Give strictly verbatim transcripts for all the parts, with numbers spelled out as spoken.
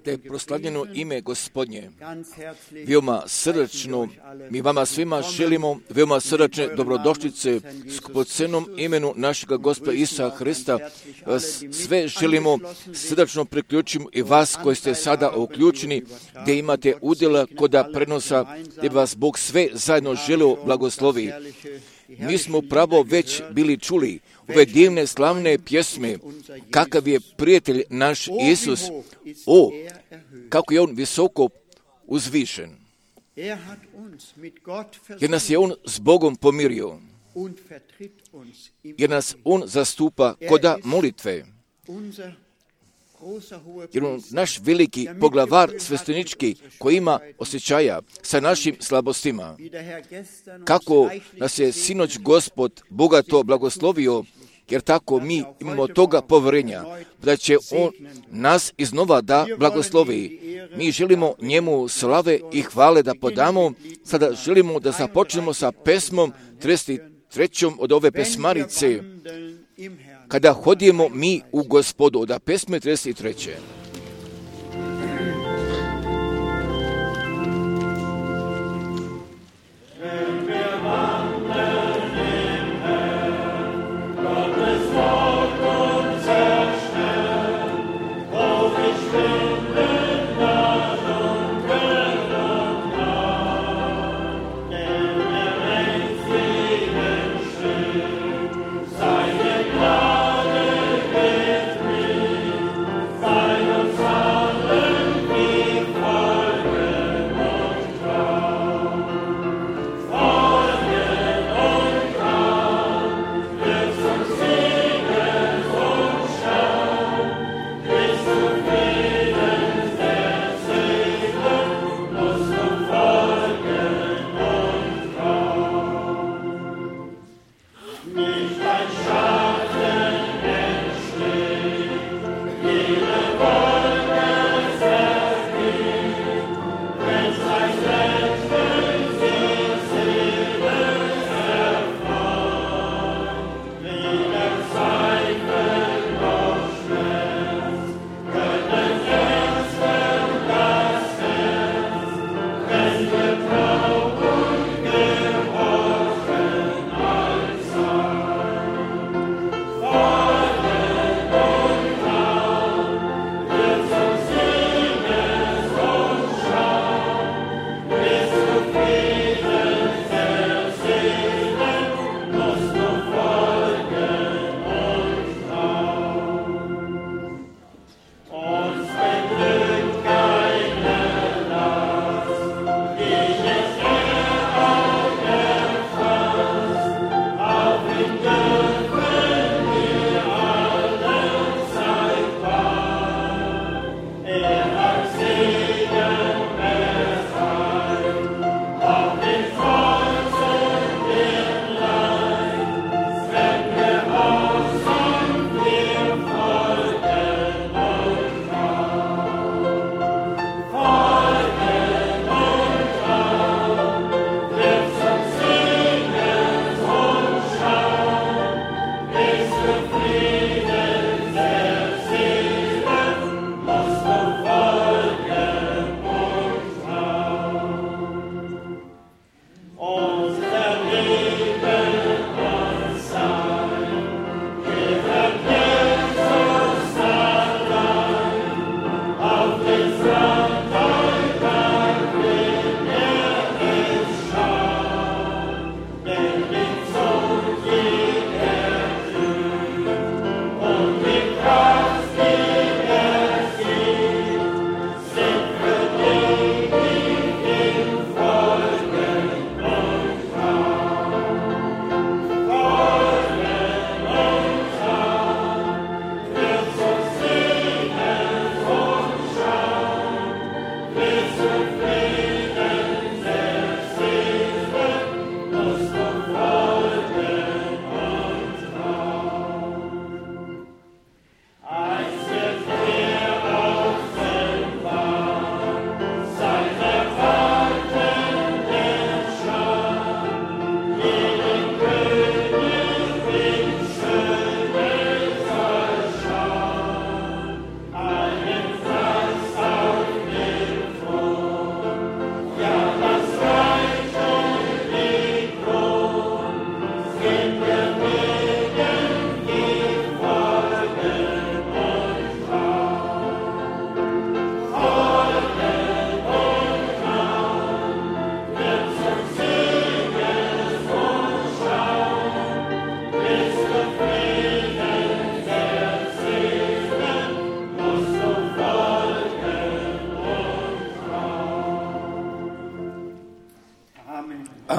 da je proslavljeno ime Gospodnje. Veoma srdačno mi vama svima želimo veoma srdačne dobrodošlice skupocenom imenu našega Gospoda Isusa Hrista. Vas sve želimo srdačno priključimo i vas koji ste sada uključeni, gdje imate udjela koda prenosa, gdje vas Bog sve zajedno želio blagoslovi. Mi smo pravo već bili čuli ove divne slavne pjesme, kakav je prijatelj naš Isus, o, kako je on visoko uzvišen. Jer nas je on s Bogom pomirio, jer nas on zastupa koda molitve. Jer on naš veliki poglavar sveštenički koji ima osjećaja sa našim slabostima. Kako nas je sinoć Gospod bogato blagoslovio, jer tako mi imamo toga poverenja, da će on nas iznova da blagoslovi. Mi želimo njemu slave i hvale da podamo. Sada želimo da započnemo sa pesmom trideset trećom od ove pesmarice. Kada hodimo mi u Gospodu, od pesme trideset treće. Seine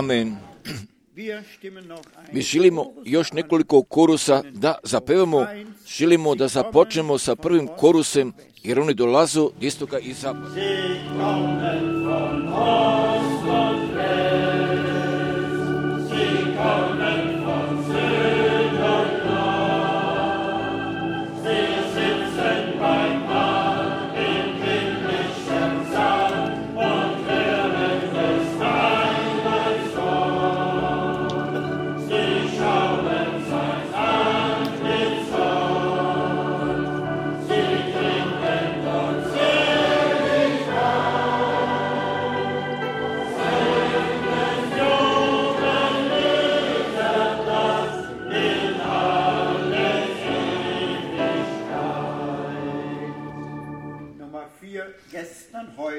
Amen. Mi želimo još nekoliko korusa da zapevamo, želimo da započnemo sa prvim korusem, jer oni dolazu istoka i zapada.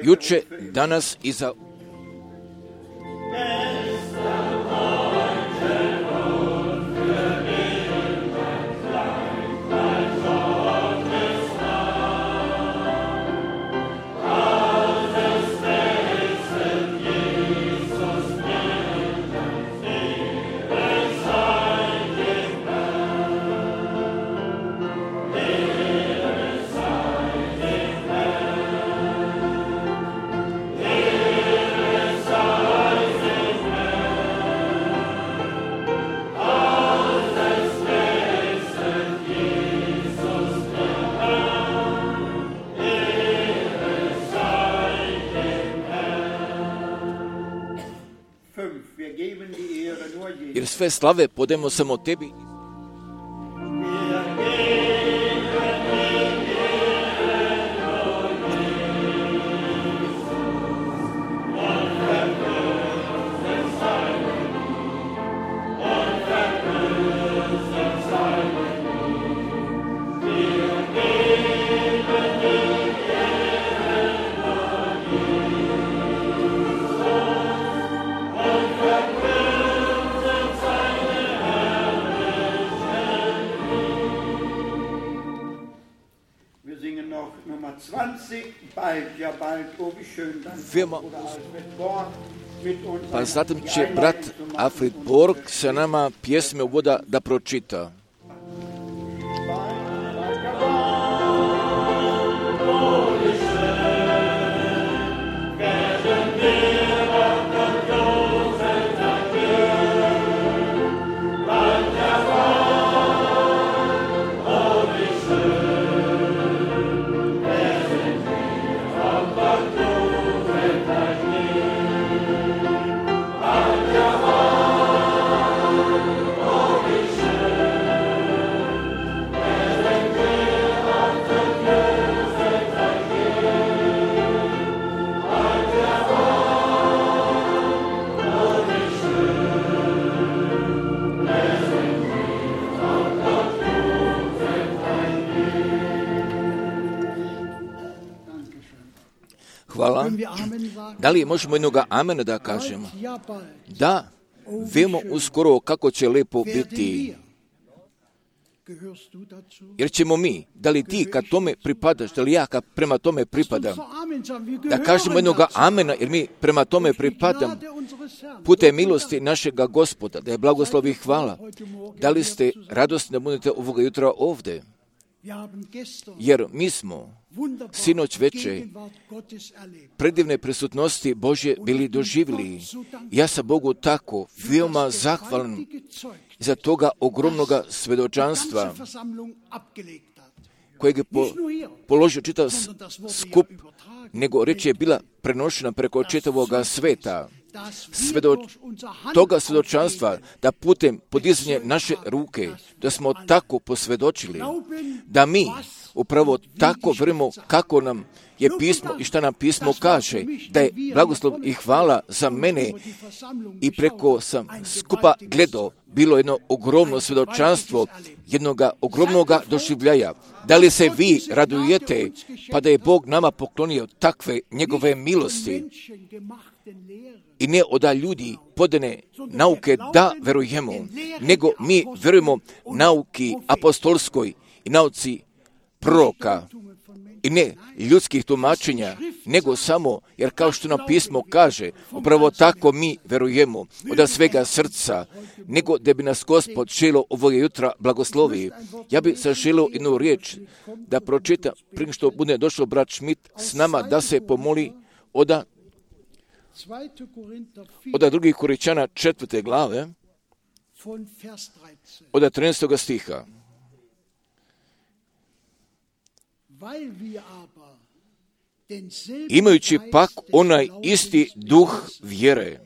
Juče, danas i za... Jer sve slave podemo samo tebi. Firma. Pa zatim će brat Alfred Borg sa nama pjesme uvoda da pročita. Hvala. Da li možemo jednoga amena da kažemo? Da, vemo uskoro kako će lepo biti. Jer ćemo mi, da li ti kad tome pripadaš, da li ja kad prema tome pripadam, da kažemo jednoga amena, jer mi prema tome pripadam, putem milosti našega Gospoda, da je blagoslov i hvala. Da li ste radosni da budete ovoga jutra ovdje? Jer mi smo sinoć veče predivne prisutnosti Božje bili doživjeli. Ja sam Bogu tako veoma zahvalan za toga ogromnoga svedočanstva kojeg je po, položio čitav skup, nego reč je bila prenošena preko čitavoga sveta. Svedoč, toga svedočanstva da putem podizanja naše ruke, da smo tako posvjedočili, da mi upravo tako vremo kako nam je pismo i šta nam pismo kaže, da je blagoslov i hvala za mene i preko sam skupa gledao bilo jedno ogromno svjedočanstvo jednoga ogromnoga doživljaja. Da li se vi radujete pa da je Bog nama poklonio takve njegove milosti i ne oda ljudi podane nauke da verujemo, nego mi verujemo nauki apostolskoj i nauci proroka i ne ljudskih tumačenja, nego samo, jer kao što nam pismo kaže, upravo tako mi verujemo od svega srca, nego da bi nas Gospod želio ovog jutra blagoslovi. Ja bi se želio jednu riječ da pročitam, prije što bude došao brat Schmidt s nama, da se pomoli oda, oda drugih Korinčana četvrte glave, od trinaestog stiha. Imajući pak onaj isti duh vjere,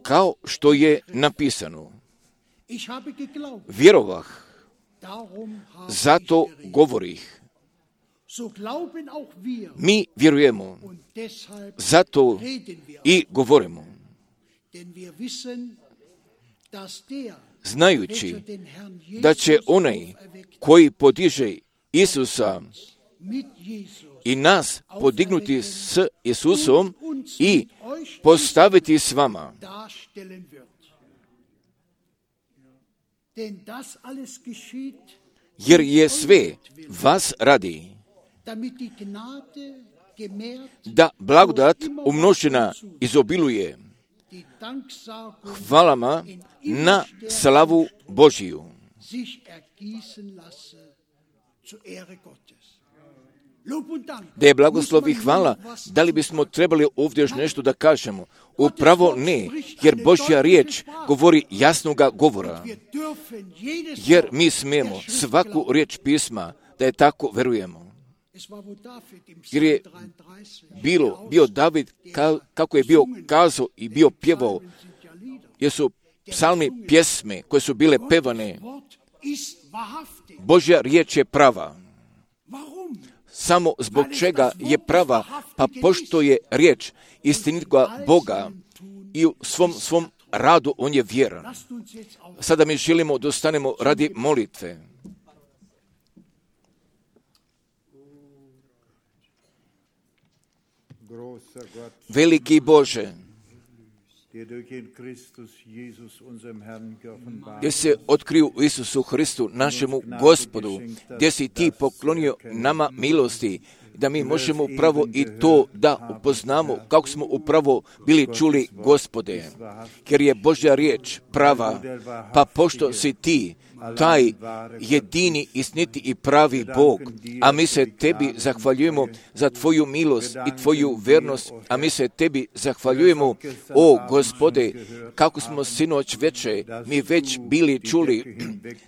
kao što je napisano. Vjerovah, zato govorih. Mi vjerujemo, zato i govorimo. Znajući da će onaj koji podiže Isusa i nas podignuti s Isusom i postaviti s vama. Jer je sve vas radi, da blagodat umnožena izobiluje hvalama na slavu Božiju. Da je blagoslov i hvala, da li bismo trebali ovdje još nešto da kažemo? Upravo ne, jer Božja riječ govori jasnoga govora. Jer mi smijemo svaku riječ pisma da je tako verujemo. Jer je bilo, bio David ka, kako je bio kazao i bio pjevao, jer su psalmi pjesme koje su bile pevane. Božja riječ je prava. Samo zbog čega je prava, pa pošto je riječ istinitoga Boga i u svom, svom radu on je vjeran. Sada mi želimo da ostanemo radi molitve. Veliki Bože, gdje se otkriju u Isusu Hristu, našemu Gospodu, gdje si ti poklonio nama milosti, da mi možemo upravo i to da upoznamo kako smo upravo bili čuli, Gospode, jer je Božja riječ prava, pa pošto si ti taj jedini, istiniti i pravi Bog, a mi se tebi zahvaljujemo za tvoju milost i tvoju vernost, a mi se tebi zahvaljujemo, o Gospode, kako smo sinoć veče mi već bili čuli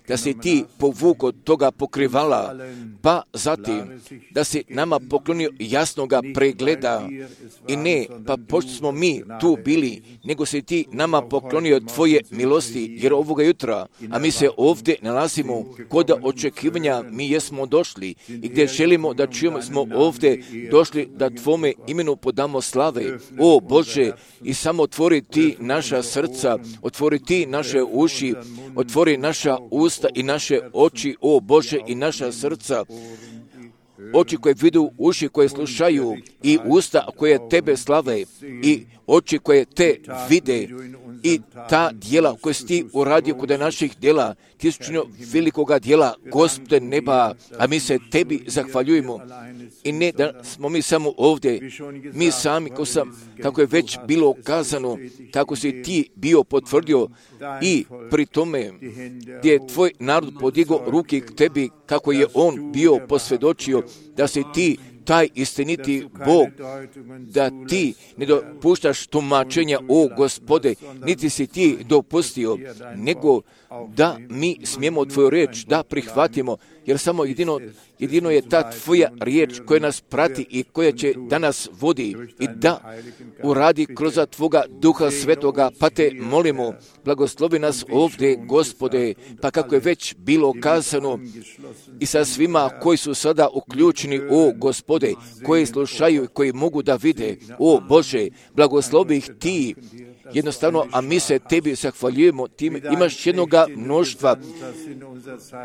da si ti povukao toga pokrivala, pa zatim da si nama poklonio jasnoga pregleda i ne, pa pošto smo mi tu bili, nego si ti nama poklonio tvoje milosti, jer ovoga jutra, a mi se ovdje nalazimo kod očekivanja, mi jesmo došli i gdje želimo da čujemo, smo ovdje došli da tvome imenu podamo slave. O Bože, i samo otvori ti naša srca, otvori ti naše uši, otvori naša usta i naše oči, o Bože, i naša srca. Oči koje vidu, uši koje slušaju i usta koje tebe slave i oči koje te vide i ta djela koje si ti uradio kod naših djela, ti si učinio velikoga djela, Gospode neba, a mi se tebi zahvaljujemo. I ne da smo mi samo ovdje, mi sami, kako, sam, kako je već bilo kazano, kako si ti bio potvrdio i pri tome gdje je tvoj narod podigao ruke k tebi, kako je on bio posvjedočio da si ti taj istiniti Bog, da ti ne dopuštaš tumačenja, o Gospode, niti si ti dopustio, nego da mi smijemo tvoju riječ da prihvatimo, jer samo jedino, jedino je ta tvoja riječ koja nas prati i koja će da nas vodi i da uradi kroz tvoga Duha Svetoga, pa te molimo, blagoslovi nas ovdje, Gospode, pa kako je već bilo kazano i sa svima koji su sada uključeni, o Gospode, koji slušaju i koji mogu da vide, o Bože, blagoslovi ih ti, jednostavno, a mi se tebi zahvaljujemo, ti imaš jednoga mnoštva,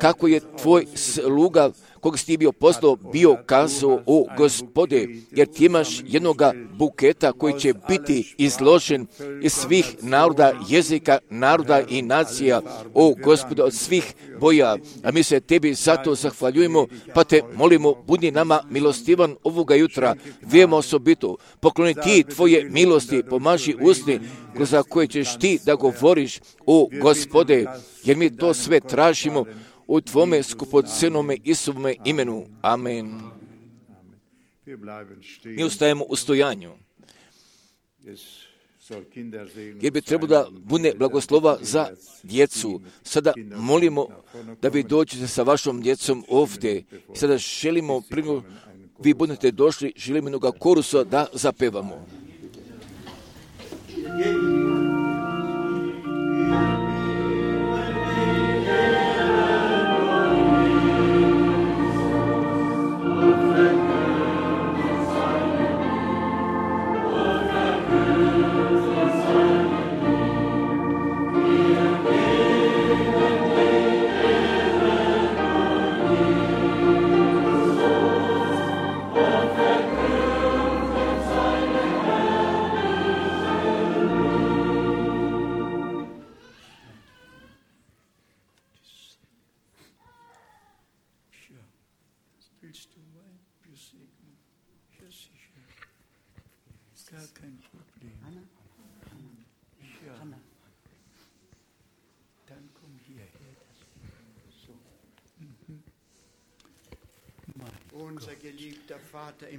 kako je tvoj sluga kog si ti bio poslao, bio kazao, o Gospode, jer ti imaš jednoga buketa koji će biti izložen iz svih naroda, jezika, naroda i nacija, o Gospode, od svih boja. A mi se tebi zato zahvaljujemo, pa te molimo, budi nama milostivan ovoga jutra, vijemo osobito, pokloni ti tvoje milosti, pomaži usni, za koje ćeš ti da govoriš, o Gospode, jer mi to sve tražimo u tvome skupocenome Isuvome imenu. Amen. Mi ustajemo u stojanju, jer bi trebalo da bude blagoslova za djecu. Sada molimo da vi dođete sa vašom djecom ovdje. Sada želimo, prvo vi budete došli, želimo jednoga korusa da zapevamo.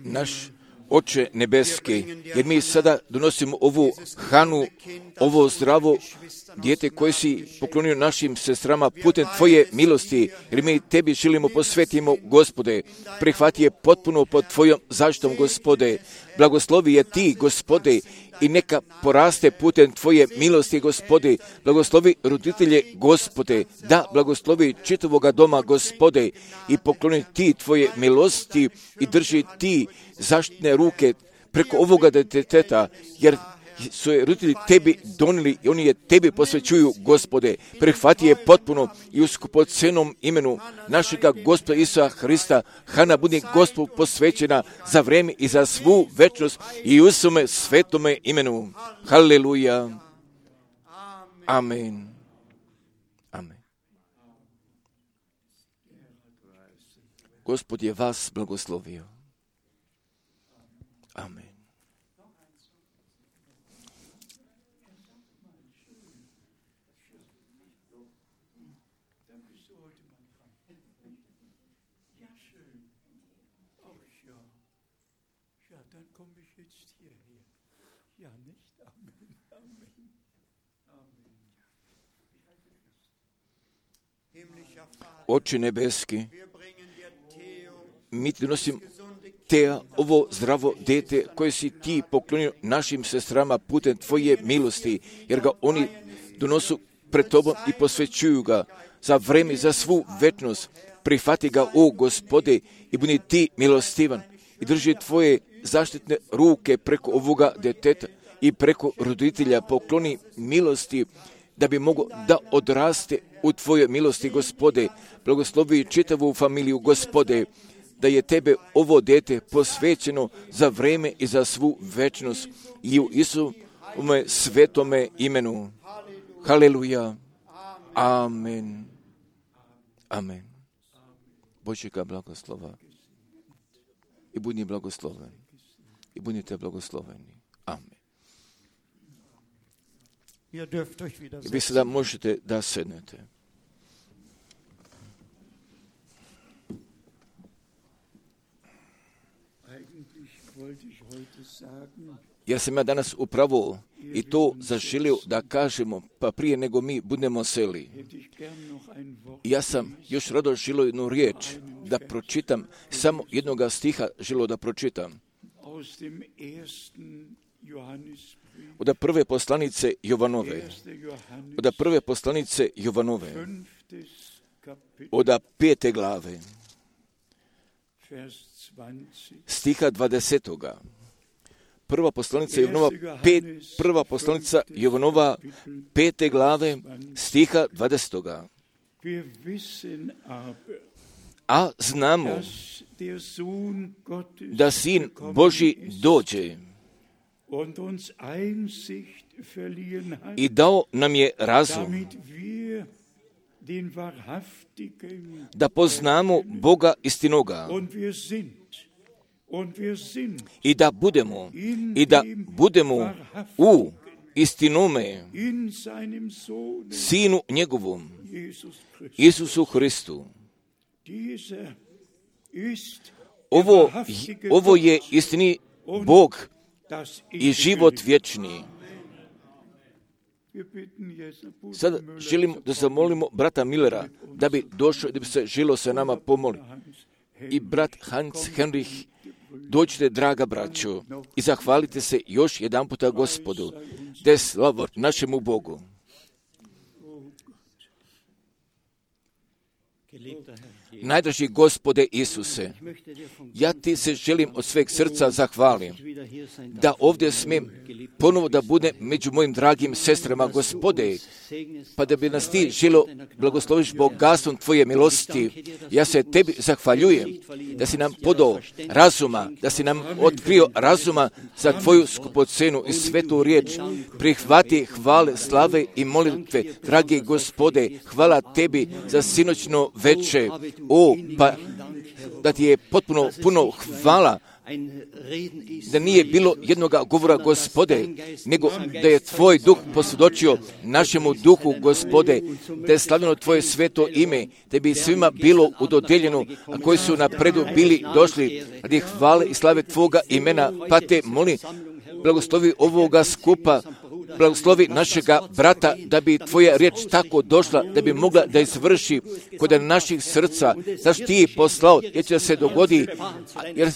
Naš Oče nebeski, jer mi sada donosimo ovu hranu, ovo zdravo dijete koje si poklonio našim sestrama putem tvoje milosti, jer mi tebi želimo posvetimo, Gospode, prihvati je potpuno pod tvojom zaštitom, Gospode, blagoslovi je ti, Gospode, i neka poraste putem tvoje milosti, Gospode, blagoslovi roditelje, Gospode, da blagoslovi čitavoga doma, Gospode, i pokloni ti tvoje milosti i drži ti zaštitne ruke preko ovoga djeteta, jer su je roditelji tebi donijeli i oni je tebi posvećuju, Gospode. Prihvati je potpuno i u skupocenom imenu našega Gospoda Isusa Hrista, Hana budi Gospodu posvećena za vrijeme i za svu večnost i u svome svetome imenu. Haleluja. Amen. Amen. Gospod je vas blagoslovio. Amen. Oče nebeski, mi ti donosim te ovo zdravo dete koje si ti poklonio našim sestrama putem tvoje milosti, jer ga oni donosu pred tobom i posvećuju ga za vreme, za svu večnost. Prihvati ga, o Gospode, i budi ti milostivan i drži tvoje zaštitne ruke preko ovoga djeteta i preko roditelja. Pokloni milosti da bi mogo da odraste u tvojoj milosti, Gospode. Blagoslovi čitavu familiju, Gospode, da je tebe ovo dete posvećeno za vreme i za svu večnost i u Isuvome svetome imenu. Haleluja. Amen. Amen. Božjega blagoslova. I budi blagosloven. I budite blagosloveni. Amen. Vi sada možete da sednete. Ja sam ja danas upravo i to zaželio da kažemo, pa prije nego mi budemo seli. Ja sam još rado želio jednu riječ da pročitam, samo jednoga stiha želio da pročitam. Od prve poslanice Jovanove, od prve poslanice Jovanove, od pete glave, stiha dvadesetoga. Prva poslanica Jovanova, pet, prva poslanica Jovanova, pete glave, stiha dvadesetoga. a znamo da Sin Božji dođe i dao nam je razum da poznamo Boga istinoga i da budemo i da budemo u istinome Sinu njegovom, Isusu Hristu. Ovo, ovo je istini Bog i život vječni. Sada želimo da zamolimo brata Millera da bi došao i da bi se želo sa nama pomoli. I brat Hans Henrich, dođite, draga braćo, i zahvalite se još jedan puta Gospodu, da je slava našemu Bogu. Najdraži Gospode Isuse, ja ti se želim od sveg srca zahvalim da ovdje smijem ponovo da budem među mojim dragim sestrama, Gospode, pa da bi nas ti želo blagosloviš bogatstvom tvoje milosti. Ja se tebi zahvaljujem da si nam podao razuma, da si nam otkrio razuma za tvoju skupocenu i svetu riječ. Prihvati hvale, slave i molitve, dragi Gospode, hvala tebi za sinoćno veče. O, pa da ti je potpuno puno hvala, da nije bilo jednoga govora, Gospode, nego da je tvoj duh posvjedočio našemu duhu, Gospode, da je slavljeno tvoje sveto ime, da bi svima bilo udodeljeno, a koji su napredu bili došli radi hvale i slave tvoga imena, pa te molim, blagoslovi ovoga skupa, blagoslovi našega brata, da bi tvoja riječ tako došla, da bi mogla da izvrši kod naših srca, zašto ti je poslao, jer će da se dogodi, jer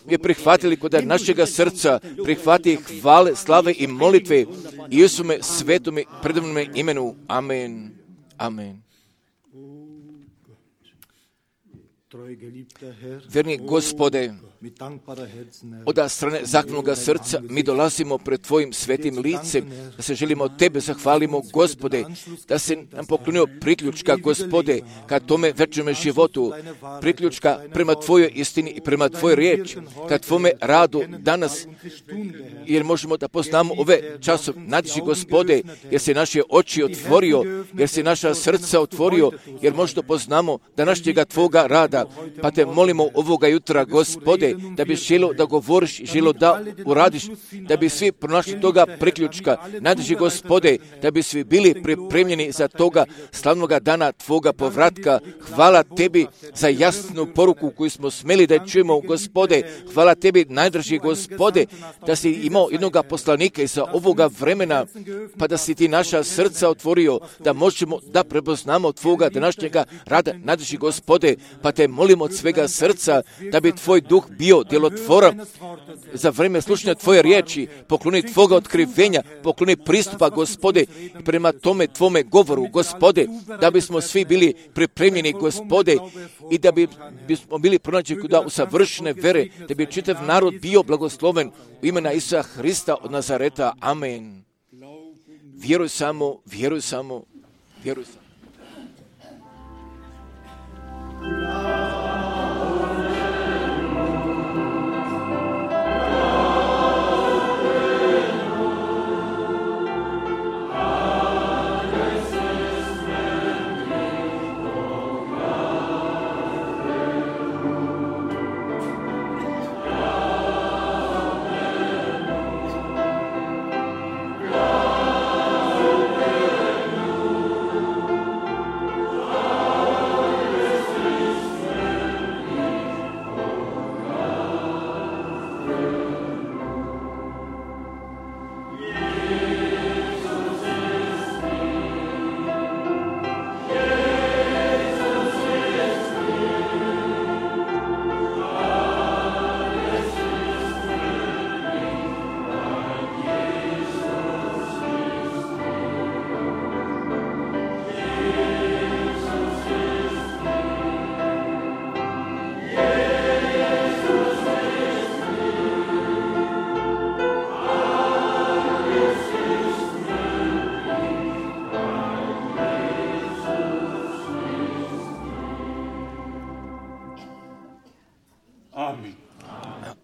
je prihvatili kod našega srca, prihvati hvale, slave i molitve, i Isume svetome predivnome imenu. Amen. Amen. Vjerni Gospode, od strane zahvalnoga srca mi dolazimo pred tvojim svetim licem, da se želimo tebe zahvalimo, Gospode, da se nam poklonio priključka, Gospode, ka tome večnome životu, priključka prema tvojoj istini i prema tvojoj riječi, ka tvome radu danas, jer možemo da poznamo ove časove. Nadiži, Gospode, jer se naše oči otvorio, jer se naša srca otvorio, jer možda poznamo današnjega tvoga rada, pa te molimo ovoga jutra, Gospode, da bi želo da govoriš, želo da uradiš, da bi svi pronašli toga priključka. Nadiži, Gospode, da bi svi bili pripremljeni za toga slavnoga dana tvoga povratka. Hvala tebi za jasnu poruku koju smo smeli da čujemo, Gospode. Hvala tebi, najdraži Gospode, da si imao jednoga poslanika iza ovoga vremena, pa da si ti naša srca otvorio, da možemo da prepoznamo tvoga današnjega rada. Najdraži Gospode, pa te molimo od svega srca da bi tvoj duh bio djelotvoran za vreme slušanja tvoje riječi, pokloni tvoga otkrivenja, pokloni pristupa, Gospode, i prema tome tvome govoru, Gospode, da bismo svi bili pripremljeni, Gospode, i da bi, bismo bili pronađeni kuda u savršene vere, da bi čitav narod bio blagosloven u imena Isusa Hrista od Nazareta. Amen. Vjeruj samo, vjeruj samo, vjeruj samo.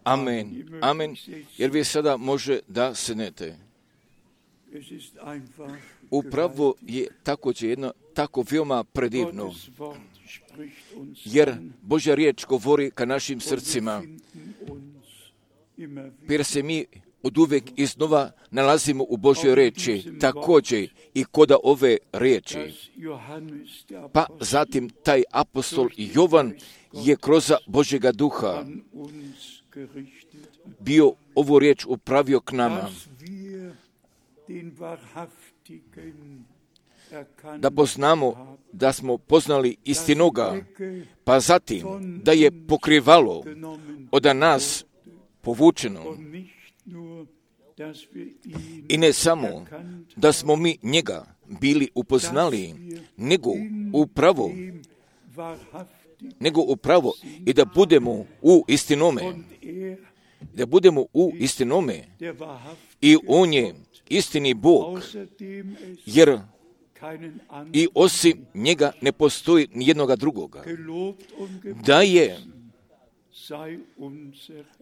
Amen. Amen. Jer vi sada može da sednete. Upravo je također jedno tako veoma predivno, jer Božja riječ govori ka našim srcima, jer se mi od uvijek iznova nalazimo u Božjoj riječi, također i koda ove riječi. Pa zatim taj apostol Jovan je kroz Božjega duha bio ovu riječ upravio k nama, da poznamo da smo poznali istinoga, pa zatim da je pokrivalo od nas povučeno. I ne samo da smo mi njega bili upoznali, nego upravo, nego upravo i da budemo u istinome, da budemo u istinome i on je istini Bog, jer i osim njega ne postoji nijednoga drugoga. Da je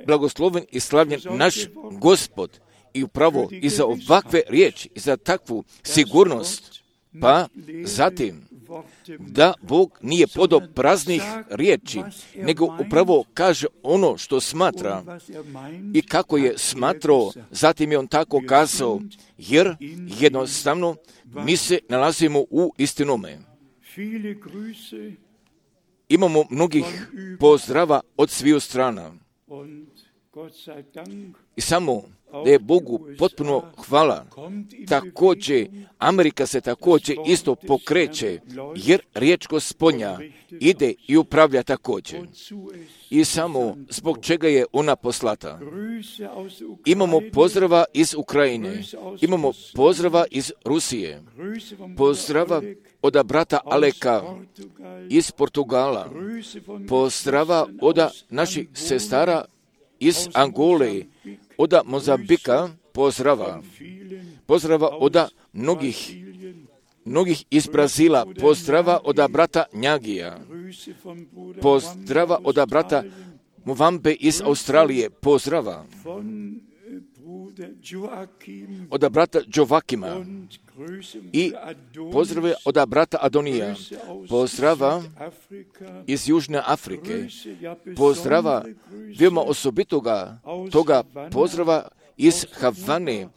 blagosloven i slavljen naš Gospod i upravo i za ovakve riječi, i za takvu sigurnost, pa zatim da Bog nije podao praznih riječi, nego upravo kaže ono što smatra i kako je smatrao, zatim je on tako kazao, jer jednostavno mi se nalazimo u istinome. Imamo mnogih pozdrava od sviju strana. I samo da je Bogu potpuno hvala. Također, Amerika se također isto pokreće, jer riječ Gospodnja ide i upravlja također. I samo zbog čega je ona poslata. Imamo pozdrava iz Ukrajine, imamo pozdrava iz Rusije, pozdrava od brata Aleka iz Portugala, pozdrava od naših sestara iz Angole, od Mozambika, pozdrava, pozdrava od mnogih, mnogih iz Brazila, pozdrava od brata Njagija, pozdrava od brata Muvambe iz Australije, pozdrava od brata Jovakima i pozdrave od brata Adonija, pozdrava iz Južne Afrike, pozdrava veoma osobitoga toga pozdrava iz Havane,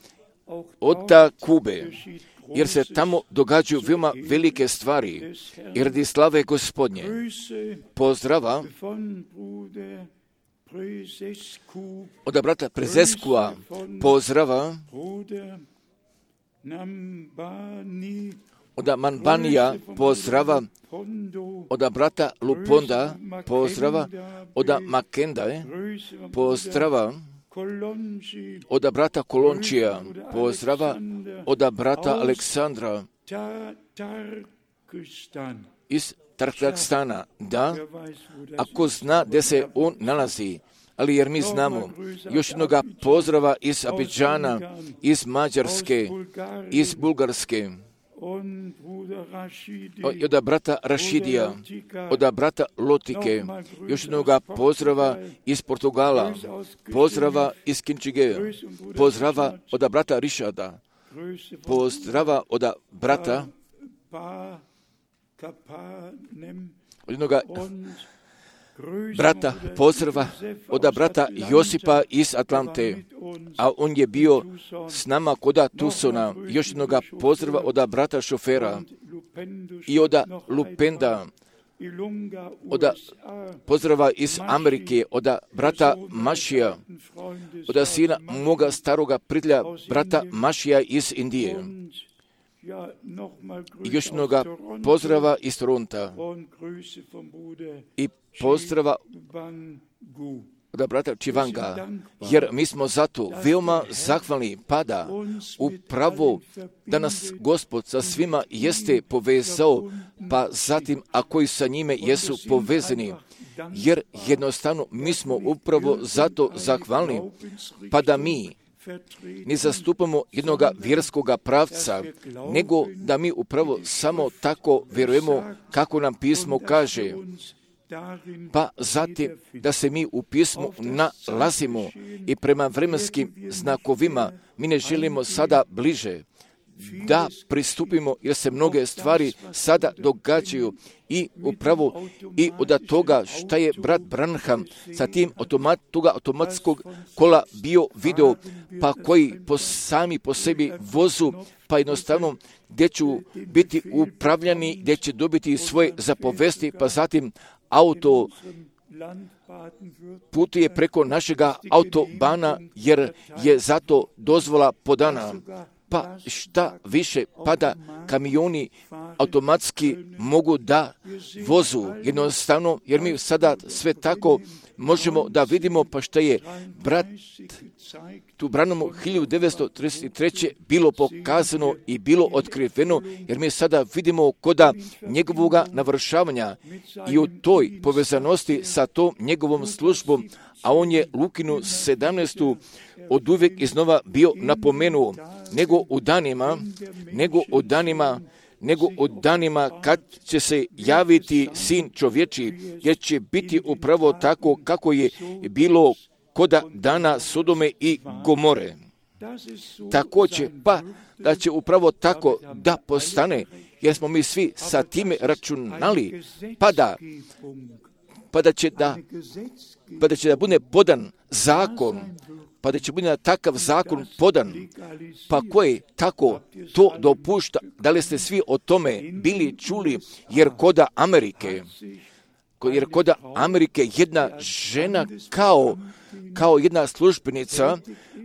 od Kube, jer se tamo događaju veoma velike stvari i radi slave Gospodnje. Pozdrava od brata Prezeskua, pozdrava od Manbanija, pozdrava od brata Luponda, pozdrava od Makendae, pozdrava od brata Kolončija, pozdrava od brata Aleksandra iz Tarkstana. Da, ako zna gdje se on nalazi, ali jer mi znamo još jednoga pozdrava iz Abidžana, iz Mađarske, iz Bulgarske, od brata Rašidija, od brata Lotike, još jednoga pozdrava iz Portugala, pozdrava iz Kinčigeja, pozdrava od brata Rišada, pozdrava od brata od jednoga brata pozdrava od brata Josipa iz Atlante, a on je bio s nama koda Tusona, još jednoga pozdrava od brata Šofera i od Lupenda, od pozdrava iz Amerike, od brata Mašija, od sina moga staroga prijatelja, brata Mašija iz Indije. I još jednoga pozdrava iz Toronta i pozdrava od brata Čivanga, jer mi smo zato veoma zahvalni pada upravo da nas Gospod sa svima jeste povezao, pa zatim a koji sa njime jesu povezani, jer jednostavno mi smo upravo zato zahvalni, pa da mi ne zastupamo jednoga vjerskoga pravca, nego da mi upravo samo tako vjerujemo kako nam pismo kaže pa zatim da se mi u pismu nalazimo i prema vremenskim znakovima mi ne želimo sada bliže da pristupimo, jer se mnoge stvari sada događaju i upravo i od toga šta je brat Branham sa tim automat, toga automatskog kola bio video, pa koji po sami po sebi vozu, pa jednostavno gdje ću biti upravljani, gdje će dobiti svoje zapovesti, pa zatim auto putuje preko našega autobana, jer je zato dozvola podana. Pa šta više, pa da kamioni automatski mogu da vozu jednostavno, jer mi sada sve tako možemo da vidimo, pa šta je brat tu Branhamu hiljadu devetsto trideset treće bilo pokazano i bilo otkriveno, jer mi sada vidimo koda njegovoga navršavanja i u toj povezanosti sa tom njegovom službom, a on je Lukinu sedamnaestu od uvijek iznova bio napomenuo, nego u danima, nego u danima, nego u danima kad će se javiti sin čovječi, jer će biti upravo tako kako je bilo koda dana Sodome i Gomore. Također, pa da će upravo tako da postane, jer smo mi svi sa time računali, pa da, pa da će da, pa da će da bude podan zakon, pa da će biti na takav zakon podan, pa koji tako to dopušta, da li ste svi o tome bili čuli, jer koda Amerike, jer koda Amerike jedna žena kao, kao jedna službenica,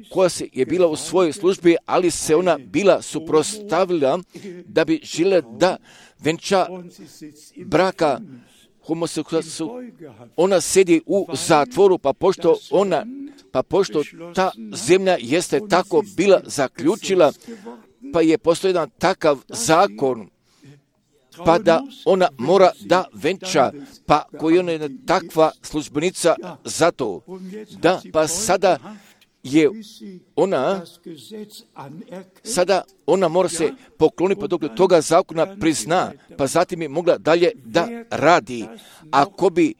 koja se je bila u svojoj službi, ali se ona bila suprotstavila da bi željela da venča braka homoseksualcu. Ona sedi u zatvoru, pa pošto ona Pa pošto ta zemlja jeste tako bila zaključila, pa je postoji jedan takav zakon, pa da ona mora da venča, pa koji ona je takva službenica za to. Da, pa sada je ona, sada ona mora se pokloniti, pa dok toga zakona prizna, pa zatim je mogla dalje da radi. Ako bi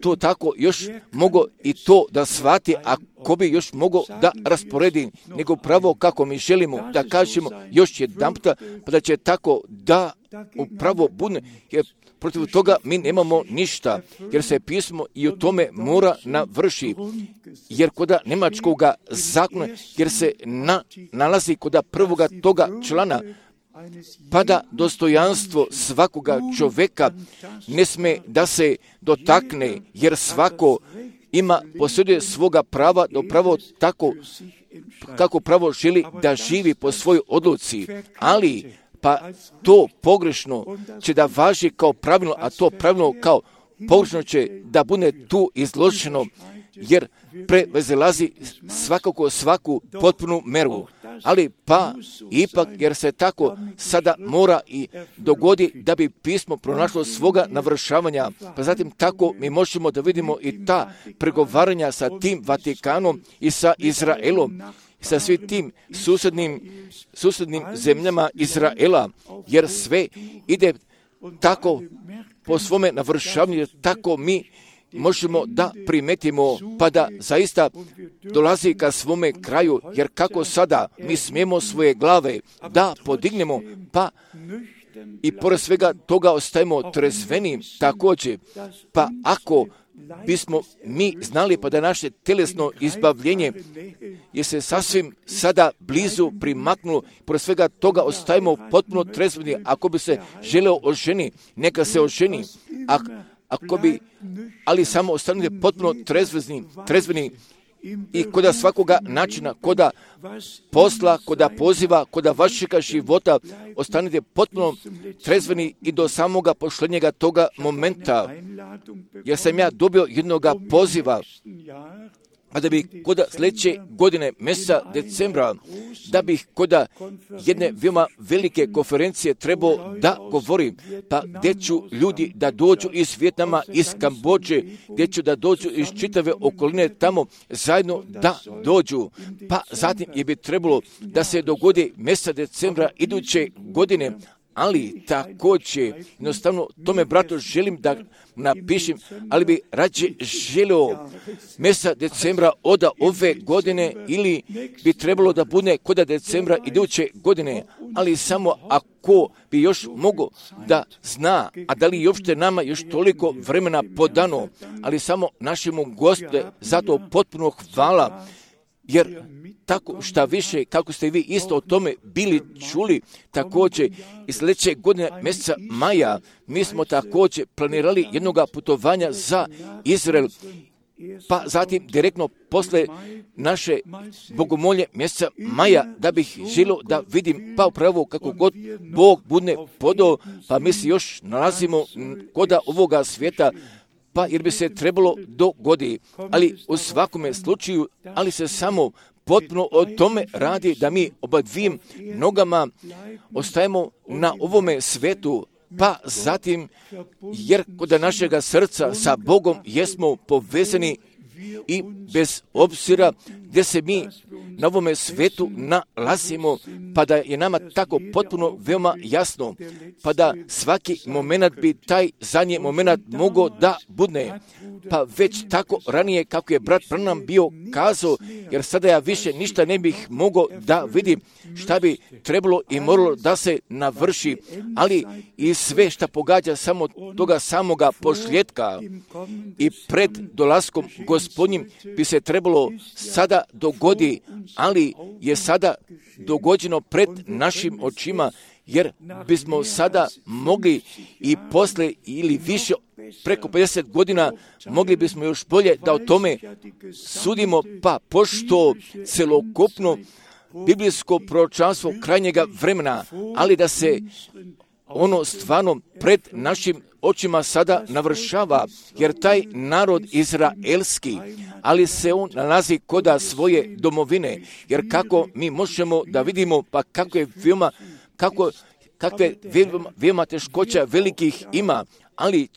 to tako još mogo i to da shvati, ako bi još mogo da rasporedi, nego pravo kako mi želimo da kažemo još jedan puta, pa da će tako da upravo bude, jer protiv toga mi nemamo ništa, jer se pismo i u tome mora navrši, jer koda nemačkoga zakona, jer se na, nalazi koda prvoga toga člana, pa da dostojanstvo svakoga čovjeka ne sme da se dotakne, jer svako ima posjeduje svoga prava da pravo tako kako pravo želi da živi po svojoj odluci, ali pa to pogrešno će da važi kao pravilno, a to pravilno kao pogrešno će da bude tu izloženo, jer prevezilazi svakako svaku potpunu meru. Ali pa ipak, jer se tako sada mora i dogodi da bi pismo pronašlo svoga navršavanja, pa zatim tako mi možemo da vidimo i ta pregovaranja sa tim Vatikanom i sa Izraelom, sa svim tim susednim, susednim zemljama Izraela, jer sve ide tako po svome navršavanju, tako mi možemo da primetimo, pa da zaista dolazi ka svome kraju, jer kako sada mi smijemo svoje glave da podignemo, pa i pored svega toga ostajemo trezveni također, pa ako bismo mi znali pa da naše telesno izbavljenje je se sasvim sada blizu primaknulo, pored svega toga ostajemo potpuno trezveni. Ako bi se želeo oženi, neka se oženi, a ako bi, ali samo ostanite potpuno trezveni, trezveni i koda svakoga načina, koda posla, koda poziva, koda vašega života, ostanite potpuno trezveni i do samoga pošlenjega toga momenta, jer sam ja dobio jednoga poziva, a da bi koda sljedeće godine, mjeseca decembra, da bih koda jedne veoma velike konferencije trebao da govorim, pa gdje ću ljudi da dođu iz Vijetnama, iz Kambođe, gdje ću da dođu iz čitave okoline tamo zajedno da dođu, pa zatim je bi trebalo da se dogodi mjeseca decembra iduće godine, ali također, jednostavno, tome bratu želim da napišem, ali bi rađe želio mjeseca decembra od ove godine ili bi trebalo da bude kod decembra iduće godine, ali samo ako bi još mogo da zna, a da li uopšte nama još toliko vremena podano, ali samo našemu Gospode zato potpuno hvala, jer tako šta više, kako ste vi isto o tome bili čuli, također i sljedeće godine mjeseca maja, mi smo također planirali jednoga putovanja za Izrael, pa zatim direktno posle naše bogomolje mjeseca maja, da bih želio da vidim, pa upravo kako god Bog bude podao, pa mi se još nalazimo koda ovoga svijeta, pa jer bi se trebalo dogodi, ali u svakome slučaju, ali se samo potpuno o tome radi da mi oba dvim nogama ostajemo na ovome svetu, pa zatim, jer kod našega srca sa Bogom jesmo povezani i bez obzira gdje se mi na ovome svetu nalazimo, pa da je nama tako potpuno veoma jasno, pa da svaki moment bi taj zadnji moment mogao da bude, pa već tako ranije kako je brat Branham bio kazao, jer sada ja više ništa ne bih mogao da vidim šta bi trebalo i moralo da se navrši, ali i sve šta pogađa samo toga samoga pošljetka i pred dolaskom Gospodnjim bi se trebalo sada dogodi, ali je sada dogođeno pred našim očima, jer bismo sada mogli i posle ili više preko pedeset godina mogli bismo još bolje da o tome sudimo, pa pošto celokupno biblijsko proročanstvo krajnjega vremena, ali da se ono stvarno pred našim očima sada navršava, jer taj narod izraelski, ali se on nalazi koda svoje domovine, jer kako mi možemo da vidimo, pa kako je veoma, kako, kakve veoma, veoma teškoća velikih ima, ali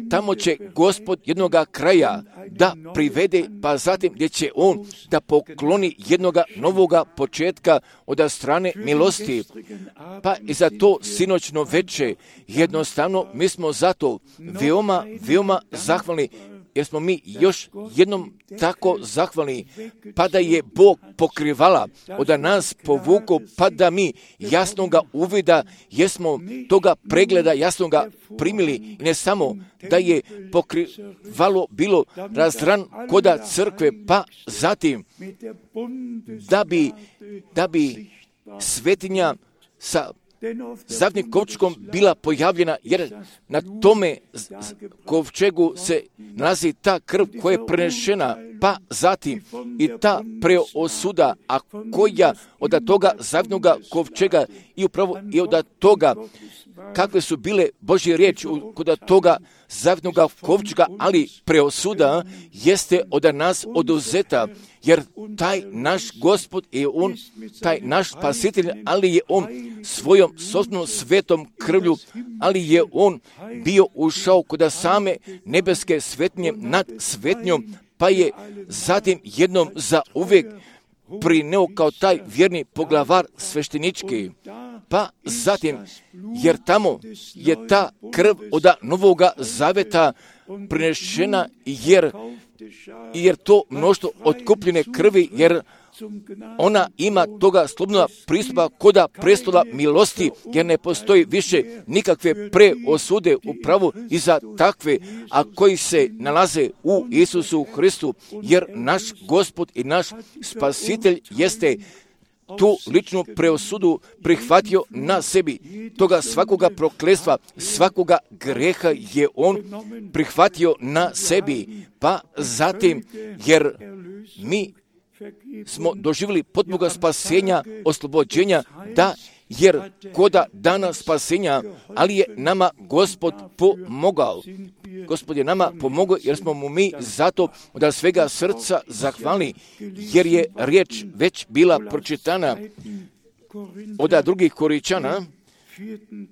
tamo će Gospod jednoga kraja da privede, pa zatim gdje će on da pokloni jednoga novoga početka od strane milosti. Pa i za to sinoćno veče jednostavno mi smo zato veoma, veoma zahvalni, jer smo mi još jednom tako zahvalni, pa da je Bog pokrivala, od nas povuko, pa da mi jasnoga uvida, jesmo toga pregleda jasnoga primili, i ne samo da je pokrivalo bilo razran koda crkve, pa zatim da bi, da bi svetinja sa zadnjim kovčegom bila pojavljena, jer na tome kovčegu se nalazi ta krv koja je prenešena, pa zatim i ta preosuda, a koja od toga zavnoga kovčega i upravo i od toga kakve su bile Božje riječi kod toga zavnoga kovčega, ali preosuda jeste od nas oduzeta, jer taj naš Gospod je on, taj naš spasitelj, ali je on svojom sopstvenom svetom krvlju, ali je on bio ušao kod same nebeske svetnje nad svetnjom, pa je zatim jednom za uvijek prineo kao taj vjerni poglavar sveštenički. Pa zatim, jer tamo je ta krv od novoga zaveta prinešena, jer, jer to mnoštvo otkupljene krvi, jer ona ima toga slobodnog pristupa koda prestola milosti, jer ne postoji više nikakve preosude upravo i za takve, a koji se nalaze u Isusu Hristu, jer naš Gospod i naš Spasitelj jeste tu ličnu preosudu prihvatio na sebi. Toga svakoga prokletstva, svakoga greha je on prihvatio na sebi. Pa zatim, jer mi smo doživjeli potpunog spasenja, oslobođenja, da, jer koda dana spasenja, ali je nama Gospod pomogao. Gospod je nama pomogao, jer smo mu mi zato od svega srca zahvalni, jer je riječ već bila pročitana od drugih Koričana,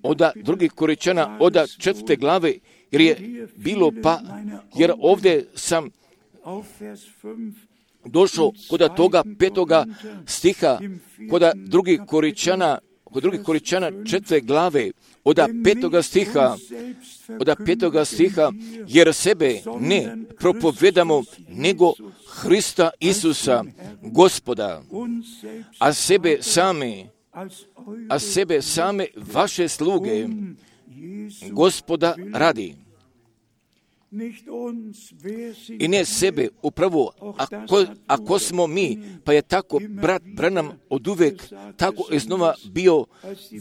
od drugih Koričana, od četvrte glave, jer je bilo pa, jer ovdje sam došao kod toga petoga stiha, kod drugih Koričana, kod drugih Koričana četvrte glave, od petoga stiha, od petoga stiha, jer sebe ne propovedamo, nego Hrista Isusa, Gospoda, a sebe same, a sebe same vaše sluge, Gospoda radi. I ne sebe, upravo, ako, ako smo mi, pa je tako brat Branham oduvek tako iznova bio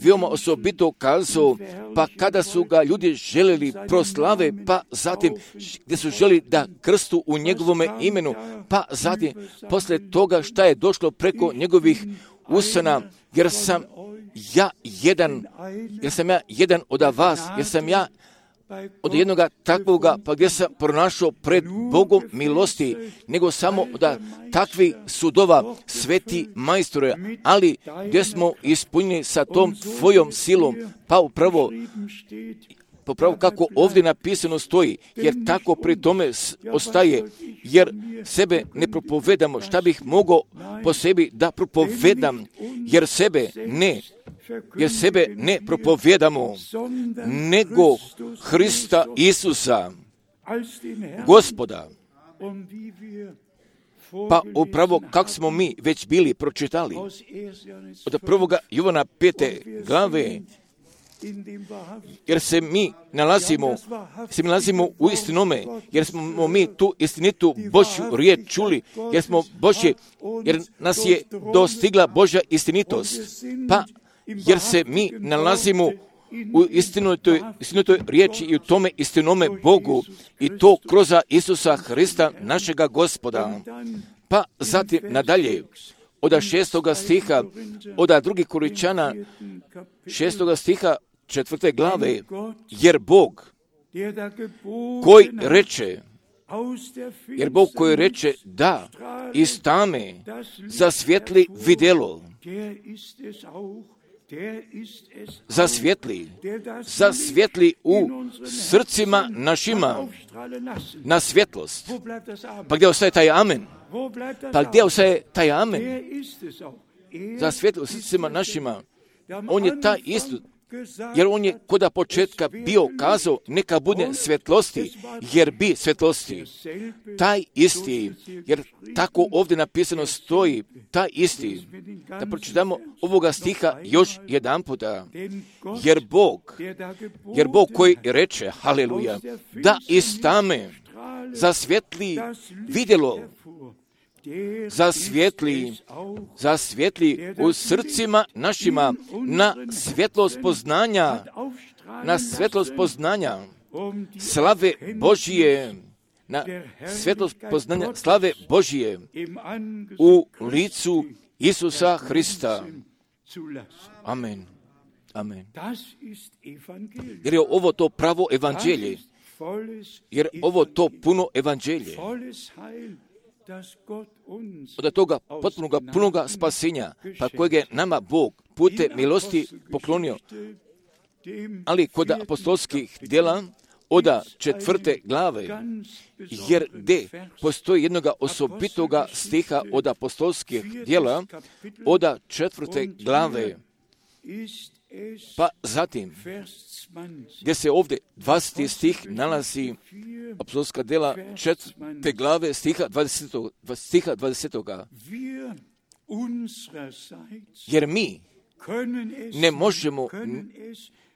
veoma osobito kazao, pa kada su ga ljudi željeli proslave, pa zatim gdje su želi da krstu u njegovome imenu, pa zatim posle toga šta je došlo preko njegovih usana, jer sam ja jedan, jer sam ja jedan od vas, jer sam ja od jednoga takvoga, pa gdje sam pronašao pred Bogom milosti, nego samo da takvi sudova sveti majstore, ali gdje smo ispunjeni sa tom tvojom silom, pa upravo, pa upravo kako ovdje napisano stoji, jer tako pri tome ostaje, jer sebe ne propovedamo, šta bih mogao po sebi da propovedam, jer sebe ne jer sebe ne propovedamo, nego Hrista Isusa, Gospoda. Pa upravo kako smo mi već bili pročitali od prvoga Jovana pete glave, jer se mi nalazimo, se mi nalazimo u istinome, jer smo mi tu istinitu Božju riječ čuli, jer smo Božje, jer nas je dostigla Božja istinitost, pa jer se mi nalazimo u istinitoj, istinitoj riječi i u tome istinome Bogu, i to kroz Isusa Hrista, našega Gospoda. Pa zatim nadalje, od šestoga stiha, od drugih Koričana, šestoga stiha, četvrte glave, jer Bog koji reče, jer Bog koji reče da iz tame zasvjetli vidjelo, zasvjetli, zasvjetli u srcima našima na svjetlost. Pa gdje ostaje taj amen? Pa gdje ostaje taj amen? Zasvjetli u srcima našima. On je taj isto, jer on je koda početka bio kazao, neka bude svjetlosti, jer bi svjetlosti. Taj isti, jer tako ovdje napisano stoji, taj isti. Da pročitamo ovoga stiha još jedan puta. Jer Bog, jer Bog koji reče, haleluja, da iz tame zasvjetli vidjelo, zasvjetli, zasvjetli u srcima našima na svjetlost poznanja, na svjetlost poznanja slave Božije, na svjetlost poznanja slave Božije u licu Isusa Hrista. Amen. Amen. Jer je ovo to pravo evanđelje, jer ovo to puno evanđelje, od toga potpunoga punoga spasenja, pa kojeg je nama Bog pute milosti poklonio. Ali kod apostolskih djela, od četvrte glave, jer gdje postoji jednoga osobitoga stiha od apostolskih djela, od četvrte glave, pa zatim, gdje se ovdje dvadeseti stih nalazi, apostolska djela četvrte glave, stiha dvadesetog. Stiha dvadesetoga. Jer mi ne možemo,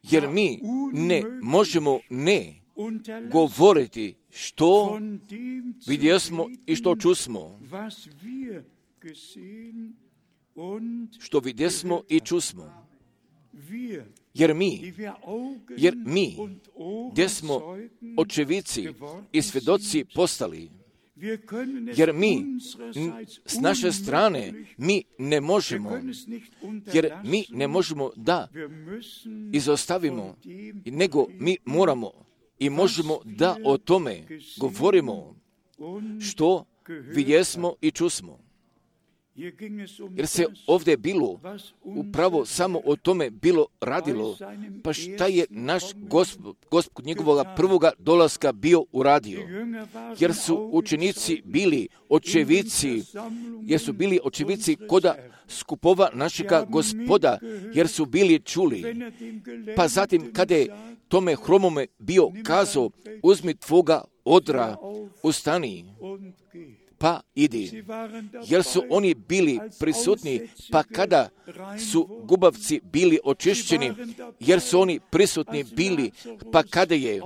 jer mi ne možemo ne govoriti što vidjesmo i što čusmo. Što vidjesmo i čusmo. Jer mi, jer mi, gdje smo očevici i svjedoci postali, jer mi, s naše strane, mi ne možemo, jer mi ne možemo da izostavimo, nego mi moramo i možemo da o tome govorimo što vidjesmo i čusmo. jer se ovdje bilo upravo samo o tome bilo radilo. Pa šta je naš gospod, gospod njegovoga prvoga dolaska bio uradio? Jer su učenici bili očevici, jer su bili očevici koda skupova našega Gospoda, jer su bili čuli. Pa zatim, kada je tome hromome bio kazao, uzmi tvoga odra, ustani, pa idi. Jer su oni bili prisutni, pa kada su gubavci bili očišćeni, jer su oni prisutni bili, pa kada je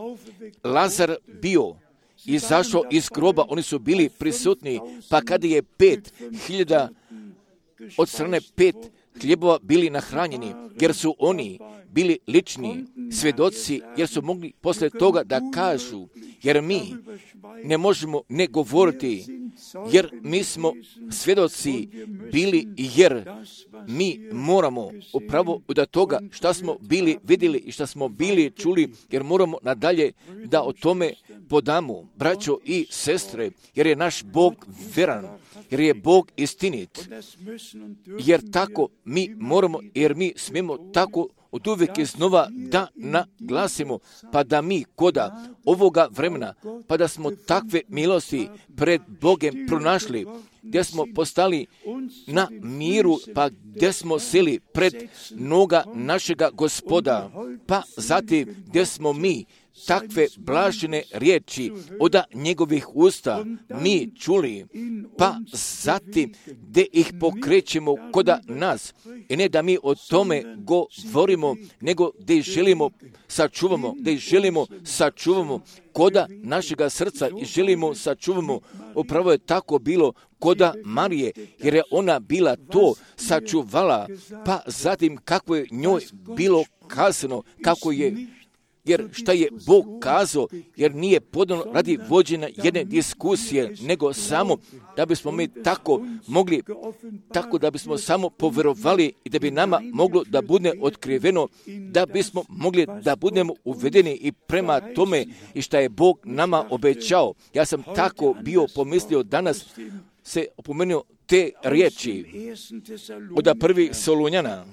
Lazar bio izašao iz groba, oni su bili prisutni, pa kada je pet hiljada od strane pet hljebova bili nahranjeni, jer su oni bili lični svjedoci, jer su mogli posle toga da kažu, jer mi ne možemo ne govoriti, jer mi smo svjedoci bili, jer mi moramo upravo od toga šta smo bili vidjeli i šta smo bili čuli, jer moramo nadalje da o tome podamo, braćo i sestre, jer je naš Bog veran, jer je Bog istinit, jer tako mi moramo, jer mi smijemo tako od uvijek iznova da naglasimo, pa da mi koda ovoga vremena, pa da smo takve milosti pred Bogem pronašli, gdje smo postali na miru, pa gdje smo seli pred noga našega Gospoda, pa zatim gdje smo mi takve blažene riječi od njegovih usta mi čuli, pa zatim gdje ih pokrećemo koda nas, i ne da mi o tome govorimo, nego gdje ih želimo sačuvamo, gdje ih želimo sačuvamo koda našega srca i želimo sačuvamo. Upravo je tako bilo koda Marije, jer je ona bila to sačuvala, pa zatim kako je njoj bilo kazano, kako je, jer šta je Bog kazao, jer nije podano radi vođenja jedne diskusije, nego samo da bismo mi tako mogli, tako da bismo samo povjerovali i da bi nama moglo da bude otkriveno, da bismo mogli da budemo uvedeni i prema tome i šta je Bog nama obećao. Ja sam tako bio pomislio danas, se opomenuo te riječi od prvih Solunjana,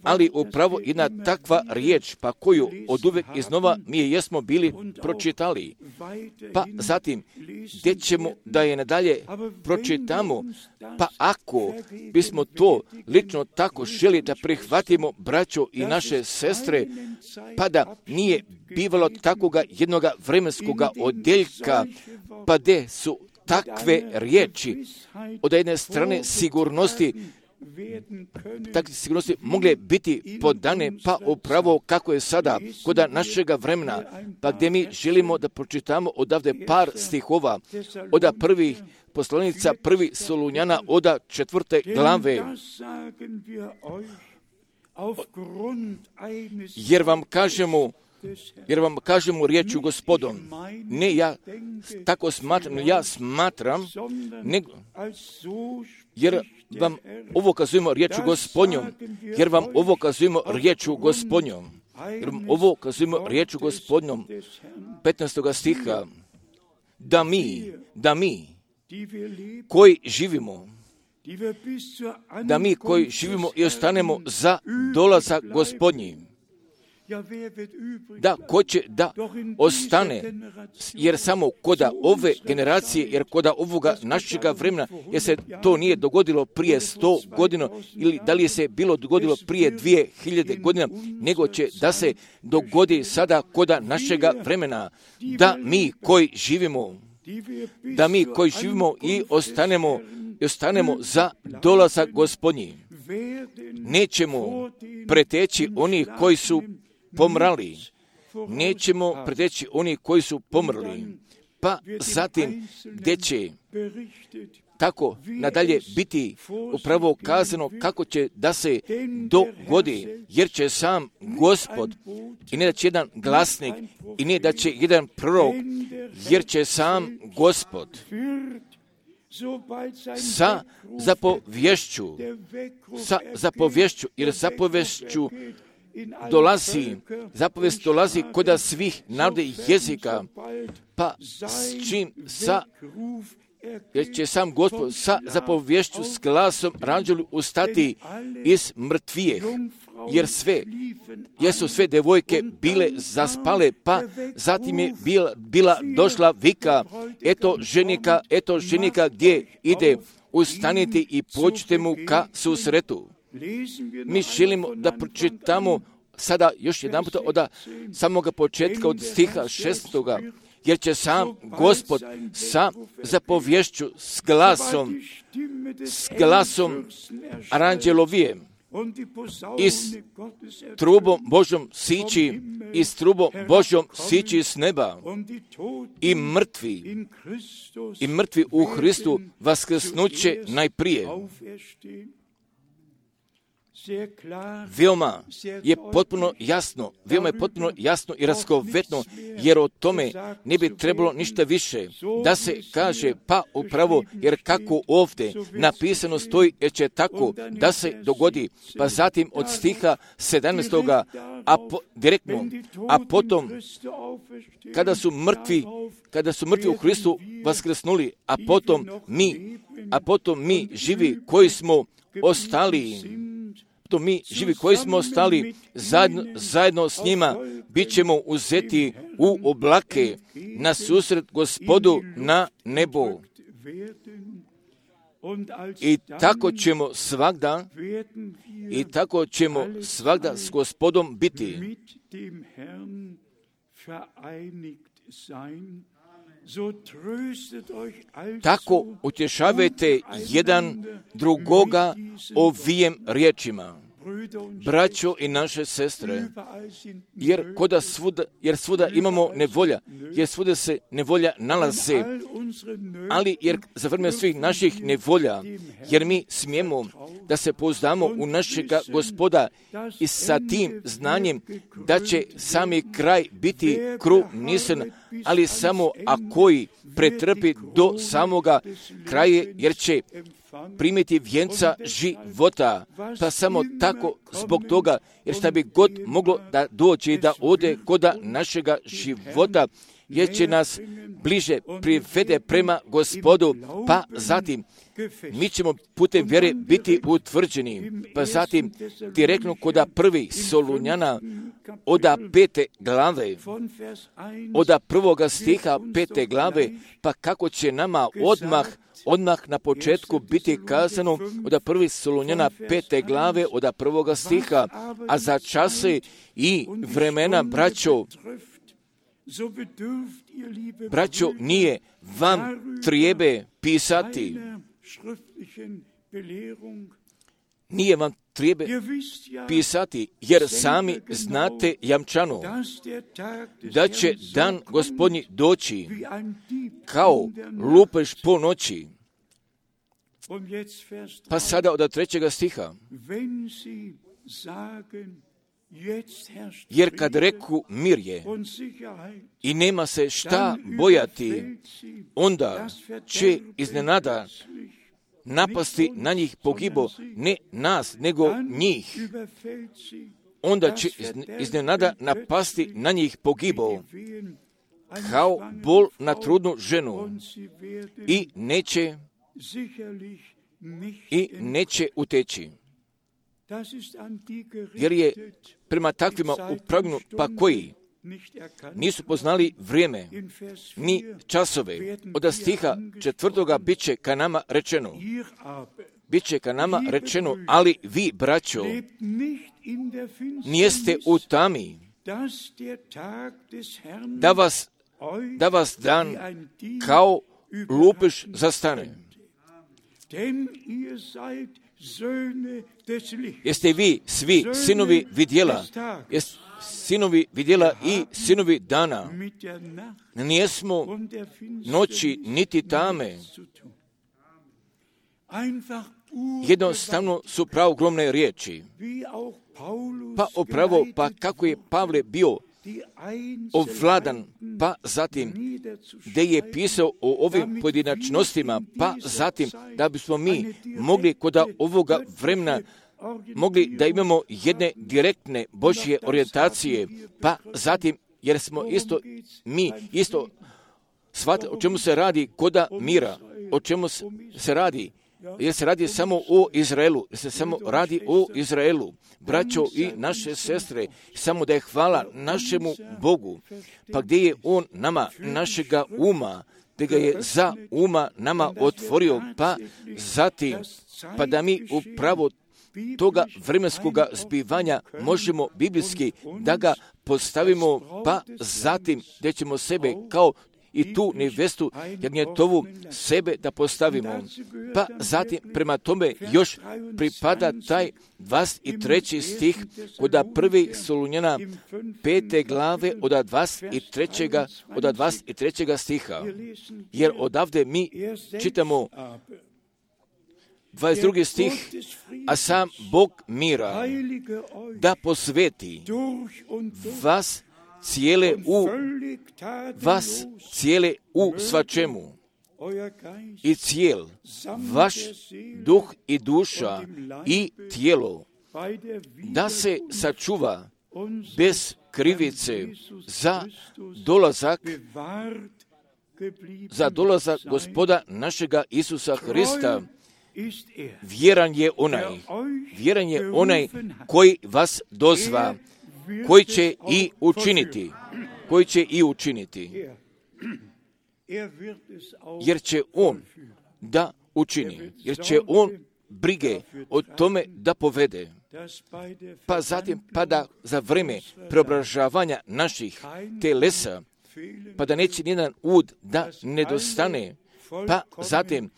ali upravo jedna takva riječ, pa koju od uvijek iznova mi je jesmo bili pročitali. Pa zatim, gdje ćemo da je nadalje pročitamo, pa ako bismo to lično tako želi da prihvatimo, braćo i naše sestre, pa da nije bivalo takoga jednoga vremenskoga odjeljka, pa gdje su takve riječi od jedne strane sigurnosti, takve sigurnosti mogle biti podane, pa upravo kako je sada kod našega vremena, pa gdje mi želimo da pročitamo odavde par stihova od prvih poslanica, prvi Solunjana od četvrte glave. Jer vam kažemo, jer vam kažemo riječu Gospodom. Ne ja tako smatram, ja smatram, nego, jer vam ovo kazujemo riječu Gospodnjom, jer vam ovo kazujemo riječu Gospodnjom, jer vam ovo kazujemo riječu Gospodnjom, petnaestog stiha, da mi, da mi, koji živimo, da mi koji živimo i ostanemo za dolazak Gospodnji, da ko će da ostane, jer samo koda ove generacije, jer koda ovoga našega vremena, jer se to nije dogodilo prije sto godina, ili da li je se bilo dogodilo prije dvije hiljade godina, nego će da se dogodi sada koda našega vremena, da mi koji živimo, da mi koji živimo i ostanemo, i ostanemo za dolazak Gospodnji, nećemo preteći oni koji su pomrali, nećemo preteći oni koji su pomrli, pa zatim gdje će tako nadalje biti upravo kazano kako će da se dogodi, jer će sam Gospod, i ne da će jedan glasnik, i ne da će jedan prorok, jer će sam Gospod sa zapovješću, sa zapovješću, jer zapovješću dolazi, zapovijest dolazi koda svih naroda i jezika, pa s čim sa jer će sam Gospod sa zapovješću s glasom ranđelu ustati iz mrtvijeh, jer sve, jer su sve devojke bile zaspale, pa zatim je bila, bila došla vika, eto ženika, eto ženika gdje ide, ustanite i pođite mu ka susretu. Mi želimo da pročitamo sada još jedan puta od samoga početka, od stiha šestoga, jer će sam Gospod sa zapovješću s glasom, s glasom aranđelovijem, i s trubom Božjom sići, i s trubom Božjom sići s neba, i mrtvi, i mrtvi u Hristu vaskrsnuće najprije. Veoma je potpuno jasno, veoma je potpuno jasno i raskovetno, jer o tome ne bi trebalo ništa više da se kaže, pa upravo, jer kako ovdje napisano stoji, jer će tako da se dogodi, pa zatim od stiha sedamnaestoga a po, direktno, a potom kada su mrtvi, kada su mrtvi u Hristu vaskrsnuli, a potom mi, a potom mi živi koji smo ostali, to mi živi koji smo ostali zajedno, zajedno s njima, bit ćemo uzeti u oblake na susret Gospodu na nebo. I tako ćemo svagda, i tako ćemo svagda s Gospodom biti. Tako utješavajte jedan drugoga ovijem riječima, braćo i naše sestre, jer koda svuda, jer svuda imamo nevolja, jer svuda se nevolja nalaze, ali jer za vrijeme svih naših nevolja, jer mi smijemo da se pouzdamo u našega Gospoda i sa tim znanjem da će sami kraj biti krunisan, ali samo a koji pretrpi do samoga kraja, jer će primiti vjenca života, pa samo tako zbog toga, jer šta bi god moglo da dođe i da ode koda našega života, jer će nas bliže privede prema Gospodu, pa zatim mi ćemo putem vjere biti utvrđeni, pa zatim direktno koda prvi Solunjana oda pete glave, oda prvoga stiha pete glave, pa kako će nama odmah odmah na početku biti kazano od prvi Solunjana pete glave od prvoga stiha, a za čase i vremena, braćo, braćo, nije vam trijebe pisati, nije vam trijebe pisati, jer sami znate jamčano da će dan Gospodnji doći kao lupež po noći. Pa sada od trećega stiha. Jer kad reku mir je i nema se šta bojati, onda će iznenada napasti na njih pogibo, ne nas, nego njih. Onda će iznenada napasti na njih pogibo, kao bol na trudnu ženu, i neće, i neće uteći. Jer je prema takvima upravljeno, pa koji nisu poznali vrijeme, ni časove. Od stiha četvrtoga bit će ka nama rečeno, bit će ka nama rečeno, ali vi, braćo, nijeste u tami, da vas, da vas dan kao lupež zastane. Jeste vi svi sinovi vidjela, jeste sinovi vidjela i sinovi dana. Nijesmo noći niti tame. Jednostavno su pravogromne riječi. Pa upravo, pa kako je Pavle bio ovladan, pa zatim gdje je pisao o ovim pojedinačnostima, pa zatim da bismo mi mogli kod ovoga vremena mogli da imamo jedne direktne Božje orijentacije, pa zatim jer smo isto, mi isto shvatili o čemu se radi koda mira. o čemu se radi? Jer se radi samo o Izraelu, jer se samo radi o Izraelu. Braćo i naše sestre, samo da je hvala našemu Bogu. Pa gdje je On nama, našega uma, da ga je za uma nama otvorio, pa zatim, pa da mi upravo toga vremenskoga zbivanja možemo biblijski da ga postavimo, pa zatim da ćemo sebe kao i tu nevestu jagnjetovu sebe da postavimo. Pa zatim prema tome još pripada taj dvadeset treći stih kod prvi Solunjana pete glave od dvadeset trećega od dvadeset trećega stiha. Jer odavde mi čitamo dvadeset drugi stih, a sam Bog mira da posveti vas cijele u vas cijele u svačemu i cijel vaš duh i duša i tijelo da se sačuva bez krivice za dolazak za dolazak Gospoda našega Isusa Hrista. Vjeran je onaj, vjeran je onaj koji vas dozva, koji će i učiniti, koji će i učiniti, jer će On da učini, jer će On brige o tome da povede. Pa zatim, pa da za vrijeme preobražavanja naših telesa, pa da neće nijedan ud da nedostane, pa zatim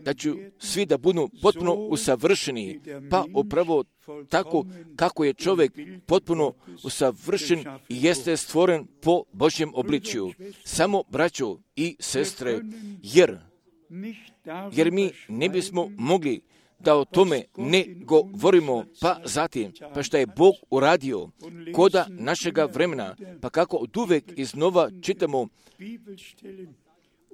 da ću svi da budu potpuno usavršeni, pa upravo tako kako je čovjek potpuno usavršen i jeste stvoren po Božjem obličju. Samo braćo i sestre, jer, jer mi ne bismo mogli da o tome ne govorimo, pa zatim, pa šta je Bog uradio koda našega vremena, pa kako od uvek iznova čitamo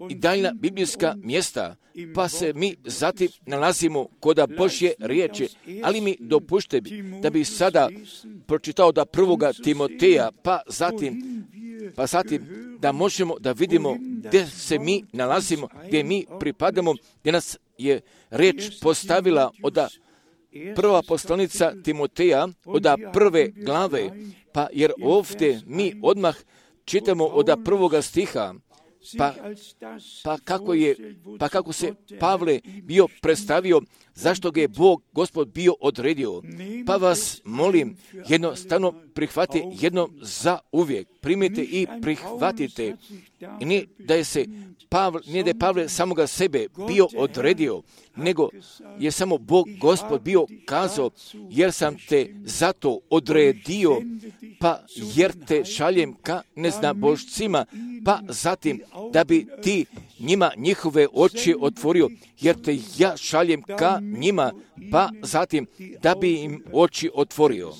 i daljna biblijska mjesta, pa se mi zatim nalazimo koda Božje riječi, ali mi dopušte da bi sada pročitao da prvoga Timoteja, pa zatim, pa zatim da možemo da vidimo gdje se mi nalazimo, gdje mi pripadamo, gdje nas je riječ postavila od prva poslanica Timoteja, od prve glave, pa jer ovdje mi odmah čitamo od prvoga stiha, Pa, pa, kako je, pa kako se Pavle bio predstavio, zašto ga je Bog, Gospod, bio odredio. Pa vas molim, jednostavno prihvati jednom za uvijek. Primite i prihvatite. I nije da je se Pavle, nije da je Pavle samoga sebe bio odredio, nego je samo Bog, Gospod, bio kazao, jer sam te zato odredio, pa jer te šaljem ka neznabošcima, pa zatim da bi ti njima njihove oči otvorio, jer te ja šaljem ka njima, pa zatim da bi im oči otvorio.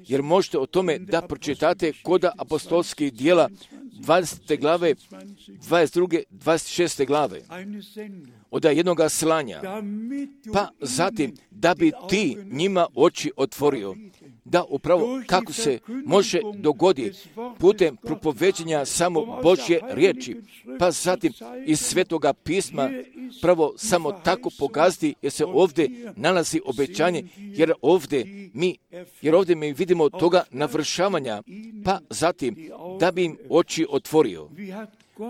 Jer možete o tome da pročitate koda apostolskih dijela dvadesete glave, dvadeset druge, dvadeset šeste glave. Od jednoga slanja, pa zatim da bi ti njima oči otvorio. Da upravo kako se može dogoditi putem propoveđenja samo Božje riječi, pa zatim iz Svetoga pisma pravo samo tako pokazati, jer se ovdje nalazi obećanje, jer ovdje mi, jer ovdje mi vidimo toga navršavanja, pa zatim da bi im oči otvorio.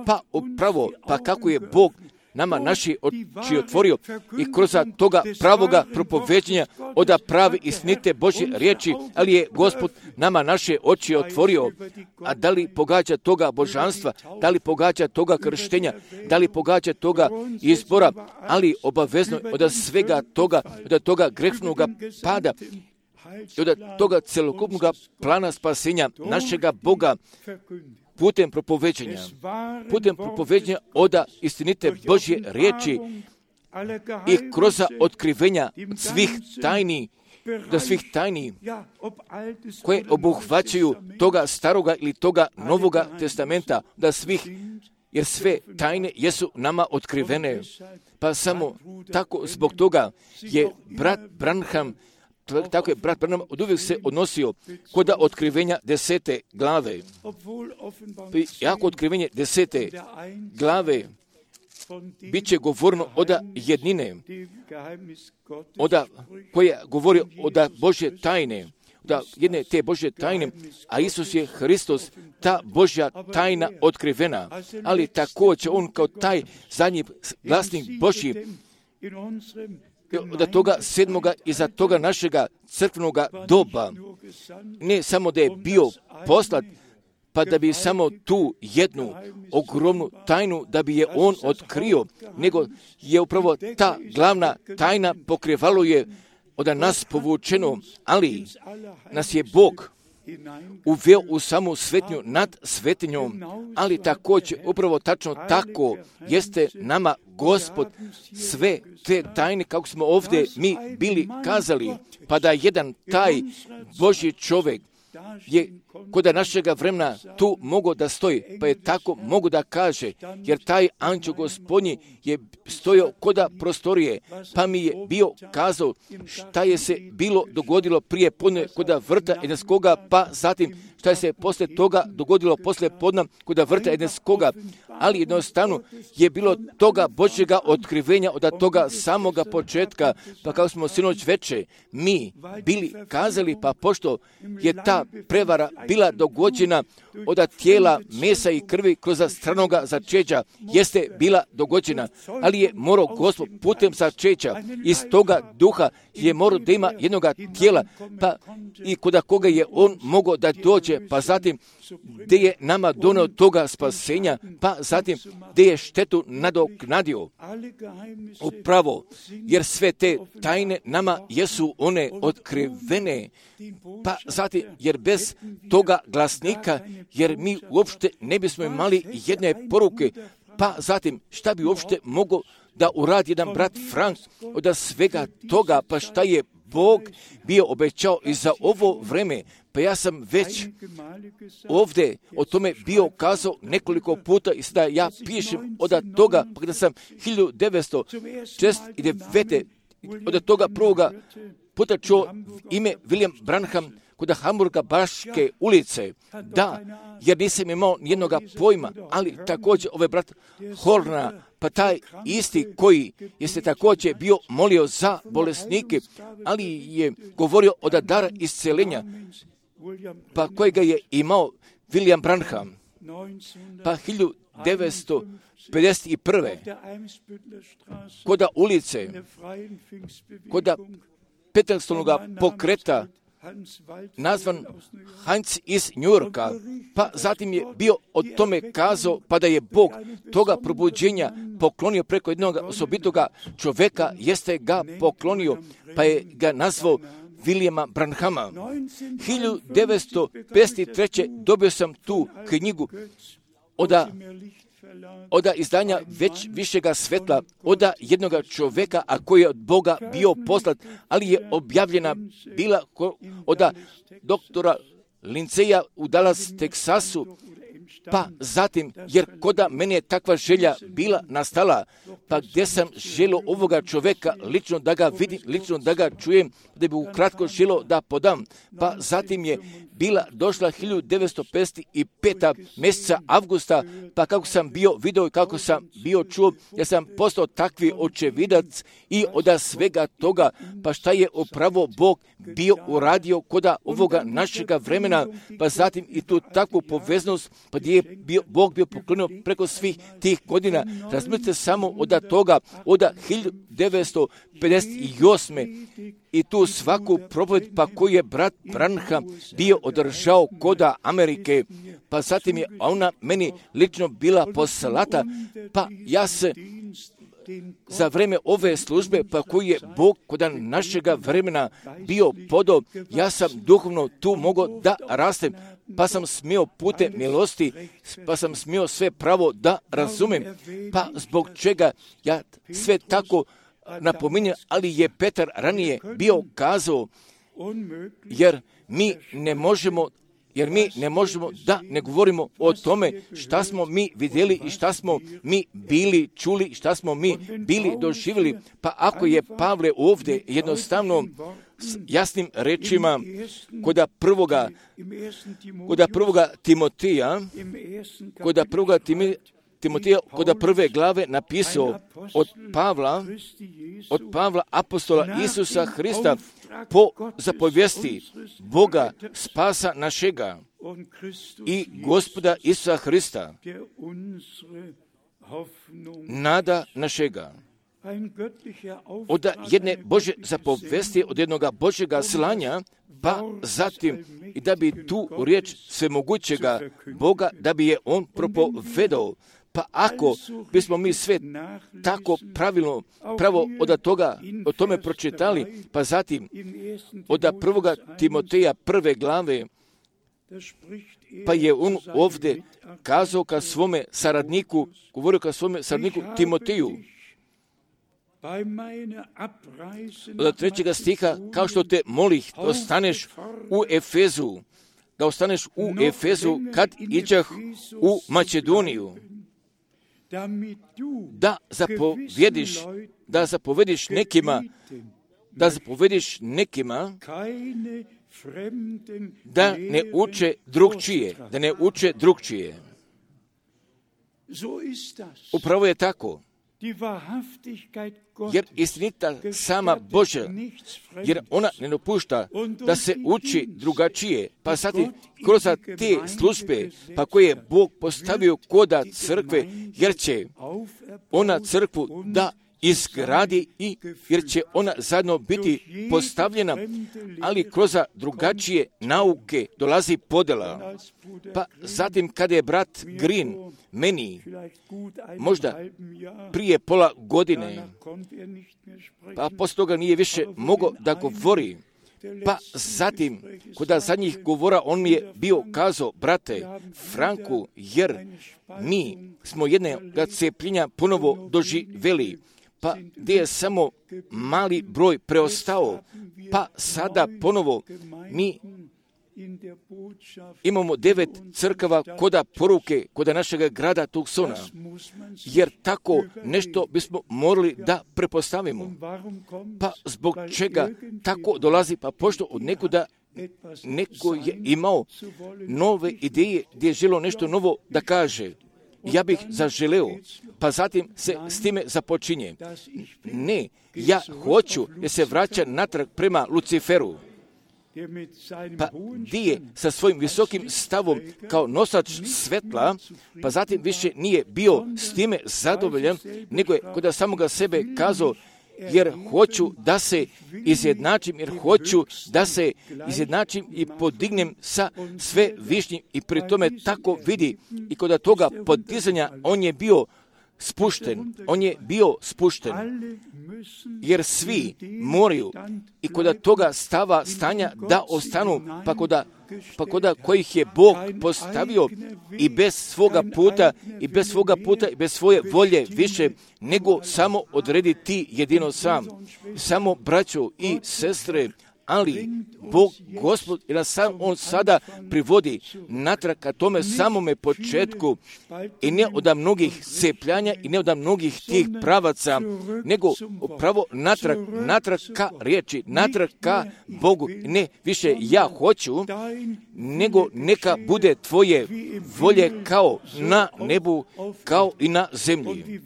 Pa upravo, pa kako je Bog nama naši oči otvorio i kroz toga pravoga propoveđenja od pravi istinite Božje riječi, ali je Gospod nama naše oči otvorio. A da li pogađa toga božanstva, da li pogađa toga krštenja, da li pogađa toga izbora, ali obavezno od svega toga, od toga grešnog pada i od toga celokupnog plana spasenja našega Boga, putem propoveđenja, putem propoveđenja oda istinite Božje riječi i kroz otkrivenja svih tajni, da svih tajni koje obuhvaćaju toga staroga ili toga novoga testamenta, da svih, jer sve tajne jesu nama otkrivene. Pa samo tako zbog toga je brat Branham, tako je brat Branham od uvijek se odnosio kod otkrivenja desete glave. Jako otkrivenje desete glave bit će govorno oda jednine, oda koja govori oda Božje tajne, da jedne te Božje tajne, a Isus je Hristos, ta Božja tajna otkrivena, ali također on kao taj zadnji glasnik Božji, od toga sedmoga iza toga našega crkvenoga doba, ne samo da je bio poslat, pa da bi samo tu jednu ogromnu tajnu, da bi je on otkrio, nego je upravo ta glavna tajna pokrivalo je od nas povučeno, ali nas je Bog uveo u samu svetnju nad svetinjom, ali također upravo tačno tako jeste nama Gospod sve te tajne, kako smo ovdje mi bili kazali, pa da jedan taj Božji čovjek je kod našega vremena tu mogo da stoji, pa je tako mogu da kaže, jer taj anđeo Gospodnji je stojao koda prostorije, pa mi je bio kazao šta je se bilo dogodilo prije podne koda vrta Edenskoga, pa zatim šta je se poslije toga dogodilo poslije podna koda vrta Edenskoga, ali jednostavno je bilo toga Božjega otkrivenja od toga samoga početka, pa kao smo sinoć veče mi bili kazali, pa pošto je ta prevara bila dogođena od tijela, mesa i krvi kroz stranoga začeća, jeste bila dogođena, ali je morao Gospod putem začeća iz toga duha je morao da ima jednoga tijela, pa i kod koga je on mogao da dođe, pa zatim gdje je nama donio toga spasenja, pa zatim gdje je štetu nadoknadio. Upravo, jer sve te tajne nama jesu one otkrivene, pa zatim, jer bez toga glasnika, jer mi uopšte ne bismo imali jedne poruke, pa zatim šta bi uopšte mogao da uradi jedan brat Frank od svega toga, pa šta je Bog bio obećao i za ovo vreme. Pa ja sam već ovdje o tome bio kazao nekoliko puta i sada ja pišem od toga, pa kada sam hiljadu devetsto šezdeset devete od toga prvoga puta čuo ime William Branham kod Hamburga Baške ulice. Da, jer nisam imao nijednoga pojma, ali također ovaj brat Horna, pa taj isti koji jeste također bio molio za bolesnike, ali je govorio od dara iscelenja, pa kojega je imao William Branham. Pa hiljadu devetsto pedeset prve koda ulice, koda petnaestog pokreta, nazvan Heinz iz Njujorka, pa zatim je bio o tome kazao, pa da je Bog toga probuđenja poklonio preko jednog osobitoga čoveka, jeste ga poklonio, pa je ga nazvao Williama Branhama. hiljadu devetsto pedeset treće dobio sam tu knjigu oda oda izdanja već višega svetla, oda jednoga čoveka, a koji je od Boga bio poslat, ali je objavljena bila oda doktora Linceja u Dallas, Teksasu, pa zatim, jer koda mene je takva želja bila nastala, pa gdje sam želio ovoga čoveka lično da ga vidim, lično da ga čujem, da bi ukratko želio da podam, pa zatim je bila došla hiljadu devetsto pedeset pete mjeseca avgusta, pa kako sam bio video i kako sam bio čuo, ja sam postao takvi očevidac i od svega toga, pa šta je upravo Bog bio uradio koda ovoga našega vremena, pa zatim i tu takvu poveznost, pa gdje je bio, Bog bio poklonio preko svih tih godina. Razmislite samo od toga, od hiljadu devetsto pedeset osme i tu svaku propoved, pa koju je brat Branham bio održao koda Amerike, pa zatim je ona meni lično bila poslata, pa ja se za vreme ove službe, pa koji je Bog kod našega vremena bio podao, ja sam duhovno tu mogao da rastem, pa sam smio putem milosti, pa sam smio sve pravo da razumem, pa zbog čega ja sve tako napominjem, ali je Petar ranije bio kazao, jer mi ne možemo Jer mi ne možemo da ne govorimo o tome šta smo mi vidjeli i šta smo mi bili čuli, šta smo mi bili doživjeli. Pa ako je Pavle ovdje jednostavno s jasnim rečima koda prvoga, koda prvoga Timotija, koda prvoga Timoteja kod prve glave napisao od Pavla, od Pavla apostola Isusa Hrista po zapovijesti Boga spasa našega i Gospoda Isusa Hrista, nada našega. Od jedne Bože zapovesti, od jednoga Božega slanja, pa zatim i da bi tu riječ svemogućega Boga, da bi je on propovedao. Pa ako bismo mi sve tako pravilno, pravo od toga, o tome pročitali, pa zatim od prvoga Timoteja prve glave, pa je on ovdje kazao ka svome saradniku, govorio ka svome saradniku Timoteju, od trećega stiha, kao što te molih da ostaneš u Efezu, da ostaneš u Efezu kad iđah u Makedoniju, da zapovjediš, da zapovjediš nekima, da zapovjediš nekima da ne uče drugčije, da ne uče drugčije. Upravo je tako. Jer istinita sama Božja, jer ona ne dopušta da se uči drugačije, pa zatim kroz te službe, pa koje je Bog postavio koda crkve, jer će ona crkvu da izgradi i jer će ona zajedno biti postavljena, ali kroz drugačije nauke dolazi podjela. Pa zatim kada je brat Green meni možda prije pola godine, pa poslije toga nije više mogao da govori, pa zatim kod zadnjih govora on mi je bio kazao, brate Franku, jer mi smo jednoga cepljenja ponovo doživjeli, pa gdje je samo mali broj preostao, pa sada ponovo mi imamo devet crkava koda poruke, koda našega grada Tucsona, jer tako nešto bismo morali da prepostavimo. Pa zbog čega tako dolazi, pa pošto od nekuda neko je imao nove ideje gdje je želio nešto novo da kaže. Ja bih zaželeo, pa zatim se s time započinje. Ne, ja hoću da se vraća natrag prema Luciferu. Pa gdje sa svojim visokim stavom kao nosač svetla, pa zatim više nije bio s time zadovoljan, nego je kod samoga sebe kazao, jer hoću da se izjednačim, jer hoću da se izjednačim i podignem sa sve višnjim i pri tome tako vidi i kod toga podizanja on je bio spušten, on je bio spušten, jer svi moraju i kod toga stava stanja da ostanu, pa kod pa koda kojih je Bog postavio i bez svoga puta, i bez svoga puta, i bez svoje volje više, nego samo odredi ti jedino sam. Samo braćo i sestre, ali Bog, Gospod, i nas sam On sada privodi natrag ka tome samome početku i ne od mnogih cepljanja i ne od mnogih tih pravaca, nego pravo natrag, natrag ka riječi, natrag ka Bogu. Ne više ja hoću, nego neka bude tvoje volje kao na nebu, kao i na zemlji.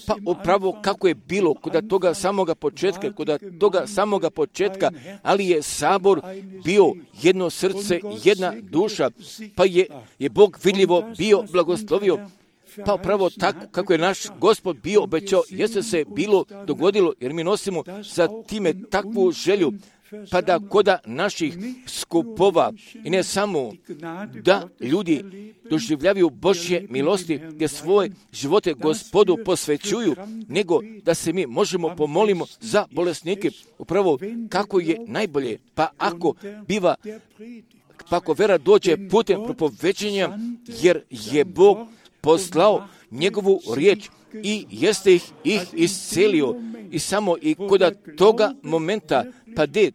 Pa upravo kako je bilo kod toga samoga početka, kod toga samoga početka, ali je sabor bio jedno srce, jedna duša, pa je, je Bog vidljivo bio blagoslovio, pa upravo tako kako je naš Gospod bio obećao, jeste se bilo dogodilo, jer mi nosimo za time takvu želju, pa da koda naših skupova i ne samo da ljudi doživljavaju Božje milosti gdje svoje živote Gospodu posvećuju, nego da se mi možemo pomolimo za bolesnike, upravo kako je najbolje, pa ako biva, pa ako vera dođe putem propoveđenja, jer je Bog poslao njegovu riječ i jeste ih, ih iscelio i samo i kod toga momenta, pa de,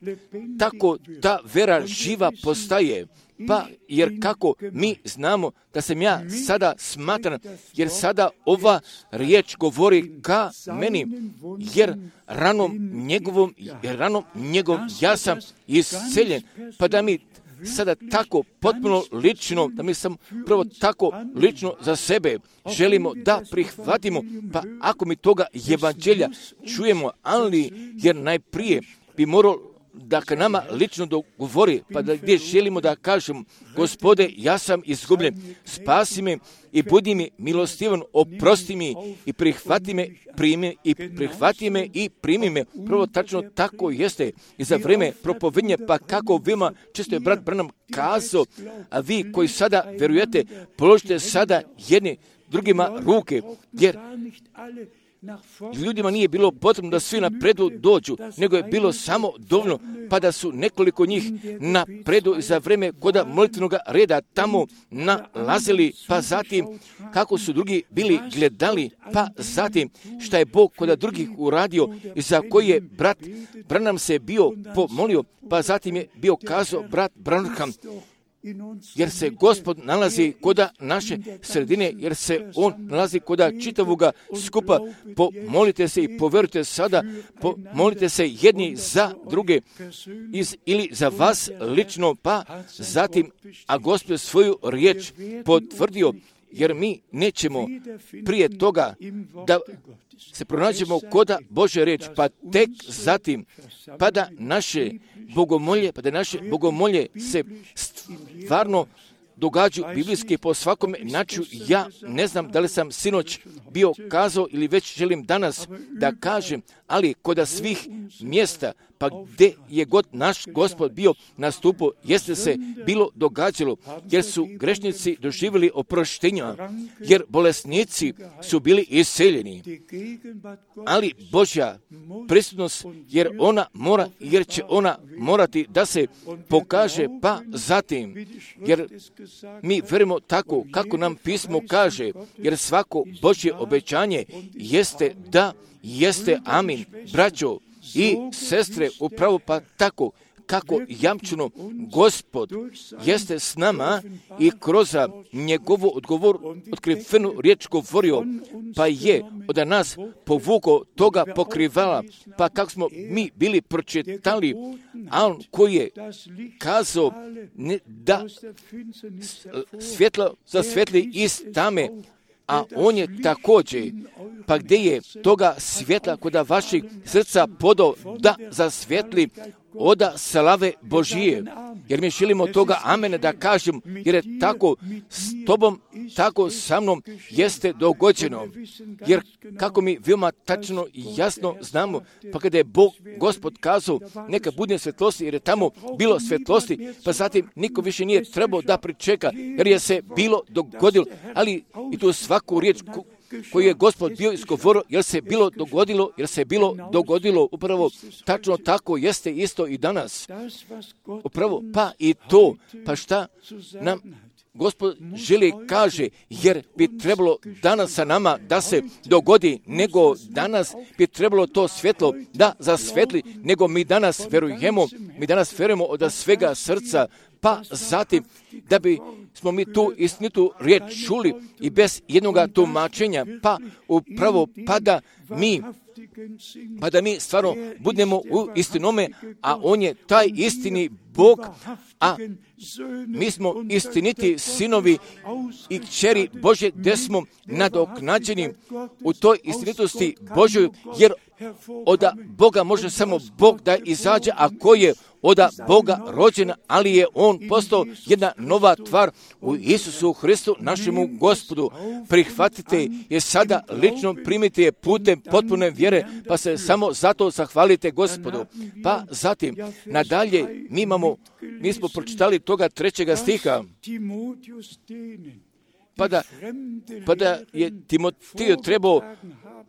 tako ta vera živa postaje, pa jer kako mi znamo da sam ja sada smatran, jer sada ova riječ govori ka meni, jer ranom njegovom, jer ranom njegovom ja sam isceljen, pa da mi sada tako potpuno lično, da mi sam prvo tako lično za sebe želimo da prihvatimo, pa ako mi toga evanđelja čujemo, ali jer najprije bi moralo da ka nama lično dogovori, pa da gdje želimo da kažem, Gospode, ja sam izgubljen, spasi me i budi mi milostivan, oprosti mi i prihvati me, primi i prihvati me i primi me. Prvo tačno tako jeste i za vrijeme propovednje, pa kako vima, često je brat Branham kazao, a vi koji sada verujete, položite sada jedni drugima ruke, jer ljudima nije bilo potrebno da svi napredu dođu, nego je bilo samo dovoljno, pa da su nekoliko njih napredu za vrijeme koda molitvenog reda tamo nalazili, pa zatim kako su drugi bili gledali, pa zatim šta je Bog koda drugih uradio i za koji je brat Branham se bio pomolio, pa zatim je bio kazao brat Branham, jer se Gospod nalazi koda naše sredine, jer se On nalazi koda čitavoga skupa. Pomolite se i poverujte sada, pomolite se jedni za druge iz, ili za vas lično, pa zatim, a Gospod svoju riječ potvrdio, jer mi nećemo prije toga da se pronađemo koda Božja riječ, pa tek zatim, pa da naše bogomolje, pa da naše bogomolje se stvarno događaju biblijski po svakome načinu. Ja ne znam da li sam sinoć bio kazao ili već želim danas da kažem, ali koda svih mjesta, pa gdje je god naš Gospod bio nastupao, jeste se bilo događalo, jer su grešnici doživjeli oproštenja, jer bolesnici su bili iseljeni. Ali Božja prisutnost, jer ona mora, jer će ona morati da se pokaže, pa zatim, jer mi verujemo tako kako nam pismo kaže, jer svako Božje obećanje jeste da, jeste amin. Braćo i sestre, upravo pa tako kako jamčeno Gospod jeste s nama i kroz njegovu odgovor, otkrivenu riječ govorio, pa je od nas povukao toga pokrivala, pa kako smo mi bili pročitali, a on koji je kazao ne, da svjetlo zasvjetli iz tame, a on je također, pa gdje je toga svjetla koda vaših srca podao da zasvjetli oda slave Božije. Jer mi želimo toga amene da kažem, jer je tako s tobom, tako sa mnom jeste dogođeno. Jer kako mi veoma tačno i jasno znamo, pa kada je Bog, Gospod kazao, neka bude svjetlosti, jer je tamo bilo svjetlosti, pa zatim niko više nije trebao da pričeka, jer je se bilo dogodilo, ali i tu svaku riječ koju je Gospod bio izgovorio, jer se bilo dogodilo, jer se bilo dogodilo, upravo tačno tako jeste isto i danas. Upravo, pa i to, pa šta nam Gospod želi kaže, jer bi trebalo danas sa nama da se dogodi, nego danas bi trebalo to svjetlo da zasvetli, nego mi danas verujemo, mi danas verujemo od svega srca, pa zatim da bi smo mi tu istinitu riječ čuli i bez jednoga tumačenja, pa upravo pa da mi pa da mi stvarno budemo u istinome, a on je taj istini Bog, a mi smo istiniti sinovi i kćeri Božje, gdje smo nadoknađeni u toj istinitosti Božjoj, jer od Boga može samo Bog da izađe, a ko je od Boga rođen, ali je on postao jedna nova tvar u Isusu Hristu, našemu Gospodu. Prihvatite je sada, lično primite je putem potpune vjere, pa se samo zato zahvalite Gospodu. Pa zatim, nadalje, mi imamo, mi smo pročitali toga trećega stiha, pa da, pa da je Timotiju trebao,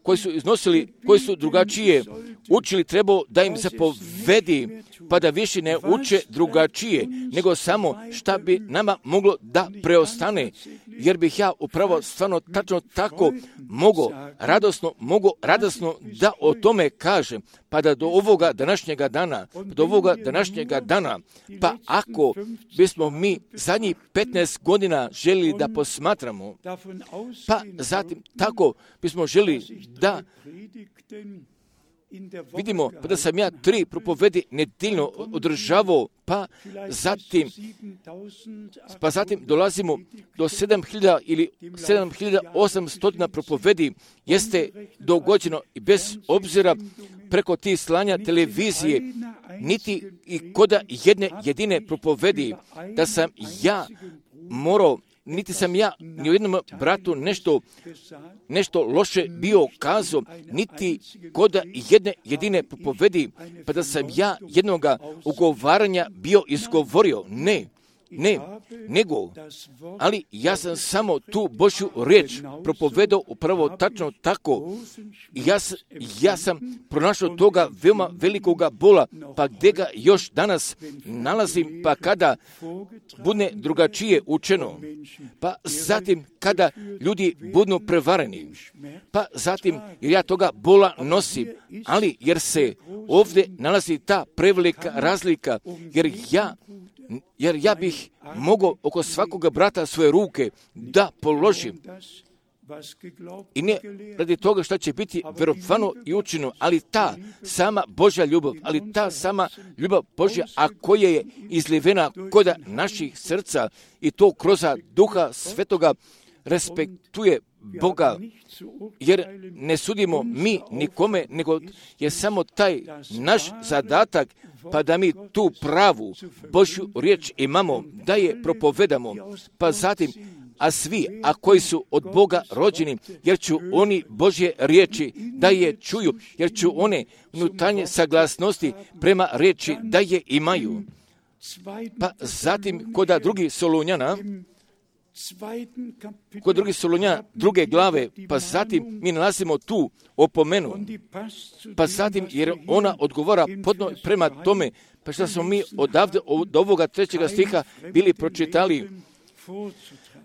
koji su iznosili, koji su drugačije učili, trebao da im zapovedi, pa da više ne uče drugačije, nego samo šta bi nama moglo da preostane, jer bih ja upravo stvarno tačno tako mogo, radosno, mogo radosno da o tome kažem, pa da do ovoga današnjega dana, do ovoga današnjega dana, pa ako bismo mi zadnjih petnaest godina želili da posmatramo, pa zatim tako bismo želili da vidimo pa da sam ja tri propovedi nedeljno održavao, pa zatim, pa zatim dolazimo do sedam hiljada ili sedam hiljada osamsto propovedi, jeste dogođeno i bez obzira preko tih slanja televizije, niti i koda jedne jedine propovedi, da sam ja morao, niti sam ja ni u jednom bratu nešto, nešto loše bio kazao, niti koda jedne jedine propovedi, pa da sam ja jednoga ugovaranja bio izgovorio. Ne, ne, nego, ali ja sam samo tu Božju riječ propovedao upravo tačno tako. Ja, ja sam pronašao toga veoma velikoga bola, pa gdje ga još danas nalazim, pa kada bude drugačije učeno, pa zatim kada ljudi budu prevareni, pa zatim jer ja toga bola nosim, ali jer se ovdje nalazi ta prevelika razlika, jer ja jer ja bih mogao oko svakoga brata svoje ruke da položim. I ne radi toga što će biti vjerovano i učeno, ali ta sama Božja ljubav, ali ta sama ljubav Božja, a koja je izlivena koda naših srca i to kroz Duha Svetoga, respektuje Boga, jer ne sudimo mi nikome, nego je samo taj naš zadatak, pa da mi tu pravu Božju riječ imamo, da je propovedamo, pa zatim, a svi, a koji su od Boga rođeni, jer ću oni Božje riječi da je čuju, jer ću one unutarnje saglasnosti prema riječi da je imaju. Pa zatim, kod drugih Solunjana, kod drugih Solunjana, druge glave, pa zatim mi nalazimo tu opomenu, pa zatim jer ona odgovara podno prema tome, pa što smo mi odavde od ovoga trećega stiha bili pročitali,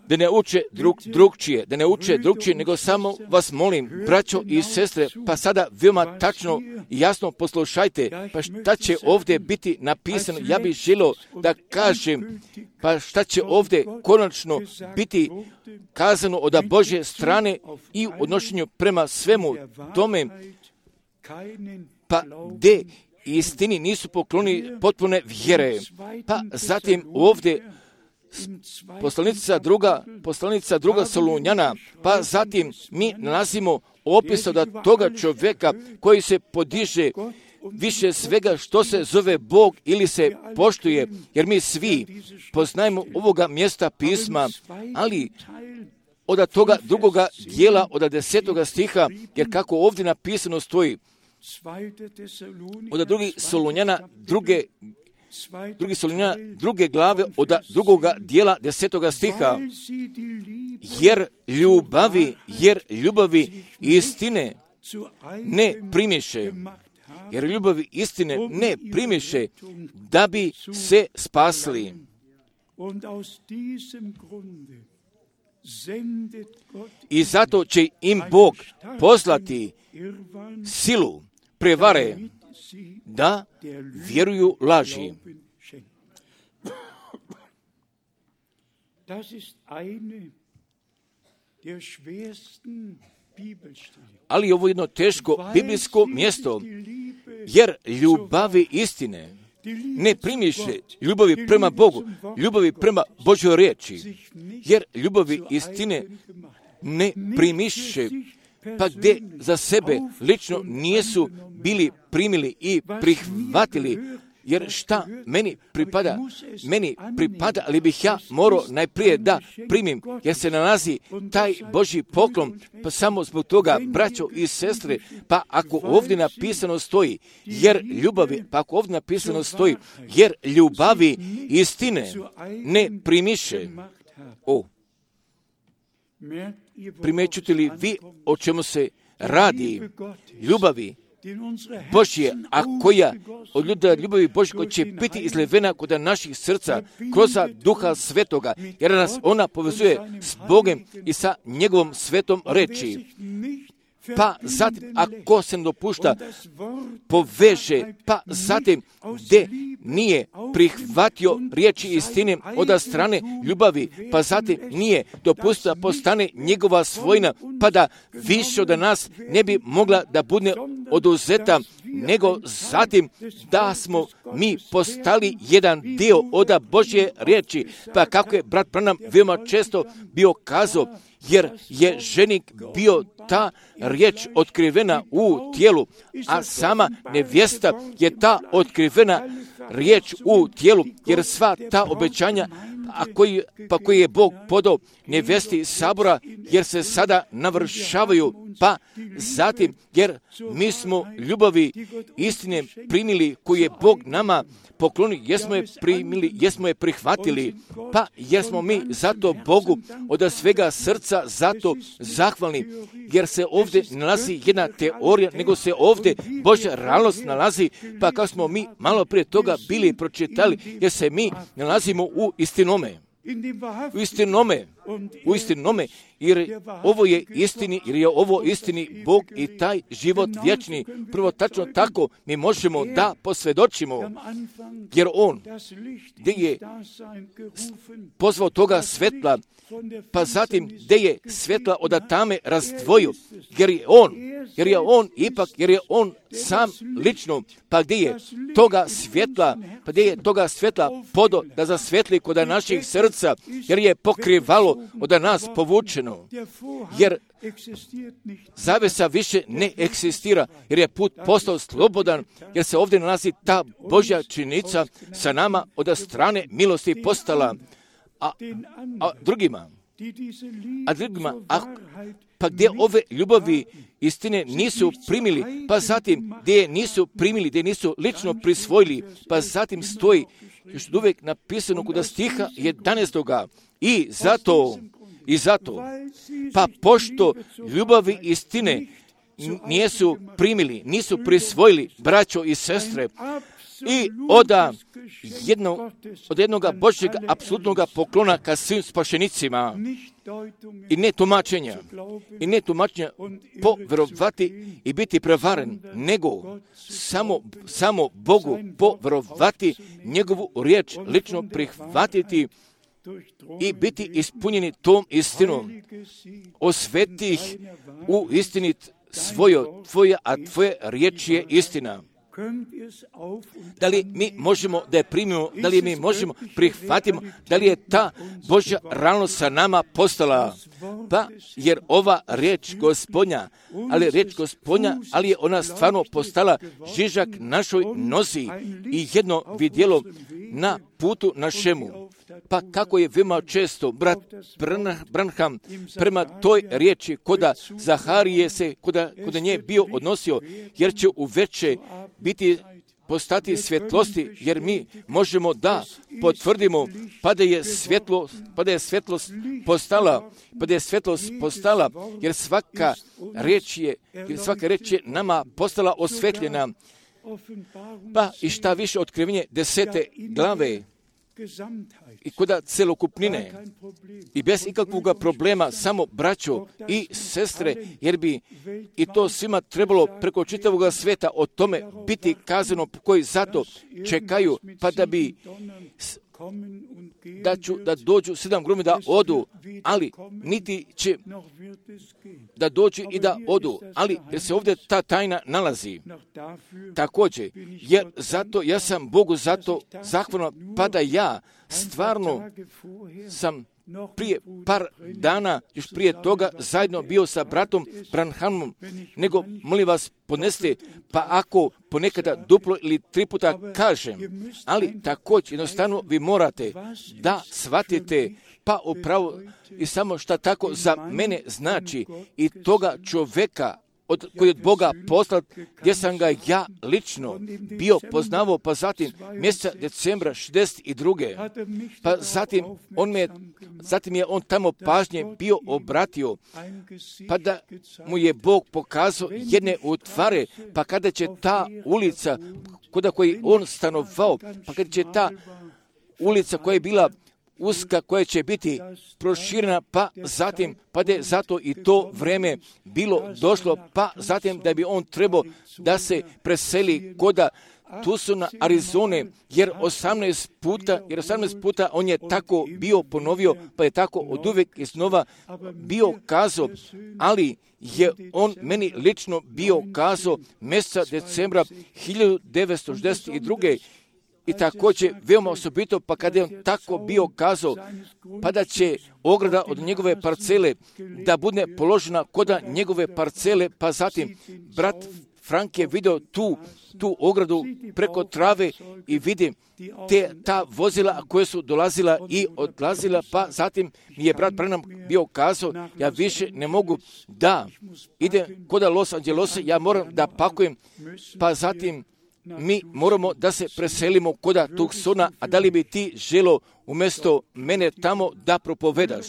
da ne uče drug, drugčije, da ne uče drugčije, nego samo vas molim, braćo i sestre, pa sada veoma tačno i jasno poslušajte, pa šta će ovdje biti napisano, ja bih želio da kažem, pa šta će ovdje konačno biti kazano od Božje strane i u odnošenju prema svemu tome, pa gdje istini nisu pokloni potpune vjere. Pa zatim ovdje Poslanica druga, poslanica druga Solunjana, pa zatim mi nalazimo opis od toga čovjeka koji se podiže više svega što se zove Bog ili se poštuje, jer mi svi poznajemo ovoga mjesta pisma, ali od toga drugoga dijela, od desetoga stiha, jer kako ovdje napisano stoji, od drugih Solunjana, druge Drugi Solunjana, druge glave od drugoga dijela desetoga stiha, jer ljubavi, jer ljubavi istine ne primiše, jer ljubavi istine ne primiše da bi se spasli. I zato će im Bog poslati silu prevare da vjeruju laži. Ali ovo je jedno teško biblijsko mjesto, jer ljubavi istine ne primiše ljubavi prema Bogu, ljubavi prema Božjoj riječi, jer ljubavi istine ne primiše, pa gdje za sebe lično nisu bili primili i prihvatili, jer šta meni pripada, meni pripada, ali bih ja morao najprije da primim, jer se nalazi taj Božji poklon, pa samo zbog toga, braćo i sestre, pa ako ovdje napisano stoji, jer ljubavi, pa ako ovdje napisano stoji, jer ljubavi istine ne primiše. O, primećujete li vi o čemu se radi? Ljubavi Božje, a koja od ljuda ljubavi Božje koja će biti izlivena kod naših srca kroz Duha Svetoga, jer nas ona povezuje s Bogom i sa njegovom svetom reči. Pa zatim, ako se ne dopušta, poveže, pa zatim, gdje nije prihvatio riječi istine od strane ljubavi, pa zatim nije dopustio da postane njegova svojina, pa da više od nas ne bi mogla da bude oduzeta, nego zatim da smo mi postali jedan dio od Božje riječi, pa kako je brat Branham veoma često bio kazao, jer je ženik bio ta riječ otkrivena u tijelu, a sama nevjesta je ta otkrivena riječ u tijelu, jer sva ta obećanja, a koji, pa koji je Bog podao nevjesti sabora, jer se sada navršavaju, pa zatim, jer mi smo ljubavi istine primili koju je Bog nama poklonio, jesmo je primili, jesmo je prihvatili, pa jesmo mi zato Bogu od svega srca zato zahvalni, jer se ovdje nalazi jedna teorija, nego se ovdje Božja realnost nalazi, pa kao smo mi malo prije toga bili pročitali, jer se mi nalazimo u istinome. U istinome, u istinome, jer ovo je istini, jer je ovo istini Bog i taj život vječni. Prvo tačno tako mi možemo da posvjedočimo, jer On gdje je pozvao toga svetla, pa zatim gdje je svetla od tame razdvojio, jer je On, jer je On ipak, jer je On sam lično, pa gdje je toga svjetla, pa gdje je toga svjetla podo da zasvetli kod naših srca, jer je pokrivalo od nas povučeno, jer zavesa više ne eksistira, jer je put postao slobodan, jer se ovdje nalazi ta Božja činica sa nama od strane milosti postala, a, a drugima, a drugima, a, pa gdje ove ljubavi istine nisu primili, pa zatim gdje je nisu primili, gdje nisu lično prisvojili, pa zatim stoji još uvijek napisano kod stiha jedanaestoga i zato, i zato, pa pošto ljubavi istine nisu primili, nisu prisvojili, braćo i sestre, i od jednog, od jednog Božjeg apsolutnog poklona ka svim spašenicima, i ne tumačenja, i ne tumačenja povjerovati i biti prevaren, nego samo, samo Bogu povjerovati, njegovu riječ lično prihvatiti i biti ispunjeni tom istinom. Osveti ih u istini svojo, tvoja, a tvoja riječ je istina. Da li mi možemo da je primimo, da li mi možemo prihvatimo, da li je ta Božja realnost sa nama postala, pa jer ova riječ Gospodnja, ali riječ Gospodnja, ali je ona stvarno postala žižak našoj nozi i jedno vidjelo na putu našemu. Pa kako je veoma često brat Branham prema toj riječi koda Zaharije se koda, koda nje bio odnosio, jer će uveče biti postati svjetlosti, jer mi možemo da potvrdimo pa da je svjetlo, pa da je svjetlost postala, pa da je svjetlost postala, jer svaka riječ je, jer svaka riječ je nama postala osvetljena. Pa i šta više otkrivenje desete glave i koda celokupnine i bez ikakvog problema samo braćo i sestre, jer bi i to svima trebalo preko čitavog sveta o tome biti kazano, koji zato čekaju, pa da bi da, ću, da dođu sedam grumi da odu, ali niti će da dođu i da odu, ali jer se ovdje ta tajna nalazi. Također, jer zato ja sam Bogu zato zahvalan, pa da ja stvarno sam prije par dana, još prije toga, zajedno bio sa bratom Branhamom, nego, molim vas, podneste, pa ako ponekada duplo ili tri puta kažem, ali također jednostavno vi morate da shvatite, pa upravo i samo šta tako za mene znači i toga čovjeka od, koji od Boga poslat, gdje sam ga ja lično bio poznavao, pa zatim mjeseca decembra šezdeset druge pa zatim on me, zatim je on tamo pažnje bio obratio, pa da mu je Bog pokazao jedne utvare, pa kada će ta ulica, kuda koji on stanovao, pa kada će ta ulica koja je bila uska koja će biti proširena, pa zatim, pa da je zato i to vreme bilo došlo, pa zatim da bi on trebao da se preseli koda tu su na Arizone, jer osamnaest puta, jer osamnaest puta on je tako bio ponovio, pa je tako od uvijek iznova bio kazao, ali je on meni lično bio kazao mjeseca decembra hiljadu devetsto šezdeset druge. I također veoma osobito, pa kada je on tako bio kazao, pa da će ograda od njegove parcele da bude položena koda njegove parcele, pa zatim brat Frank je vidio tu, tu ogradu preko trave i vidi te, ta vozila koje su dolazila i odlazila, pa zatim mi je brat Branham bio kazao, ja više ne mogu da idem koda Los Angeleса, ja moram da pakujem, pa zatim mi moramo da se preselimo koda Tucsona, a da li bi ti želo umjesto mene tamo da propovedaš?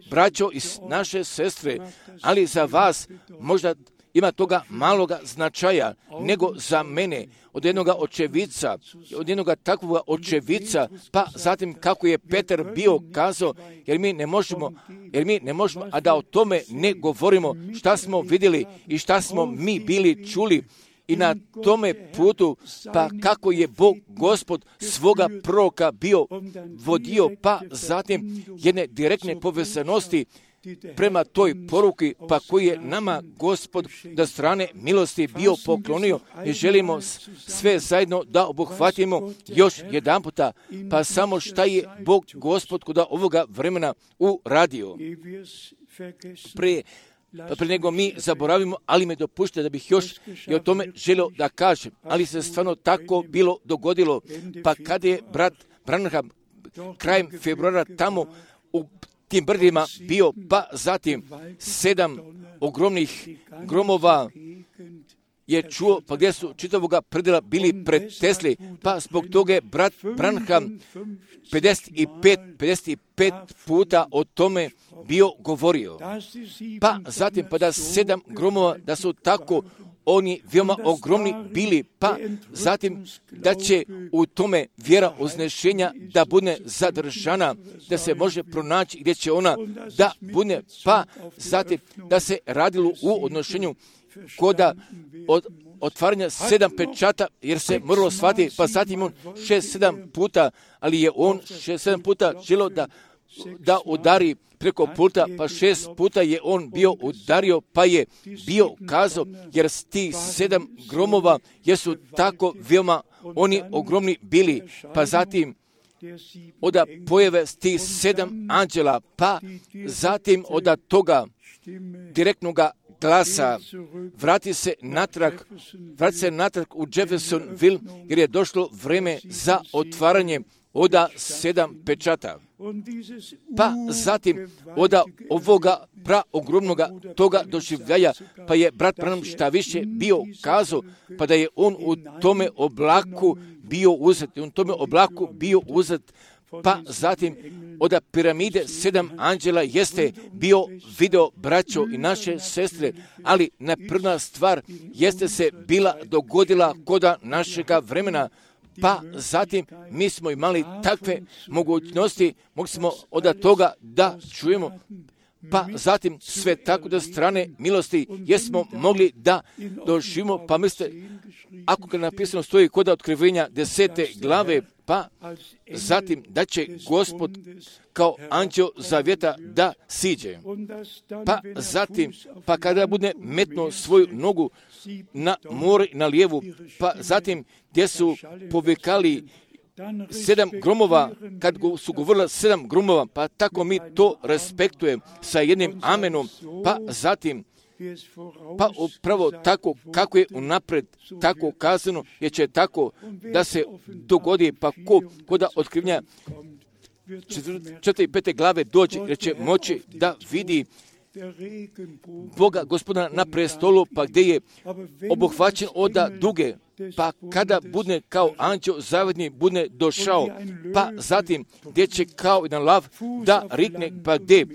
Braćo i naše sestre, ali za vas možda ima toga maloga značaja nego za mene, od jednoga očevica, od jednoga takvoga očevica, pa zatim kako je Petar bio kazao, jer mi ne možemo, jer mi ne možemo, a da o tome ne govorimo šta smo vidjeli i šta smo mi bili čuli. I na tome putu, pa kako je Bog Gospod svoga proroka bio vodio, pa zatim jedne direktne povezanosti prema toj poruki, pa koji je nama Gospod da strane milosti bio poklonio i želimo sve zajedno da obuhvatimo još jedan puta, pa samo šta je Bog Gospod kod ovoga vremena uradio. Pre Pa pre nego mi zaboravimo, ali me dopušte da bih još i o tome želio da kažem. Ali se stvarno tako bilo dogodilo. Pa kada je brat Branham krajem februara tamo u tim brdima bio, pa zatim sedam ogromnih gromova je čuo, pa gdje su čitavoga predela bili pretesli, pa zbog toga je brat Branham pedeset pet puta o tome bio govorio. Pa zatim, pa da sedam gromova, da su tako oni veoma ogromni bili, pa zatim da će u tome vjera uznešenja da bude zadržana, da se može pronaći gdje će ona da bude, pa zatim da se radilo u odnošenju koda od otvaranja sedam pečata, jer se moralo shvatiti, pa zatim on šest, sedam puta, ali je on šest, sedam puta želio da, da udari preko puta, pa šest puta je on bio udario, pa je bio kazao, jer ti sedam gromova jesu tako veoma oni ogromni bili, pa zatim oda pojave ti sedam anđela, pa zatim oda toga direktnoga glasa, vrati se natrag, vrati se natrag u Jeffersonville, jer je došlo vreme za otvaranje oda sedam pečata. Pa zatim oda ovoga praogromnoga toga doživljaja, pa je brat Branham šta više bio kazao, pa da je on u tome oblaku bio uzet, u tome oblaku bio uzet, pa zatim od piramide sedam anđela jeste bio video braćo i naše sestre, ali neprva stvar jeste se bila dogodila koda našega vremena, pa zatim mi smo imali takve mogućnosti, mogli smo od toga da čujemo, pa zatim sve tako da strane milosti jesmo mogli da doživimo, pa mislite, ako ga napisano stoji koda otkrivenja desete glave, pa zatim da će Gospod kao anđeo zavjeta da siđe. Pa zatim, pa kada bude metnuo svoju nogu na more na lijevu, pa zatim gdje su povikali sedam gromova, kad su govorila sedam gromova, pa tako mi to respektujem sa jednim amenom, pa zatim pa upravo tako kako je unapred tako kazano, jer će tako da se dogodi, pa ko, ko da otkrivnja četiri i pete glave dođe, jer će moći da vidi Boga Gospodina na prestolu, pa gdje je obuhvaćen oda duge, pa kada bude kao anđeo zavedni bude došao, pa zatim gdje će kao jedan lav da rikne, pa gdje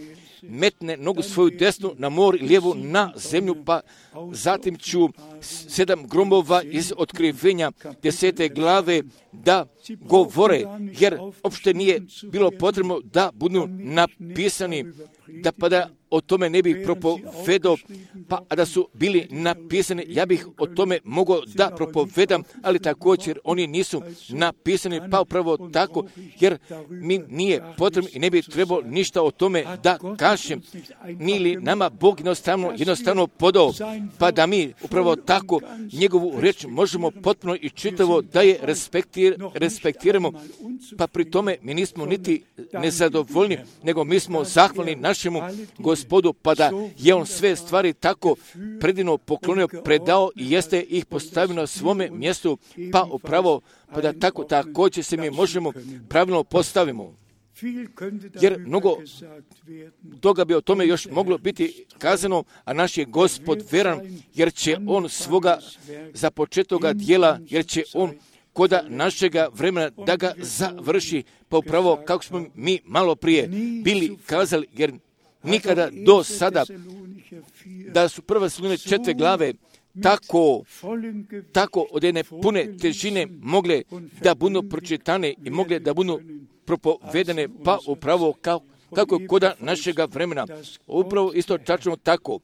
metne nogu svoju desnu na mor i lijevu na zemlju, pa zatim ću sedam gromova iz otkrivenja desete glave da govore, jer uopšte nije bilo potrebno da budu napisani, da pa da o tome ne bih propovedao, pa da su bili napisani, ja bih o tome mogao da propovedam, ali također oni nisu napisani, pa upravo tako, jer mi nije potrebno i ne bi trebalo ništa o tome da kažem, nili nama Bog jednostavno, jednostavno podao, pa da mi upravo tako njegovu reč možemo potpuno i čitavo da je respektir, respektiramo, pa pri tome mi nismo niti nezadovoljni, nego mi smo zahvalni našemu Gospodu, pa da je on sve stvari tako predivno poklonio, predao i jeste ih postavio na svome mjestu, pa upravo, pa da tako također se mi možemo pravilno postavimo. Jer mnogo toga bi o tome još moglo biti kazano, a naš je Gospod veran, jer će on svoga započetoga dijela, jer će on koda našega vremena da ga završi, pa upravo kako smo mi malo prije bili kazali, jer nikada do sada da su prve Tesalonike četiri glave tako, tako od jedne pune težine mogle da budu pročitane i mogle da budu propovedane, pa upravo kao, kako koda našega vremena. Upravo isto tačno tako.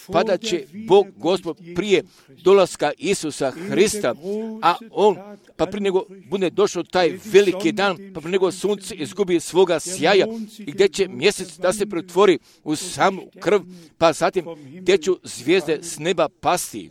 Pa da će Bog Gospod prije dolaska Isusa Hrista, a on, pa prije nego bude došao taj veliki dan, pa prije nego sunce izgubi svoga sjaja i gdje će mjesec da se pretvori u samu krv, pa zatim gdje će zvijezde s neba pasti.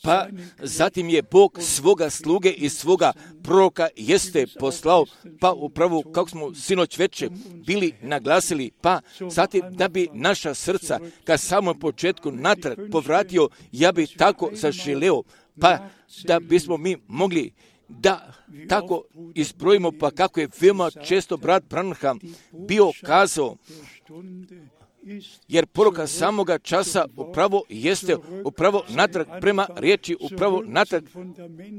Pa zatim je Bog svoga sluge i svoga proroka jeste poslao, pa upravo kako smo sinoć veče bili naglasili, pa zatim da bi naša srca ka samom početku natrag povratio, ja bi tako zaželeo, pa da bismo mi mogli da tako izbrojimo, pa kako je veoma često brat Branham bio kazao, jer poruka samoga časa upravo jeste upravo natrag prema riječi, upravo natrag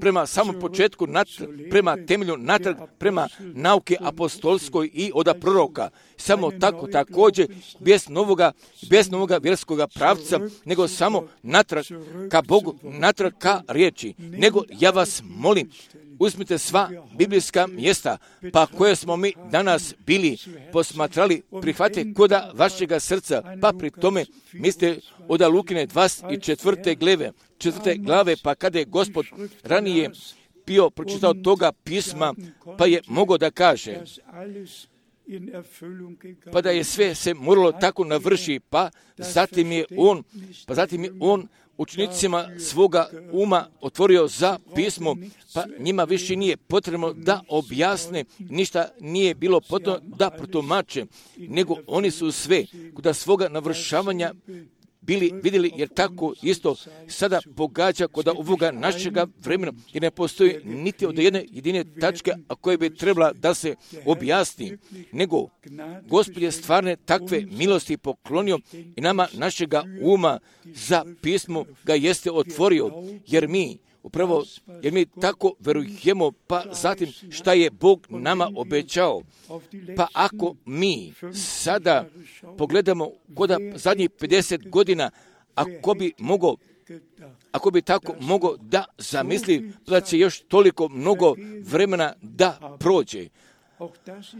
prema samom početku, natrag, prema temelju, natrag prema nauke apostolskoj i od proroka. Samo tako također bez novoga, bez novoga vjerskoga pravca, nego samo natrag ka Bogu, natrag ka riječi. Nego ja vas molim, uzmite sva biblijska mjesta, pa koje smo mi danas bili posmatrali, prihvatite koda vašega srca, pa pri tome mislite od Lukine dvadeset četvrte glave, četvrte glave, pa kada je Gospod ranije bio pročitao toga pisma, pa je mogao da kaže, pa da je sve se moralo tako navrši, pa zatim je on, pa zatim je on učenicima svoga uma otvorio za pismo, pa njima više nije potrebno da objasne, ništa nije bilo potrebno da protumače, nego oni su sve kod svoga navršavanja bili vidjeli, jer tako isto sada pogađa kod ovoga našega vremena, jer ne postoji niti od jedne jedine tačke, a koje bi trebala da se objasni, nego Gospod je stvarne takve milosti poklonio i nama našega uma za pismo ga jeste otvorio, jer mi upravo, jer mi tako verujemo, pa zatim šta je Bog nama obećao. Pa ako mi sada pogledamo kod zadnjih pedeset godina, ako bi mogao, ako bi tako mogao da zamisli, da će još toliko mnogo vremena da prođe.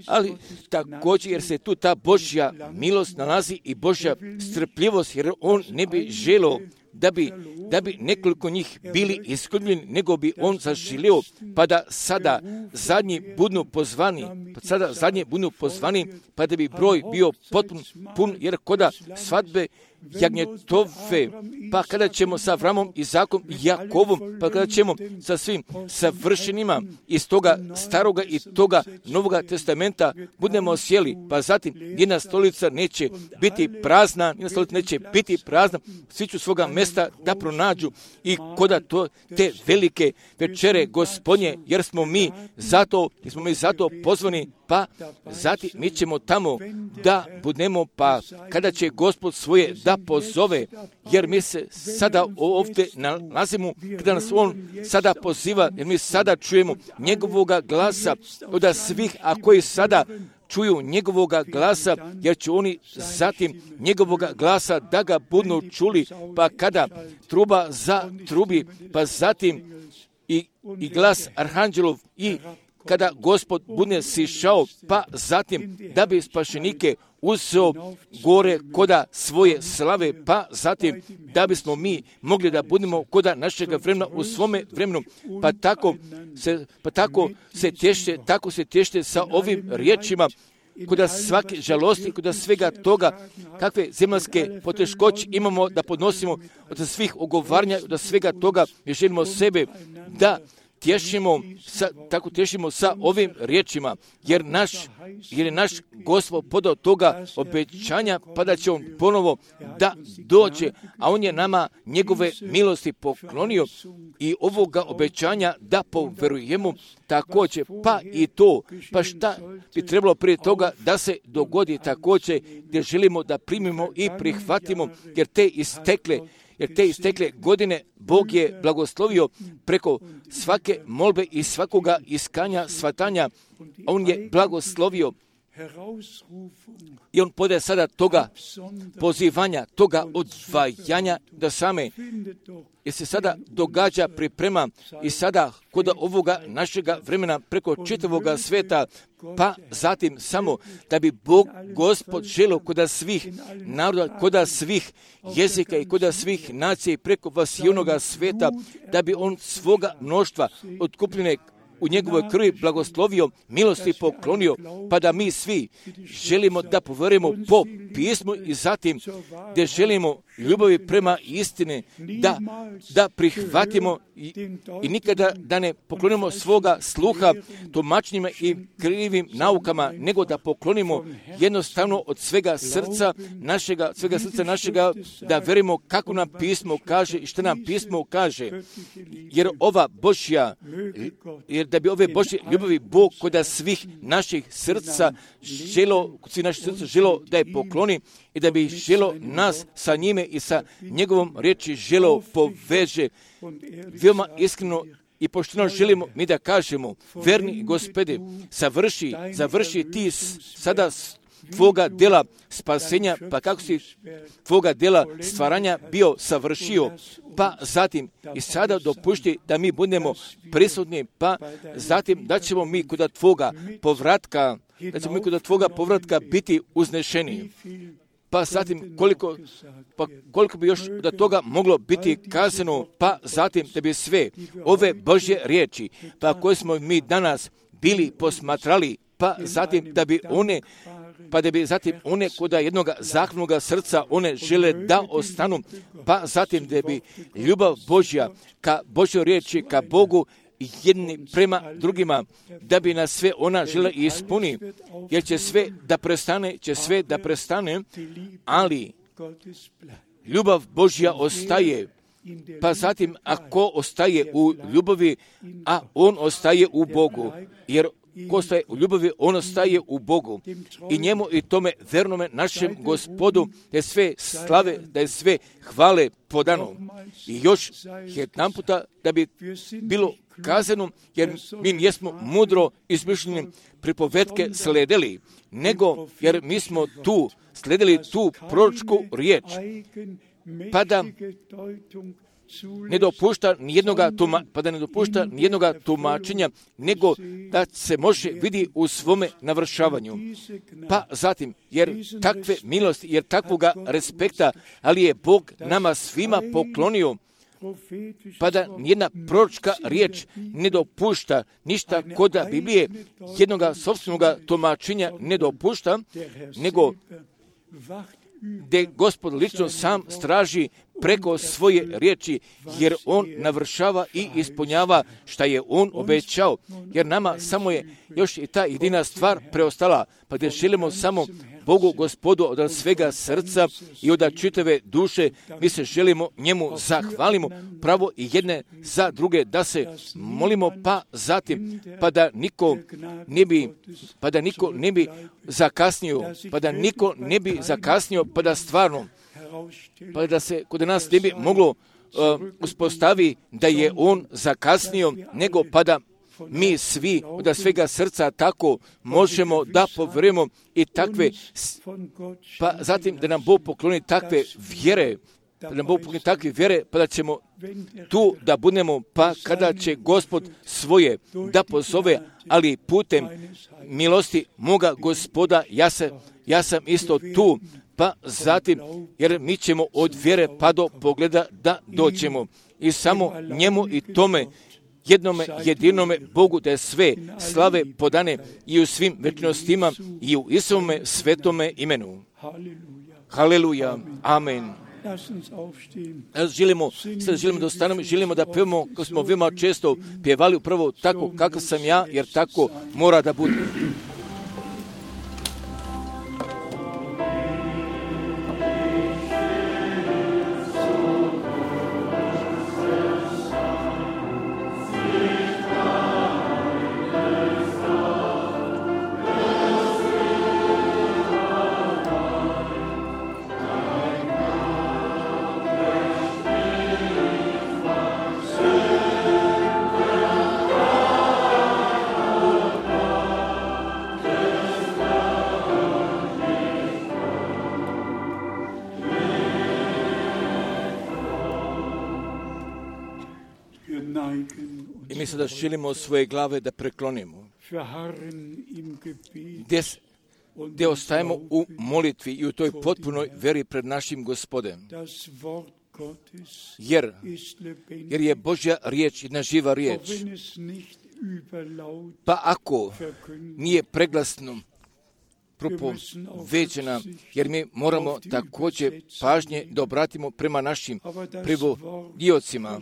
Ali također, jer se tu ta Božja milost nalazi i Božja strpljivost, jer on ne bi želio da bi, da bi nekoliko njih bili izgubljeni, nego bi on zaželio, pa da sada zadnji budu pozvani, pa sada zadnji budu pozvani, pa da bi broj bio potpun, pun, jer koda svadbe jagnjetove, pa kada ćemo sa Avramom, Izakom i Jakovom, pa kada ćemo sa svim savršenima iz toga staroga i toga novoga testamenta budemo sjeli, pa zatim jedna stolica neće biti prazna, jedna stolica neće biti prazna, svi ću svoga mjesta da pronađu i koda to, te velike večere Gospodnje, jer smo mi zato, jer smo mi zato pozvani, pa zatim mi ćemo tamo da budemo, pa kada će Gospod svoje da pozove, jer mi se sada ovdje nalazimo, kada nas On sada poziva, jer mi sada čujemo njegovoga glasa od svih, a koji sada čuju njegovoga glasa, jer će oni zatim njegovoga glasa da ga budu čuli, pa kada truba za trubi, pa zatim i, i glas arhanđelov i kada Gospod bude sišao, pa zatim da bi spašenike uzeo gore koda svoje slave, pa zatim da bismo mi mogli da budemo koda našega vremena u svome vremenu, pa tako se, pa tako se tješte, tako se tješte sa ovim riječima, kuda svake žalosti, kuda svega toga, kakve zemaljske poteškoće imamo da podnosimo od svih ogovaranja, od svega toga mi želimo sebe da tješimo, sa, tako tješimo sa ovim riječima, jer naš, jer je naš Gospod podao toga obećanja, pa da će On ponovo da dođe, a On je nama njegove milosti poklonio i ovoga obećanja da poverujemo također, pa i to, pa šta bi trebalo prije toga da se dogodi također, gdje želimo da primimo i prihvatimo, jer te istekle jer te istekle godine Bog je blagoslovio preko svake molbe i svakoga iskanja, svatanja. On je blagoslovio i On podaje sada toga pozivanja, toga odvajanja da same, jer se sada događa priprema i sada kod ovoga našega vremena preko čitavoga sveta, pa zatim samo da bi Bog Gospod želio kod svih naroda, kod svih jezika i kod svih nacija i preko vas i onoga sveta, da bi On svoga mnoštva otkupljene u njegovoj krvi blagoslovio, milosti poklonio, pa da mi svi želimo da poverujemo po pismu i zatim gdje želimo ljubavi prema istine, da, da prihvatimo i, i nikada da ne poklonimo svoga sluha tumačenjima i krivim naukama, nego da poklonimo jednostavno od svega srca našega, svega srca našega, da verimo kako nam pismo kaže i što nam pismo kaže, jer ova Božja, jer da bi ove Božje ljubavi Bog kod svih naših srca želo, kod svih naših srca želo da je pokloni i da bi želo nas sa njime i sa njegovom riječi želo poveže. Veoma iskreno i pošteno želimo mi da kažemo, verni Gospode, završi, završi ti sada tvoga dela spasenja, pa kako si tvoga dela stvaranja bio savršio, pa zatim i sada dopušti da mi budemo prisutni, pa zatim da ćemo mi kod tvoga povratka, da ćemo mi kod tvoga povratka biti uznešeni. Pa zatim koliko, pa koliko bi još do toga moglo biti kazano, pa zatim da bi sve ove Božje riječi, pa koje smo mi danas bili posmatrali, pa zatim da bi one pa da bi zatim one kod jednog zahtjevnog srca one žele da ostanu, pa zatim da bi ljubav Božja ka Božjoj riječi, ka Bogu jedni prema drugima, da bi nas sve ona žele ispuni, jer će sve da prestane, će sve da prestane, ali ljubav Božja ostaje. Pa zatim ako ostaje u ljubavi, a on ostaje u Bogu, jer ko ostaje u ljubavi, on ostaje u Bogu. I njemu i tome vernome našem Gospodu, da je sve slave, da je sve hvale podano. I još jedan puta da bi bilo kazano, jer mi nismo mudro izmišljeni pripovetke sledili, nego jer mi smo tu sledili tu proročku riječ, pa da ne dopušta nijednoga tuma, pa da ne dopušta nijednoga tumačenja, nego da se može vidi u svome navršavanju. Pa zatim, jer takve milosti, jer takvoga respekta, ali je Bog nama svima poklonio, pa da nijedna proročka riječ ne dopušta ništa kod Biblije, jednoga sopstvenoga tumačenja ne dopušta, nego gdje Gospod lično sam straži preko svoje riječi, jer On navršava i ispunjava šta je On obećao, jer nama samo je još i ta jedina stvar preostala, pa gdje želimo samo Bogu Gospodu od svega srca i od čitave duše, mi se želimo njemu zahvalimo pravo i jedne za druge, da se molimo, pa zatim, pa da niko ne bi, pa da niko ne bi zakasnio, pa da niko ne bi zakasnio, pa da stvarno pa da se kod nas ne bi moglo uh, uspostavi da je on zakasnio, nego pa da mi svi od svega srca tako možemo da povjerujemo i takve, pa zatim da nam Bog pokloni takve vjere, da nam Bog pokloni takve vjere, pa da ćemo tu da budemo, pa kada će Gospod svoje da pozove, ali putem milosti moga Gospoda, ja, se, ja sam isto tu, pa zatim, jer mi ćemo od vjere pa do pogleda da doćemo i samo njemu i tome jednome jedinome Bogu da je sve slave podane i u svim večnostima i u Isovome svetome imenu. Haleluja. Amen. Želimo, sad želimo da ostanemo, želimo da pevamo, kako smo veoma često pjevali upravo tako kakav sam ja, jer tako mora da bude. I mi sada želimo svoje glave da preklonimo, gdje, gdje ostajemo u molitvi i u toj potpunoj veri pred našim Gospodem. Jer, jer je Božja riječ jedna živa riječ. Pa ako nije preglasno propoveđena, jer mi moramo također pažnje da obratimo prema našim prevodiocima.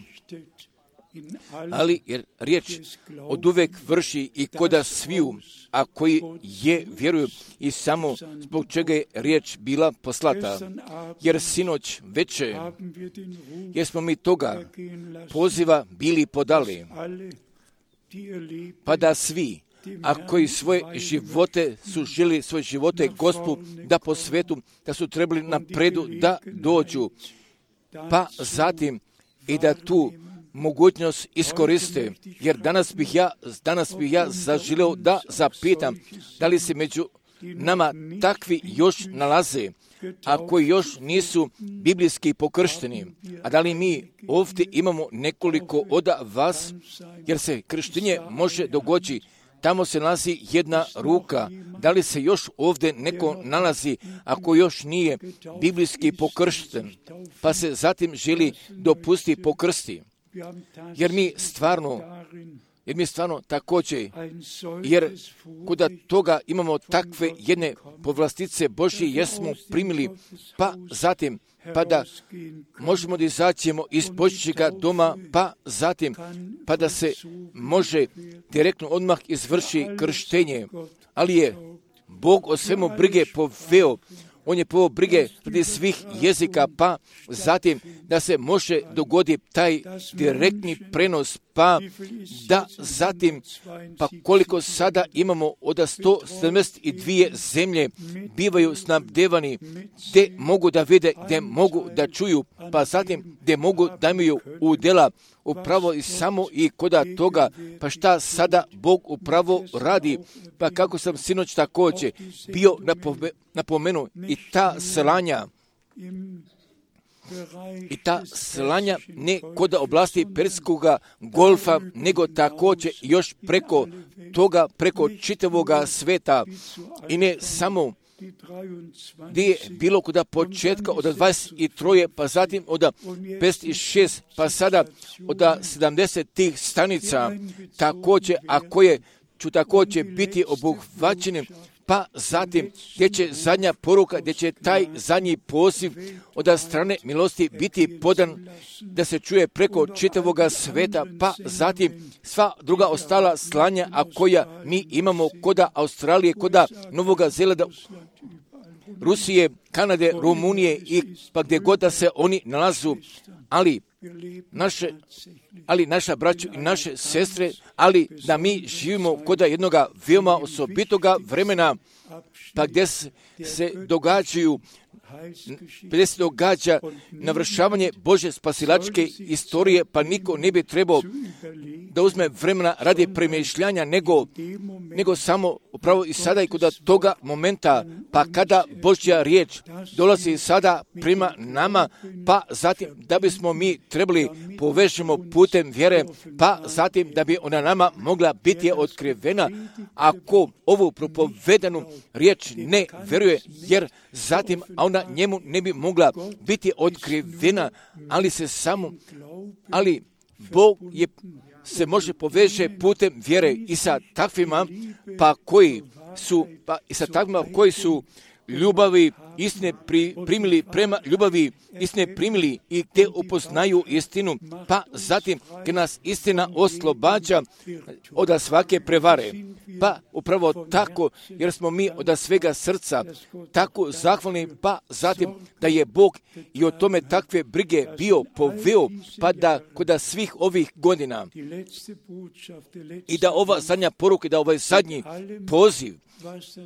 Ali jer riječ od uvek vrši i koda sviju, a koji je vjeruju i samo zbog čega je riječ bila poslata. Jer sinoć veče, jer smo mi toga poziva bili podali, pa da svi, a koji svoje živote su želi svoje živote Gospu da po svetu, da su trebali napredu da dođu, pa zatim i da tu mogućnost iskoriste, jer danas bih ja, danas bih ja zaželio da zapitam da li se među nama takvi još nalaze, a koji još nisu biblijski pokršteni, a da li mi ovdje imamo nekoliko od vas, jer se krštenje može dogoditi. Tamo se nalazi jedna ruka. Da li se još ovdje neko nalazi ako još nije biblijski pokršten, pa se zatim želi dopustiti pokrsti? Jer mi stvarno, jer mi stvarno također, jer kuda toga imamo takve jedne povlastice Božje, jer smo primili, pa zatim, pa da možemo da izađemo iz Božjega doma, pa zatim, pa da se može direktno odmah izvrši krštenje. Ali je Bog o svemu brige poveo. On je poveo brige radi svih jezika, pa zatim da se može dogoditi taj direktni prenos, pa da zatim, pa koliko sada imamo od sto sedamdeset dvije zemlje bivaju snabdevani, gdje mogu da vide, gdje mogu da čuju, pa zatim gdje mogu da imaju udjela upravo i samo i koda toga, pa šta sada Bog upravo radi, pa kako sam sinoć također bio napomenu i ta slanja, i ta slanja ne kod oblasti Perskoga golfa, nego također još preko toga, preko čitavoga sveta i ne samo gdje je bilo kod početka od dvadeset tri, pa zatim od pedeset šest, pa sada od sedamdeset tih stanica također, a koje ću također biti obuhvaćeni, pa zatim gdje će zadnja poruka, gdje će taj zadnji poziv od strane milosti biti podan da se čuje preko čitavoga sveta, pa zatim sva druga ostala slanja, a koja mi imamo koda Australije, koda Novoga Zelanda, Rusije, Kanade, Rumunije i pa gdje god da se oni nalazu, ali naše, ali naša braću i naše sestre, ali da mi živimo kod jednoga veoma osobitoga vremena, pa gdje se događaju gdje se događa navršavanje Božje spasilačke istorije, pa niko ne bi trebao da uzme vremena radi premišljanja, nego, nego samo upravo i sada i kod toga momenta, pa kada Božja riječ dolazi sada prema nama, pa zatim da bismo mi trebali povežemo putem vjere, pa zatim da bi ona nama mogla biti otkrivena, ako ovu propovedanu riječ ne vjeruje, jer zatim ona njemu ne bi mogla biti otkrivena, ali se samo, ali Bog je, se može poveže putem vjere i sa takvima, pa koji su, pa i sa takvima koji su ljubavi istine pri, primili prema ljubavi istine primili i te upoznaju istinu, pa zatim kad nas istina oslobađa od svake prevare. Pa upravo tako, jer smo mi od svega srca tako zahvalni, pa zatim da je Bog i o tome takve brige bio poveo, pa da kod svih ovih godina i da ova zadnja poruka, da ovaj zadnji poziv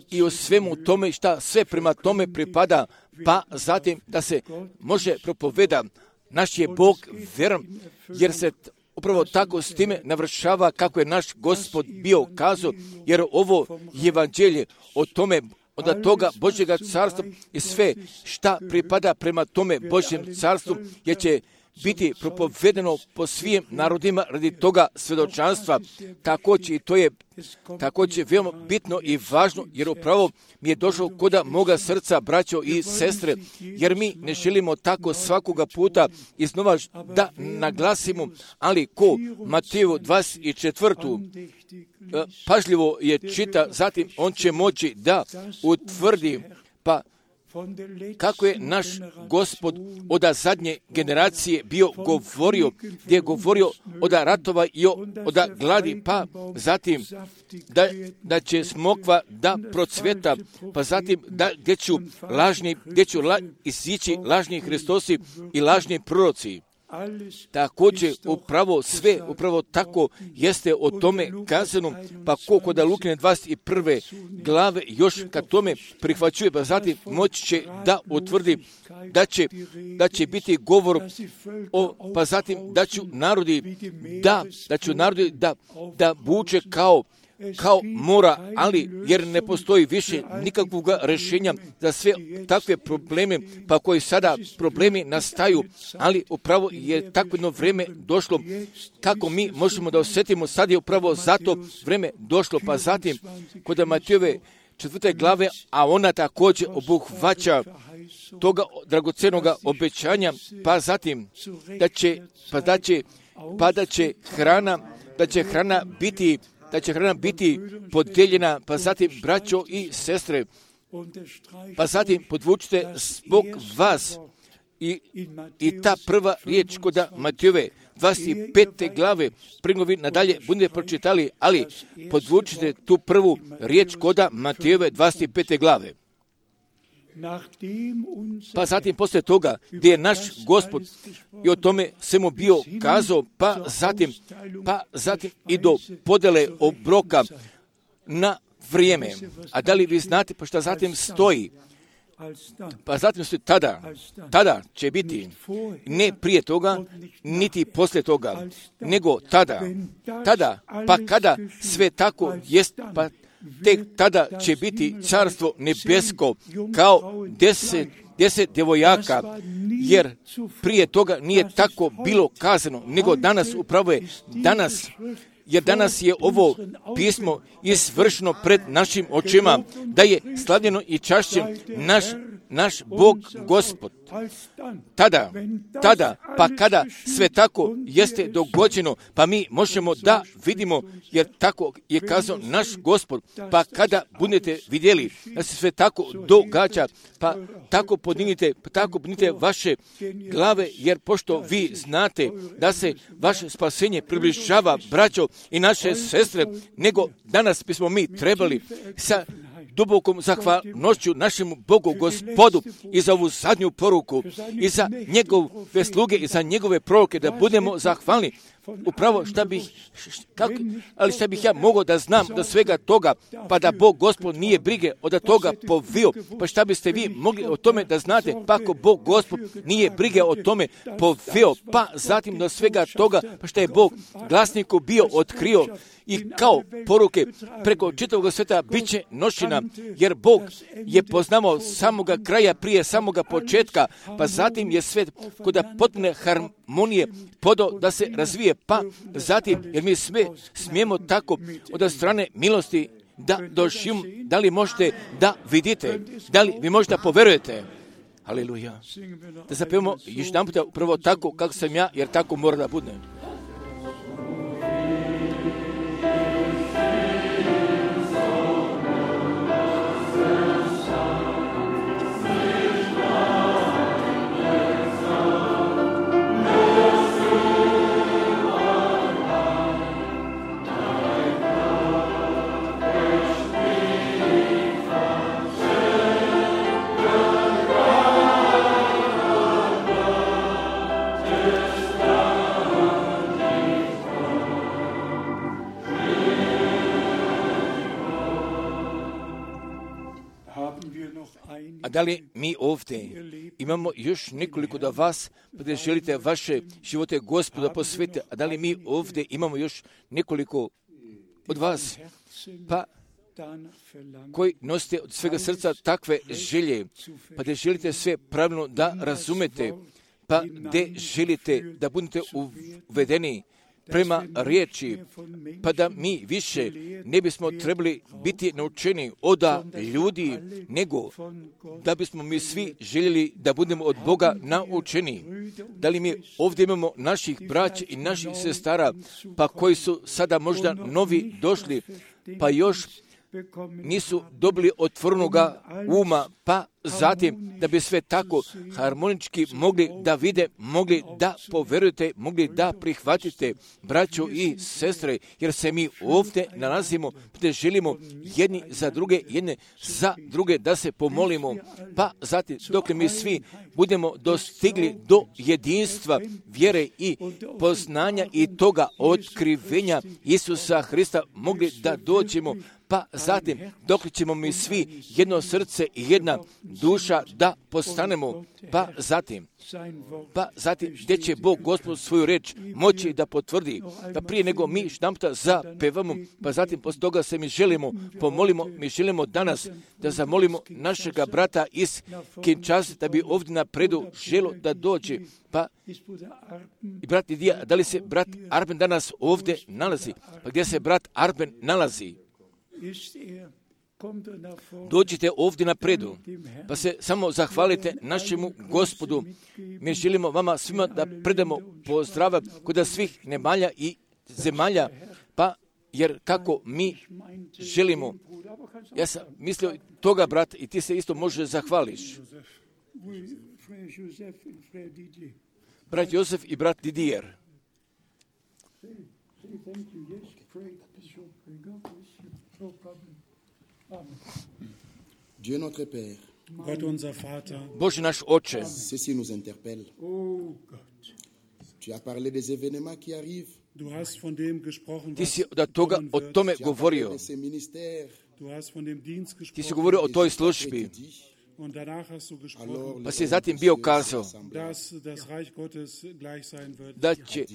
i o svemu tome šta sve prema tome pripada, pa zatim da se može propoveda, naš je Bog vjeran, jer se upravo tako s time navršava kako je naš Gospod bio kazao, jer ovo evanđelje o tome, od toga Božjega carstva i sve šta pripada prema tome Božjem carstvu, jer će biti propovedeno po svim narodima radi toga svjedočanstva. Također i to je također veoma bitno i važno, jer upravo mi je došlo koda moga srca, braćo i sestre, jer mi ne želimo tako svakoga puta iznova da naglasimo, ali ko Mateju dvadeset četvrtu pažljivo je čita, zatim on će moći da utvrdi, pa kako je naš Gospod od zadnje generacije bio govorio, gdje je govorio od ratova i od gladi, pa zatim da, da će smokva da procveta, pa zatim da gdje ću lažni, gdje ću la, izići lažni Hristosi i lažni proroci. Također upravo sve, upravo tako jeste o tome kazano, pa koliko da Lukine dvadeset prve glave još kad tome prihvaćuje, pa zatim moći će da utvrdi da će, da će biti govor o, pa zatim da ću narodi da, da ću narodi da, da buče kao kao mora, ali jer ne postoji više nikakvog rješenja za sve takve probleme, pa koji sada problemi nastaju, ali upravo je takvo jedno vrijeme došlo, kako mi možemo da osjetimo, sad je upravo zato vrijeme došlo, pa zatim kod Matejove četvrte glave, a ona također obuhvaća toga dragocenog obećanja, pa zatim da će, pa da će, pa da će hrana, da će hrana biti da će hrana biti podijeljena, pa zatim braćo i sestre, pa zatim podvučite zbog vas i, i ta prva riječ kod Matejove dvadeset pete glave, prinovi nadalje budete pročitali, ali podvučite tu prvu riječ kod Matejove dvadeset pete glave. Pa zatim poslije toga gdje je naš Gospod i o tome svemu bio kazao, pa zatim, pa zatim i do podele obroka na vrijeme. A da li vi znate pa šta zatim stoji? Pa zatim stoji tada, tada će biti ne prije toga, niti poslije toga, nego tada, tada, pa kada sve tako jest, pa tek tada će biti carstvo nebesko kao deset, deset djevojaka, jer prije toga nije tako bilo kazano, nego danas upravo je danas, jer danas je ovo pismo izvršeno pred našim očima, da je slavljeno i čašćen naš, naš Bog Gospod. Tada, tada, pa kada sve tako jeste dogođeno, pa mi možemo da vidimo, jer tako je kazao naš Gospod, pa kada budete vidjeli da se sve tako događa, pa tako podignite, pa tako podignite vaše glave, jer pošto vi znate da se vaše spasenje približava, braćo i naše sestre, nego danas bismo mi trebali sa dubokom zahvalnošću našemu Bogu, Gospodu, i za ovu zadnju poruku, i za njegove sluge, i za njegove proroke, da budemo zahvalni. Upravo šta bih, kako, ali šta bih ja mogao da znam do svega toga, pa da Bog Gospod nije brige od toga povio, pa šta biste vi mogli o tome da znate, pa ako Bog Gospod nije brige o tome povio, pa zatim do svega toga, pa šta je Bog glasniku bio otkrio, i kao poruke preko čitavog sveta bit će nošina, jer Bog je poznavao samoga kraja prije samoga početka, pa zatim je svet kod potpune harmonije podao da se razvije, pa zatim, jer mi sve smijemo tako od strane milosti da doživimo. Da li možete da vidite, da li vi možete da poverujete? Haleluja. Da zapevamo još jedan puta upravo tako kako sam ja, jer tako mora da bude. A da li mi ovdje imamo još nekoliko da vas, da želite vaše živote Gospoda posvetiti, a da li mi ovdje imamo još nekoliko od vas, pa koji nosite od svega srca takve želje, pa da želite sve pravilno da razumete, pa gdje želite da budete uvedeni prema riječi, pa da mi više ne bismo trebali biti naučeni od ljudi, nego da bismo mi svi željeli da budemo od Boga naučeni. Da li mi ovdje imamo naših braća i naših sestara, pa koji su sada možda novi došli, pa još nisu dobili otvorenoga uma, pa zatim da bi sve tako harmonički mogli da vide, mogli da poverujete, mogli da prihvatite, braćo i sestre, jer se mi ovdje nalazimo, gdje želimo jedni za druge, jedne za druge da se pomolimo, pa zatim dok mi svi budemo dostigli do jedinstva vjere i poznanja i toga otkrivenja Isusa Hrista, mogli da dođemo, pa zatim dok ćemo mi svi jedno srce i jedna duša da postanemo, pa zatim, pa zatim gdje će Bog Gospod svoju reč moći da potvrdi, pa prije nego mi štamputa zapevamo, pa zatim poslije toga se mi želimo, pomolimo, mi želimo danas da zamolimo našega brata iz Kinshase da bi ovdje napredu želo da dođe, pa i brat Lidija, da li se brat Arben danas ovdje nalazi, pa gdje se brat Arben nalazi? Dođite ovdje napredu, pa se samo zahvalite našemu Gospodu. Mi želimo vama svima da predamo pozdrava kod svih nemalja i zemalja, pa jer kako mi želimo. Ja sam mislio toga, brat, i ti se isto možeš zahvališ. Brat Josef i brat Didier. Dieu notre Père, Gott unser Vater, Bože naš Oče, ceci nous interpelle. oh Gott, Tu as parlé des événements qui arrivent, du hast von dem gesprochen, ti was si od toga, kommen o wird. tome tu as parlé govorio. de ces ministères. Du hast von dem Dienst Ti si gesprochen govorio o toj Et službi, tu dis, und danach hast du gesprochen, alors, pa si zatim bio kazao dass das Reich Gottes gleich sein wird. da će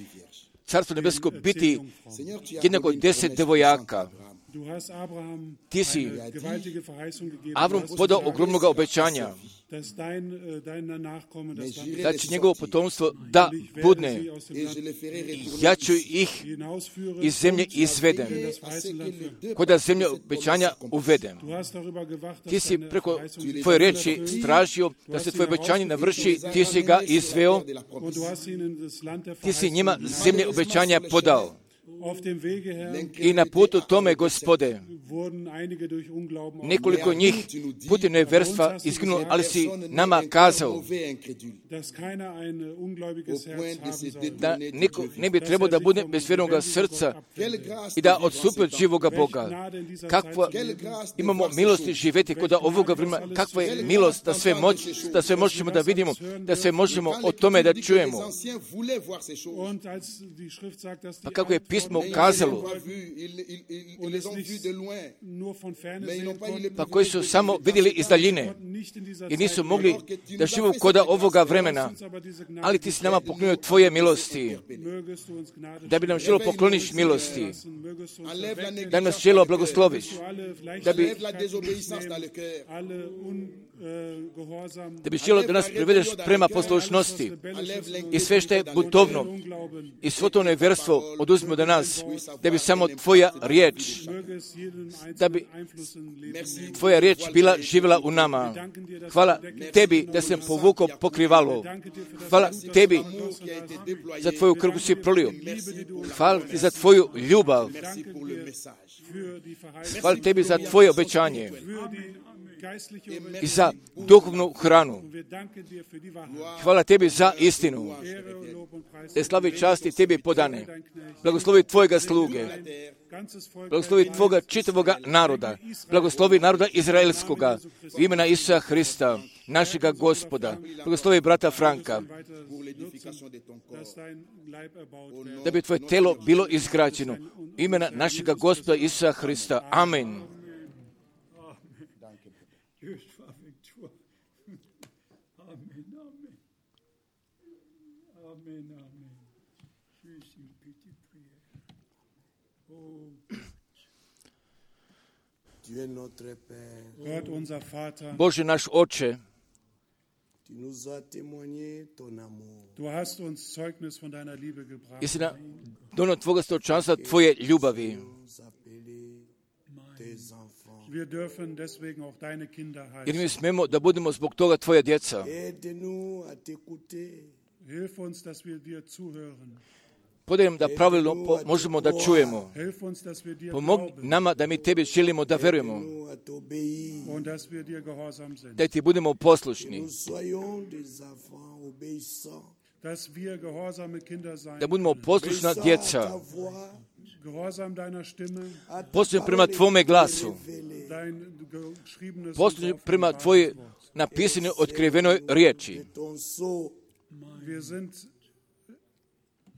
Carstvo nebesko biti Seigneur, tu as jednako donné une deset promesse devojaka. puissante à Abraham. Du hast Abraham Ti si eine gewaltige Verheißung gegeben, Avram du hast podao gesagt, ogromnog obećanja dass dein, äh, dein Nachkomme das Land da će njegovo potomstvo da ich werde budne. sie aus dem Et Land je les ferai retourner Ja ću ici. ih hinausführen iz zemlje und izvedem, in das À ce verheißene que Land les führen. deux kod da parties zemlje de cette obećanja promesse uvedem. Du hast darüber gewacht, dass Ti si deine preko Verheißung tvoje sich reči erfüllt tražio da se tvoje obećanje navrši, ti si ga izveo, de la und promesse. du hast ihnen das Land der ti si Verheißung njima gegeben. zemlje obećanja podao. Auf dem Wege, Herr, I na putu tome, Gospode, wurden einige durch Unglauben Nekoliko njih putem nevjerstva izginulo, ali si nama kazao dass keiner ein ungläubiges Herz haben soll. da niko ne bi trebao da bude bez vjernog srca i da odstupi od živoga Boga. Kakva imamo milosti živjeti kod ovoga vremena, kakva je milost da sve moć, da sve možemo da vidimo, da sve možemo o tome da čujemo. Und als die Schrift sagt, dass Pa die kako je pismo kazalo, und es nicht nur von ferne sehen konnten, pa koji su samo vidjeli iz daljine nicht in dieser i nisu Zeit mogli da živu koda ovoga vremena, uns aber diese Gnade ali ti si nama poklonio tvoje milosti, mögest du uns Gnade da bi nam želo pokloniš milosti, schenken, mögest du uns erwecken, da nas želo blagosloviš, alle vielleicht da bi, alle ungehorsam, da bi želo da nas privedeš prema poslušnosti i sve što je butovno Unglauben, i svo to nevjerstvo oduzmi od nas, da bi samo tvoja riječ, möge es jedem da bi einzelnen Einfluss im Leben. tvoja riječ bila živjela u nama. Hvala tebi da sam povukao pokrivalo. Hvala tebi za tvoju krv koju si prolio. Hvala ti za tvoju ljubav. Für die Verheißung, Hvala tebi za tvoje obećanje für die geistliche Überlebung. i za duhovnu hranu. Wir danken dir für die Wahrheit. Hvala tebi za istinu. Ehre und Lob und Preis. Te slavi časti tebi podane. Blagoslovi tvojega sluge. Ganzes Volk Blagoslovi tvoga čitavoga naroda. Blagoslovi naroda izraelskoga. U imena Isusa Hrista, našega Gospoda. Blagoslovi brata Franka. dass dein Leib erbaut werde. Da bi tvoje telo bilo izgrađeno. U imena našega Gospoda Isusa Hrista. Amen. Amen, amen. Amen, amen. Je suis une petite prière. Oh, Tu es notre Père. Gott, unser Vater, Bože naš Oče, Tu nous as témoigné ton amour. du hast uns Zeugnis von deiner Liebe gebracht. jesi nam donio tvoga stočanstva, tvoje ljubavi. Nous appeler tes enfants. Wir dürfen deswegen auch deine Kinder Jer mi heißen. smemo da budemo zbog toga tvoja djeca. Aide-nous à t'écouter. Hilf uns, dass wir dir zuhören. Podaj nam da pravilno po- možemo da čujemo. Hilf uns, dass wir dir Pomog glauben nama da mi tebi želimo da verujemo, Aide-nous à t'obéir. und dass wir dir gehorsam sind. da ti budemo poslušni, Nous soyons des enfants obéissants. Dass wir gehorsame Kinder sein, da budemo poslušna Obéissants à djeca, ta voix, gehorsam deiner Stimme, à ta poslušni prema parole tvome glasu, révélée. dein geschriebenes poslušni und prema offenbares tvoje Wort. napisane otkrivenoj riječi. Ton sceau, Wir sind,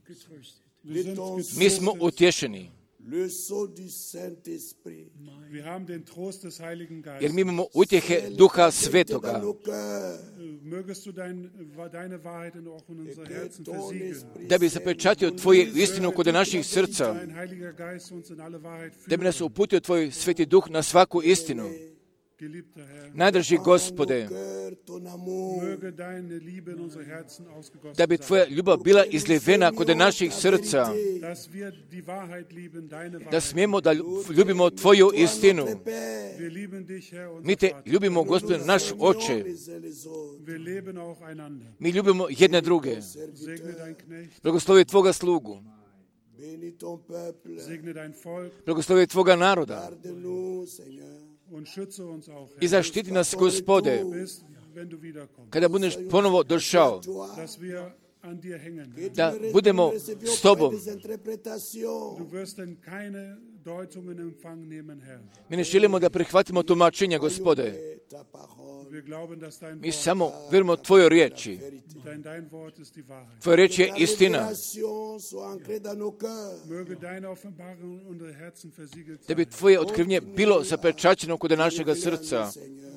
getröstet. wir sind ton Mi smo getröstet. utješeni, le sceau du Saint-Esprit. Wir haben den Trost des Heiligen jer Geistes. mi imamo utjehe Duha Dans Svetoga. nos cœurs, Mögest du dein, deine Wahrheit in auch in unser que Herzen ton versiegeln. esprit Da bi zapečatio tvoje istinu kod naših srca, Dein Heiliger Geist uns in alle Wahrheit da bi nas führt. uputio tvoj Sveti Duh na svaku istinu. Geliebter Herr, Najdrži dans Gospode, nos cœurs ton amour. möge deine Liebe in unser Herzen ausgegossen da bi sein. tvoja ljubav bila izlivena kod naših srca, Dass wir die Wahrheit lieben, deine da Wahrheit. smijemo da ljubimo tvoju istinu. Wir lieben dich, Herr, unser Mi te Vater. ljubimo, Gospodine, naš Oče. Les uns les autres. Wir leben auch einander. Mi ljubimo jedne druge. Segne dein Knecht, Blagoslovi tvoga slugu. Bénis ton peuple. segne dein Volk Blagoslovi tvoga naroda. Garde-nous, Seigneur. und schütze uns auch, I Herr, zaštiti nas, Gospode, bis, wenn du wiederkommst. kada budeš ponovo došao, Dass wir an dir hängen. da budemo s tobom. Des interprétations. Du wirst denn keine Deutungen in Empfang nehmen, Herr. Mi ne želimo da prihvatimo tumačenja, Gospode. Ta parole. Wir glauben, dass dein Mi Wort, samo vjerujemo tvojoj riječi. dein, dein Wort ist die Wahrheit. Tvoja riječ je Ta istina. révélation soit ancrée dans nos cœurs. Möge deine Offenbarung in unsere Herzen versiegelt Da bi sein. tvoje otkrivnje bilo zapečaćeno kod našega srca. Seigneur.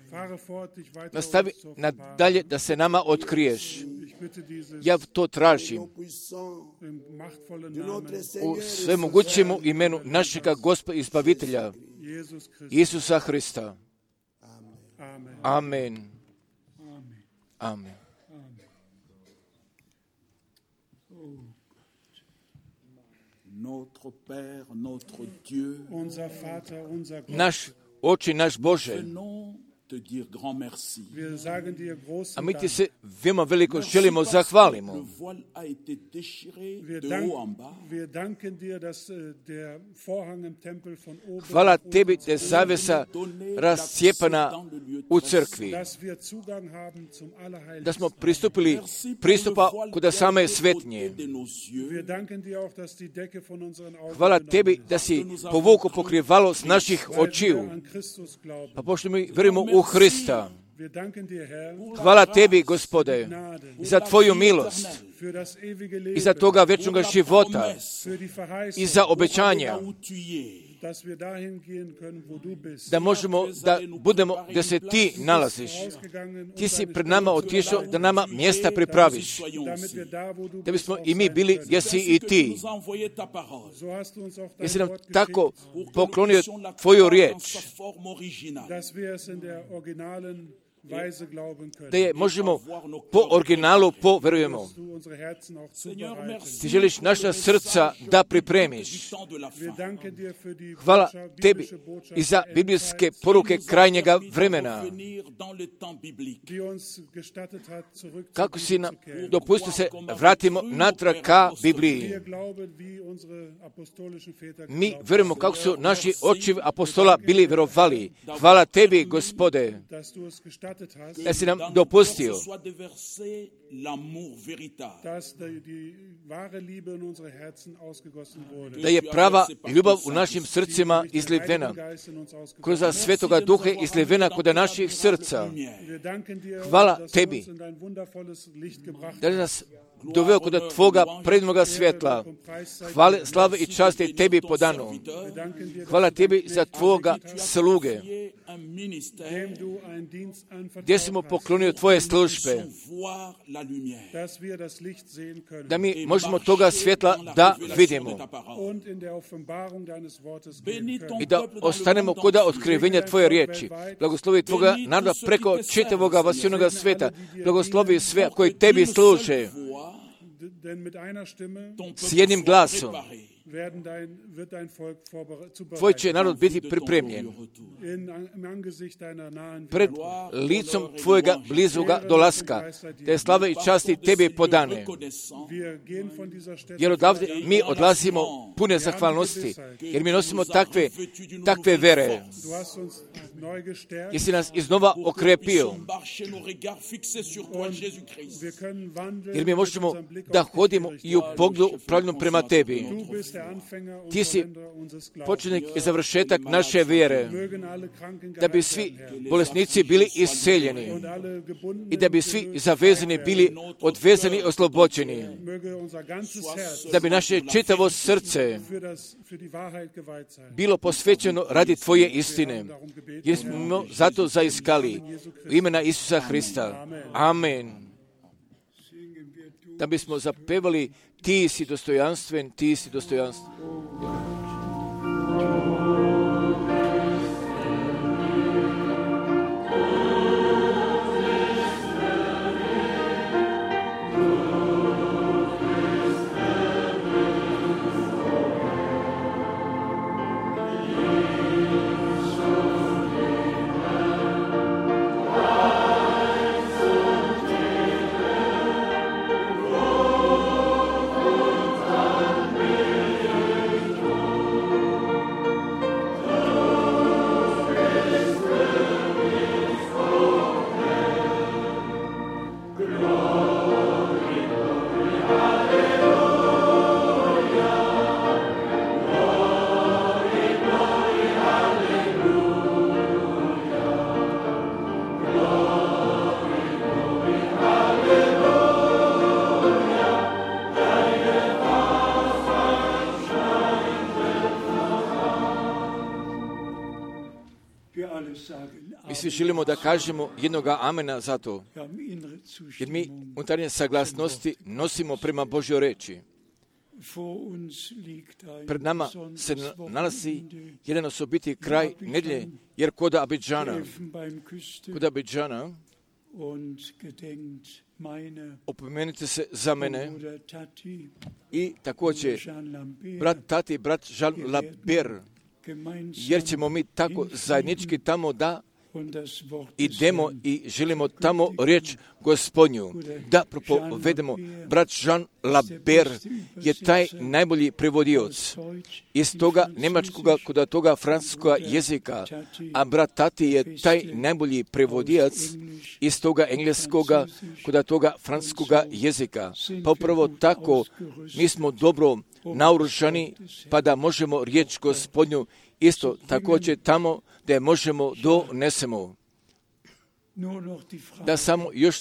Fahre fort, dich weiter Nastavi uns zu offenbaren. nadalje da se nama otkriješ. Ich bitte dieses Ja to tražim Puissant im machtvollen de Namen notre u Seigneur. svemogućemu imenu našega Gospa i Izbavitelja, Jesus Christus. Isusa Hrista. Amen. Amen. Amen. Amen. Notre Père, notre Dieu, Unser Vater, unser Gott, Naš Oče, naš Bože, venons A mi ti se veoma veliko želimo zahvalimo. Hvala tebi da je zavesa rascijepana u crkvi, da smo pristupili pristupa kuda same svetnje. Hvala tebi da si povukao pokrivalo s naših očiju, pa pošto mi verujemo u Hrista. Hvala tebi, Gospode, za tvoju milost i za toga večnoga života i za obećanja, da možemo da budemo gdje se ti nalaziš. Ti si pred nama otišao da nama mjesta pripraviš, da bismo i mi bili gdje si i ti. Jesi nam tako poklonio tvoju riječ, da je možemo po originalu poverujemo. Ti želiš naša srca da pripremiš. Hvala tebi i za biblijske poruke krajnjega vremena. Kako si nam dopustio se vratimo natrag ka Bibliji. Mi verujemo kako su naši očevi apostola bili vjerovali. Hvala tebi, Gospode, da si nam dopustio da je prava ljubav u našim srcima izlivena, kroz Svetoga Duha izlivena kod naših srca. Hvala tebi da je nas doveo kod tvoga prednoga svjetla. Hvala, slave i časti tebi po danu. Hvala tebi za tvoga sluge, gdje smo poklonio tvoje službe, da mi možemo toga svjetla da vidimo i da ostanemo kod otkrivenja tvoje riječi. Blagoslovi tvoga naroda preko čitavoga vasivnoga sveta. Blagoslovi sve koji tebi služe s jednim glasom. Tvoj će narod biti pripremljen pred licom tvojega blizuga dolaska, da je slava i časti tebi podane. Jer odavde mi odlazimo pune zahvalnosti, jer mi nosimo takve, takve vere. Jesi nas iznova okrepio, jer mi možemo da hodimo i u pogledu pravilnom prema tebi. Ti si početnik i završetak naše vjere, da bi svi bolesnici bili isceljeni i da bi svi zavezani bili odvezani i oslobođeni, da bi naše čitavo srce bilo posvećeno radi tvoje istine, jer smo zato zaiskali u imena Isusa Hrista. Amen. Da bismo zapevali ti si dostojanstven, ti si dostojanstven. Mi svi želimo da kažemo jednoga amena za to, jer mi unutarnje saglasnosti nosimo prema Božjoj reči. Pred nama se nalazi jedan osobiti kraj nedjelje, jer kod Abidžana, kod Abidžana opomenite se za mene i također brat Tati, brat Jean Lambert, jer ćemo mi tako zajednički tamo da idemo i želimo tamo riječ Gospodnju da propovedemo. Brat Jean Laber je taj najbolji prevodioc iz toga njemačkoga kod toga francuskoga jezika, a brat Tati je taj najbolji prevodijac iz toga engleskoga kod toga francuskoga jezika. Pa upravo tako mi smo dobro naoružani pa da možemo riječ Gospodnju isto također tamo da je možemo donesemo. Da samo još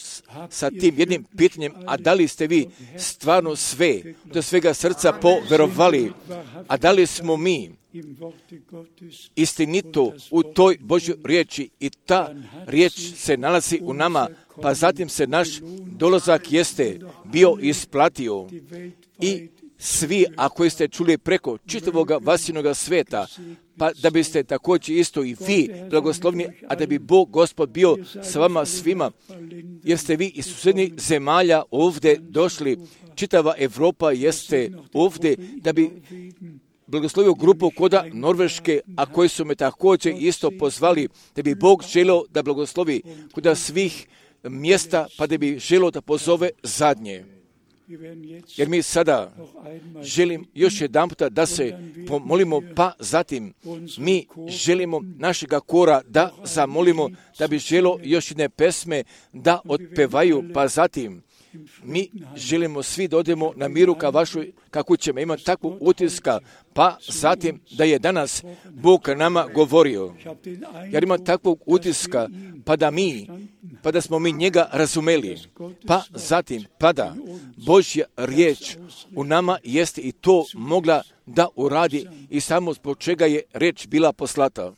sa tim jednim pitanjem, a da li ste vi stvarno sve do svega srca poverovali, a da li smo mi istinito u toj Božjoj riječi i ta riječ se nalazi u nama, pa zatim se naš dolazak jeste bio isplatio i svi, ako ste čuli preko čitavoga vasinoga sveta, pa da biste također isto i vi blagoslovni, a da bi Bog Gospod bio s vama svima, jer ste vi iz susjednih zemalja ovdje došli, čitava Evropa jeste ovdje, da bi blagoslovio grupu koda Norveške, a koji su me također isto pozvali, da bi Bog želio da blagoslovi koda svih mjesta, pa da bi želio da pozove zadnje. Jer mi sada želim još jedan puta da se pomolimo, pa zatim mi želimo našega kora da zamolimo, da bi želo još jedne pesme da otpevaju, pa zatim mi želimo svi da odemo na miru ka vašoj, kako ćemo imati takvu utiska, pa zatim da je danas Bog nama govorio. Jer ima takvog utiska, pa da mi, pa da smo mi njega razumeli, pa zatim, pa da Božja riječ u nama jeste i to mogla da uradi i samo zbog čega je riječ bila poslata.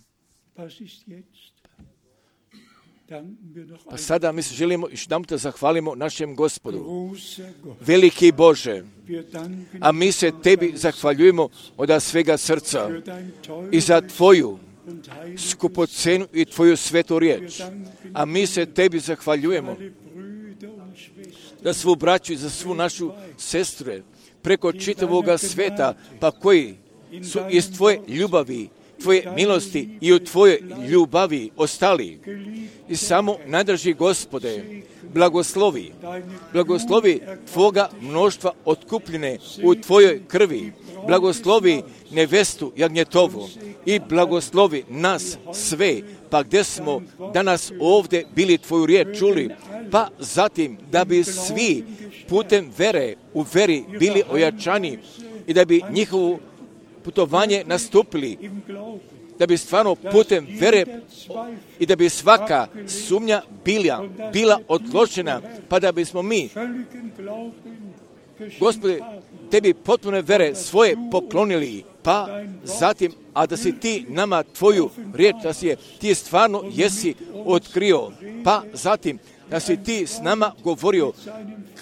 Pa sada mi se želimo još jedan puta zahvalimo našem Gospodu. Veliki Bože, a mi se Tebi zahvaljujemo od svega srca i za Tvoju skupocenu i Tvoju svetu riječ. A mi se Tebi zahvaljujemo za svu braću i za svu našu sestre preko čitavoga sveta, pa koji su iz Tvoje ljubavi, Tvoje milosti i u Tvojoj ljubavi ostali. I samo nadrži, Gospode, blagoslovi, blagoslovi Tvoga mnoštva otkupljene u Tvojoj krvi, blagoslovi nevestu Jagnjetovu i blagoslovi nas sve, pa gdje smo danas ovdje bili Tvoju riječ čuli, pa zatim da bi svi putem vere u veri bili ojačani i da bi njihovu putovanje nastupili, da bi stvarno putem vere i da bi svaka sumnja bila, bila otločena, pa da bismo mi, Gospode, Tebi potpune vere svoje poklonili, pa zatim, a da si Ti nama Tvoju riječ, da si je Ti stvarno jesi otkrio, pa zatim, da si Ti s nama govorio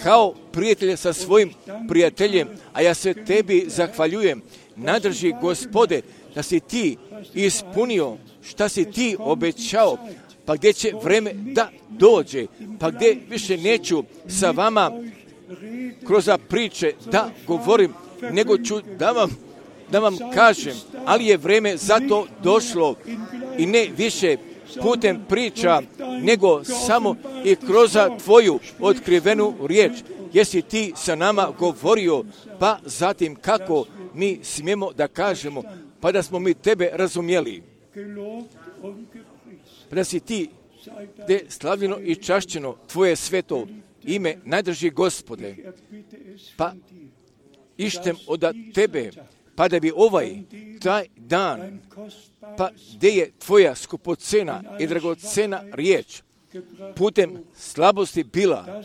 kao prijatelj sa svojim prijateljem, a ja se Tebi zahvaljujem. Nadrži, Gospode, da si Ti ispunio šta si Ti obećao, pa gdje će vreme da dođe, pa gdje više neću sa vama kroz priče da govorim, nego ću da vam, da vam kažem, ali je vreme za to došlo i ne više putem priča, nego samo i kroz Tvoju otkrivenu riječ, jesi Ti sa nama govorio, pa zatim kako mi smijemo da kažemo, pa da smo mi Tebe razumjeli. Pa da si Ti, de slavljeno i čašćeno Tvoje sveto ime, najdrži, Gospode, pa ištem od Tebe, pa da bi ovaj, taj dan, pa gdje je Tvoja skupocena i dragocena riječ, putem slabosti bila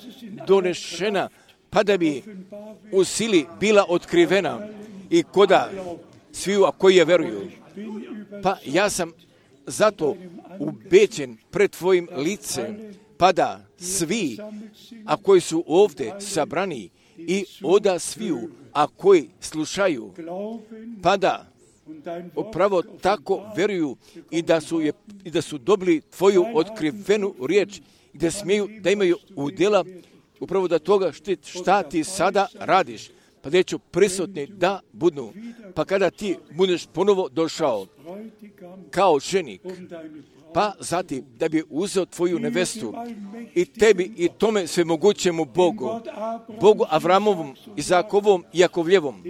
donešena, pa da bi u sili bila otkrivena i koda sviju, a koji je veruju. Pa ja sam zato ubeđen pred Tvojim licem, pa da svi, a koji su ovdje sabrani, i oda sviju, a koji slušaju, pa da upravo tako veruju i da su, je, i da su dobili Tvoju otkrivenu riječ, da smiju, da imaju udjela upravo da toga šta, šta Ti sada radiš, pa da ću prisutni da budu, pa kada Ti budeš ponovo došao kao ženik, pa zatim da bi uzeo tvoju nevestu i tebi i tome svemogućemu Bogu, Bogu Avramovom, Izakovom i Jakovljevom,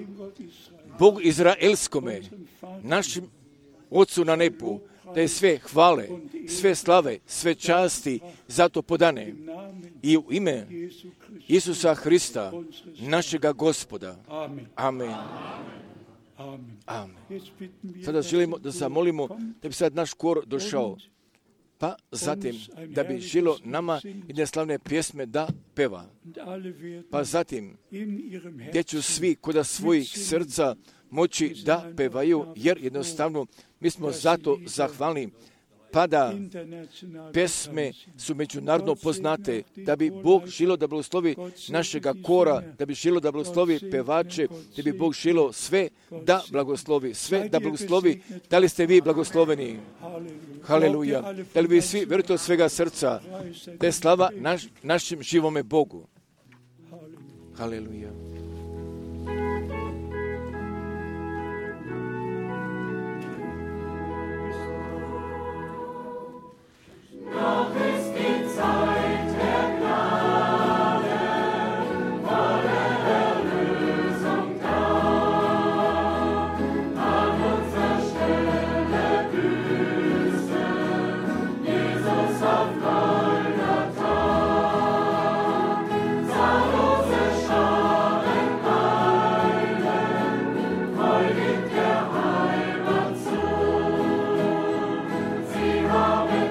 Bogu Izraelskome, našim Otcu na nebu, da je sve hvale, sve slave, sve časti zato podane i u ime Isusa Hrista, našega Gospoda. Amen. Amen. Sada želimo da zamolimo da bi sad naš kor došao, pa zatim da bi žilo nama jedne slavne pjesme da peva. Pa zatim gdje ću svi koda svojih srca moći da pevaju, jer jednostavno mi smo zato zahvalni, pa da pesme su međunarodno poznate, da bi Bog žilo da blagoslovi našega kora, da bi žilo da blagoslovi pevače, da bi Bog žilo sve da blagoslovi, sve da blagoslovi. Da li ste vi blagosloveni? Haleluja. Da li vi svi verujete od svega srca da je slava naš, našem živome Bogu? Haleluja. Noch ist die Zeit der Gnade, volle Erlösung da. An unserer Stelle Büße, Jesus auf Golgatha. Zahllose Scharen eilen, freudig der Heimat zu. Sie haben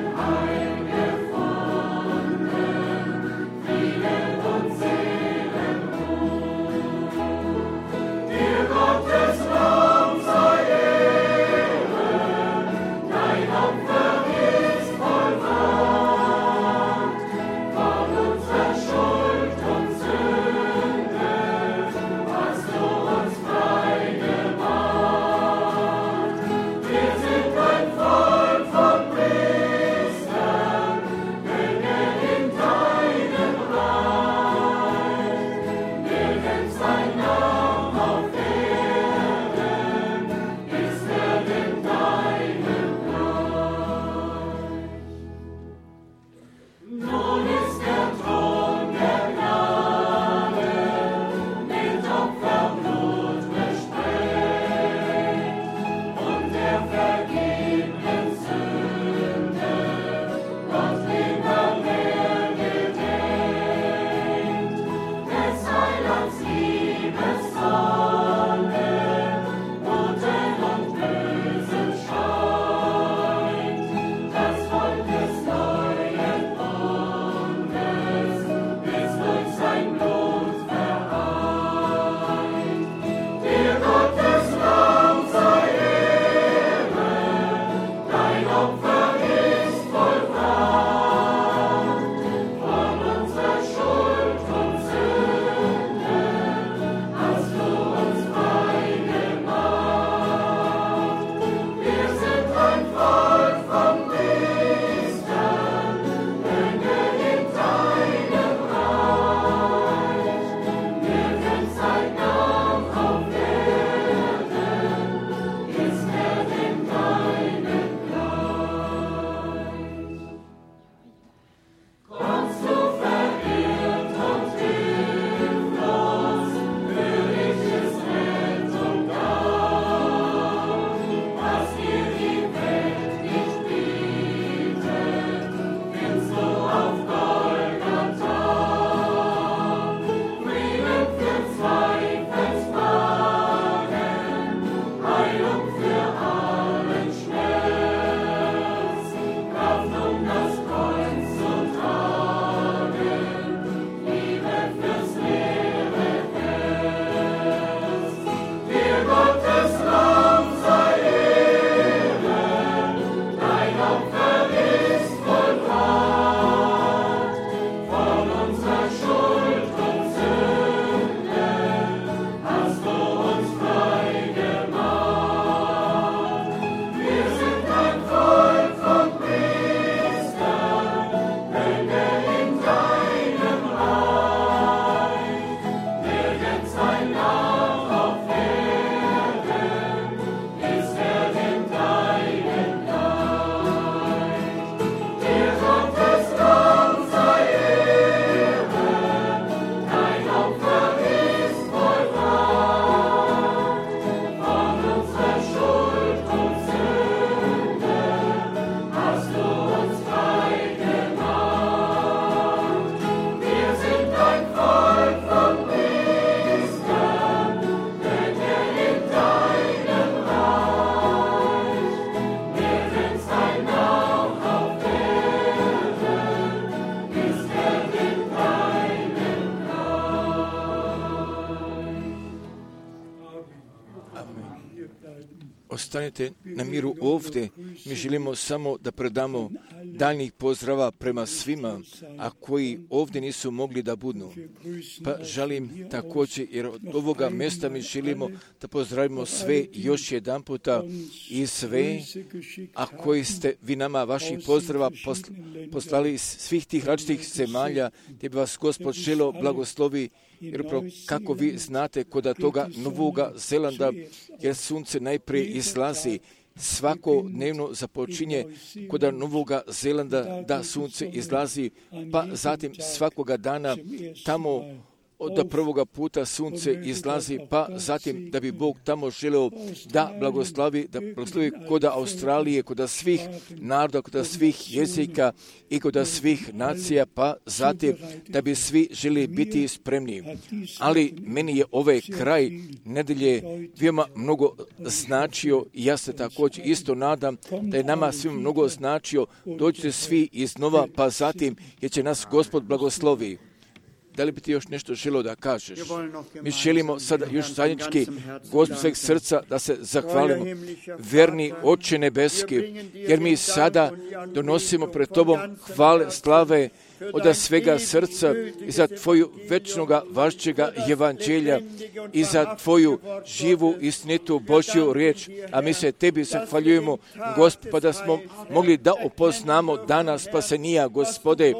ostanete na miru ovdje. Mi želimo samo da predamo daljnjih pozdrava prema svima, a koji ovdje nisu mogli da budu. Pa želim također, jer od ovoga mjesta mi želimo da pozdravimo sve još jedan puta i sve, a koji ste vi nama vaših pozdrava poslali iz svih tih različitih zemalja, gdje bi vas Gospod želio blagoslovi. Jer upravo kako vi znate kod toga Novoga Zelanda, jer sunce najprije izlazi, svakodnevno započinje kod Novoga Zelanda da sunce izlazi, pa zatim svakoga dana tamo od prvoga puta sunce izlazi, pa zatim da bi Bog tamo želeo da blagoslovi, da blagoslovi kod Australije, kod svih naroda, kod svih jezika i kod svih nacija, pa zatim da bi svi želi biti spremni. Ali meni je ovaj kraj nedelje veoma mnogo značio i ja se također isto nadam da je nama svima mnogo značio. Dođite svi iznova, pa zatim jer će nas Gospod blagoslovi. Da li bi ti još nešto želio da kažeš? Mi želimo sada još zajednički Gospod sveg srca da se zahvalimo, verni Oče nebeski, jer mi sada donosimo pred Tobom hvale, slave od svega srca i za Tvoju večnoga važćega evanđelja i za Tvoju živu istinitu Božju riječ, a mi se Tebi zahvaljujemo, Gospod, pa da smo mogli da upoznamo dana spasenija, Gospode,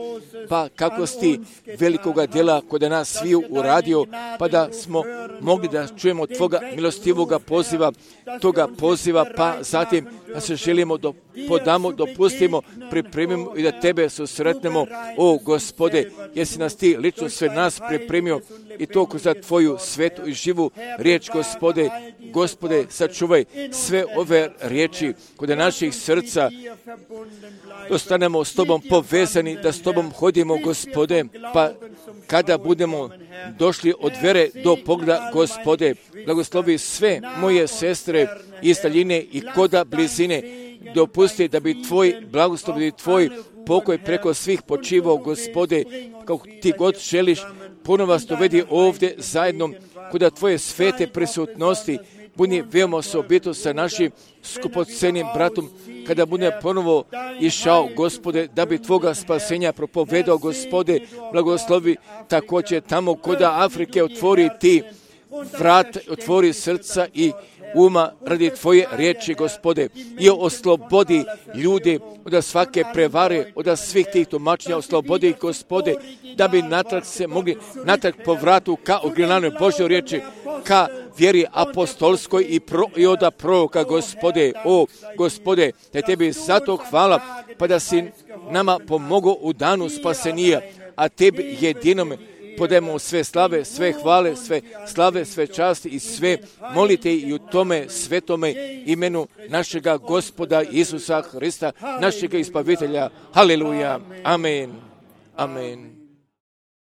pa kako si Ti velikoga djela kod nas sviju uradio, pa da smo mogli da čujemo Tvoga milostivoga poziva, toga poziva, pa zatim da se želimo da podamo, dopustimo, pripremimo i da Tebe susretnemo, o Gospode, jesi nas Ti lično sve nas pripremio i to kroz Tvoju svetu i živu riječ, Gospode. Gospode, sačuvaj sve ove riječi kod naših srca, da ostanemo s Tobom povezani, da s Tobom hodimo, Gospode, pa kada budemo došli od vere do pogleda, Gospode, blagoslovi sve moje sestre iz daljine i koda blizine, dopusti da bi Tvoj blagoslov i Tvoj pokoj preko svih počivao, Gospode, kako Ti god želiš, ponovo vas dovedi ovdje zajedno kod Tvoje svete prisutnosti, budi veoma osobito sa našim skupocenim bratom, kada bude ponovo išao, Gospode, da bi Tvoga spasenja propovedao, Gospode, blagoslovi također tamo kod Afrike, otvori Ti vrat, otvori srca i uma radi Tvoje riječi, Gospode, i oslobodi ljude od svake prevare, od svih tih tumačenja, oslobodi, Gospode, da bi natrag se mogli natrag po vratu ka originalnoj Božjoj riječi, ka vjeri apostolskoj i, pro, i oda proroka, Gospode, o Gospode, da Tebi zato hvala, pa da si nama pomogao u danu spasenija, a Tebi jedinome podajemo sve slave, sve hvale, sve slave, sve časti i sve molite i u tome svetome imenu našega Gospoda Isusa Hrista, našega Izbavitelja. Haleluja. Amen. Amen.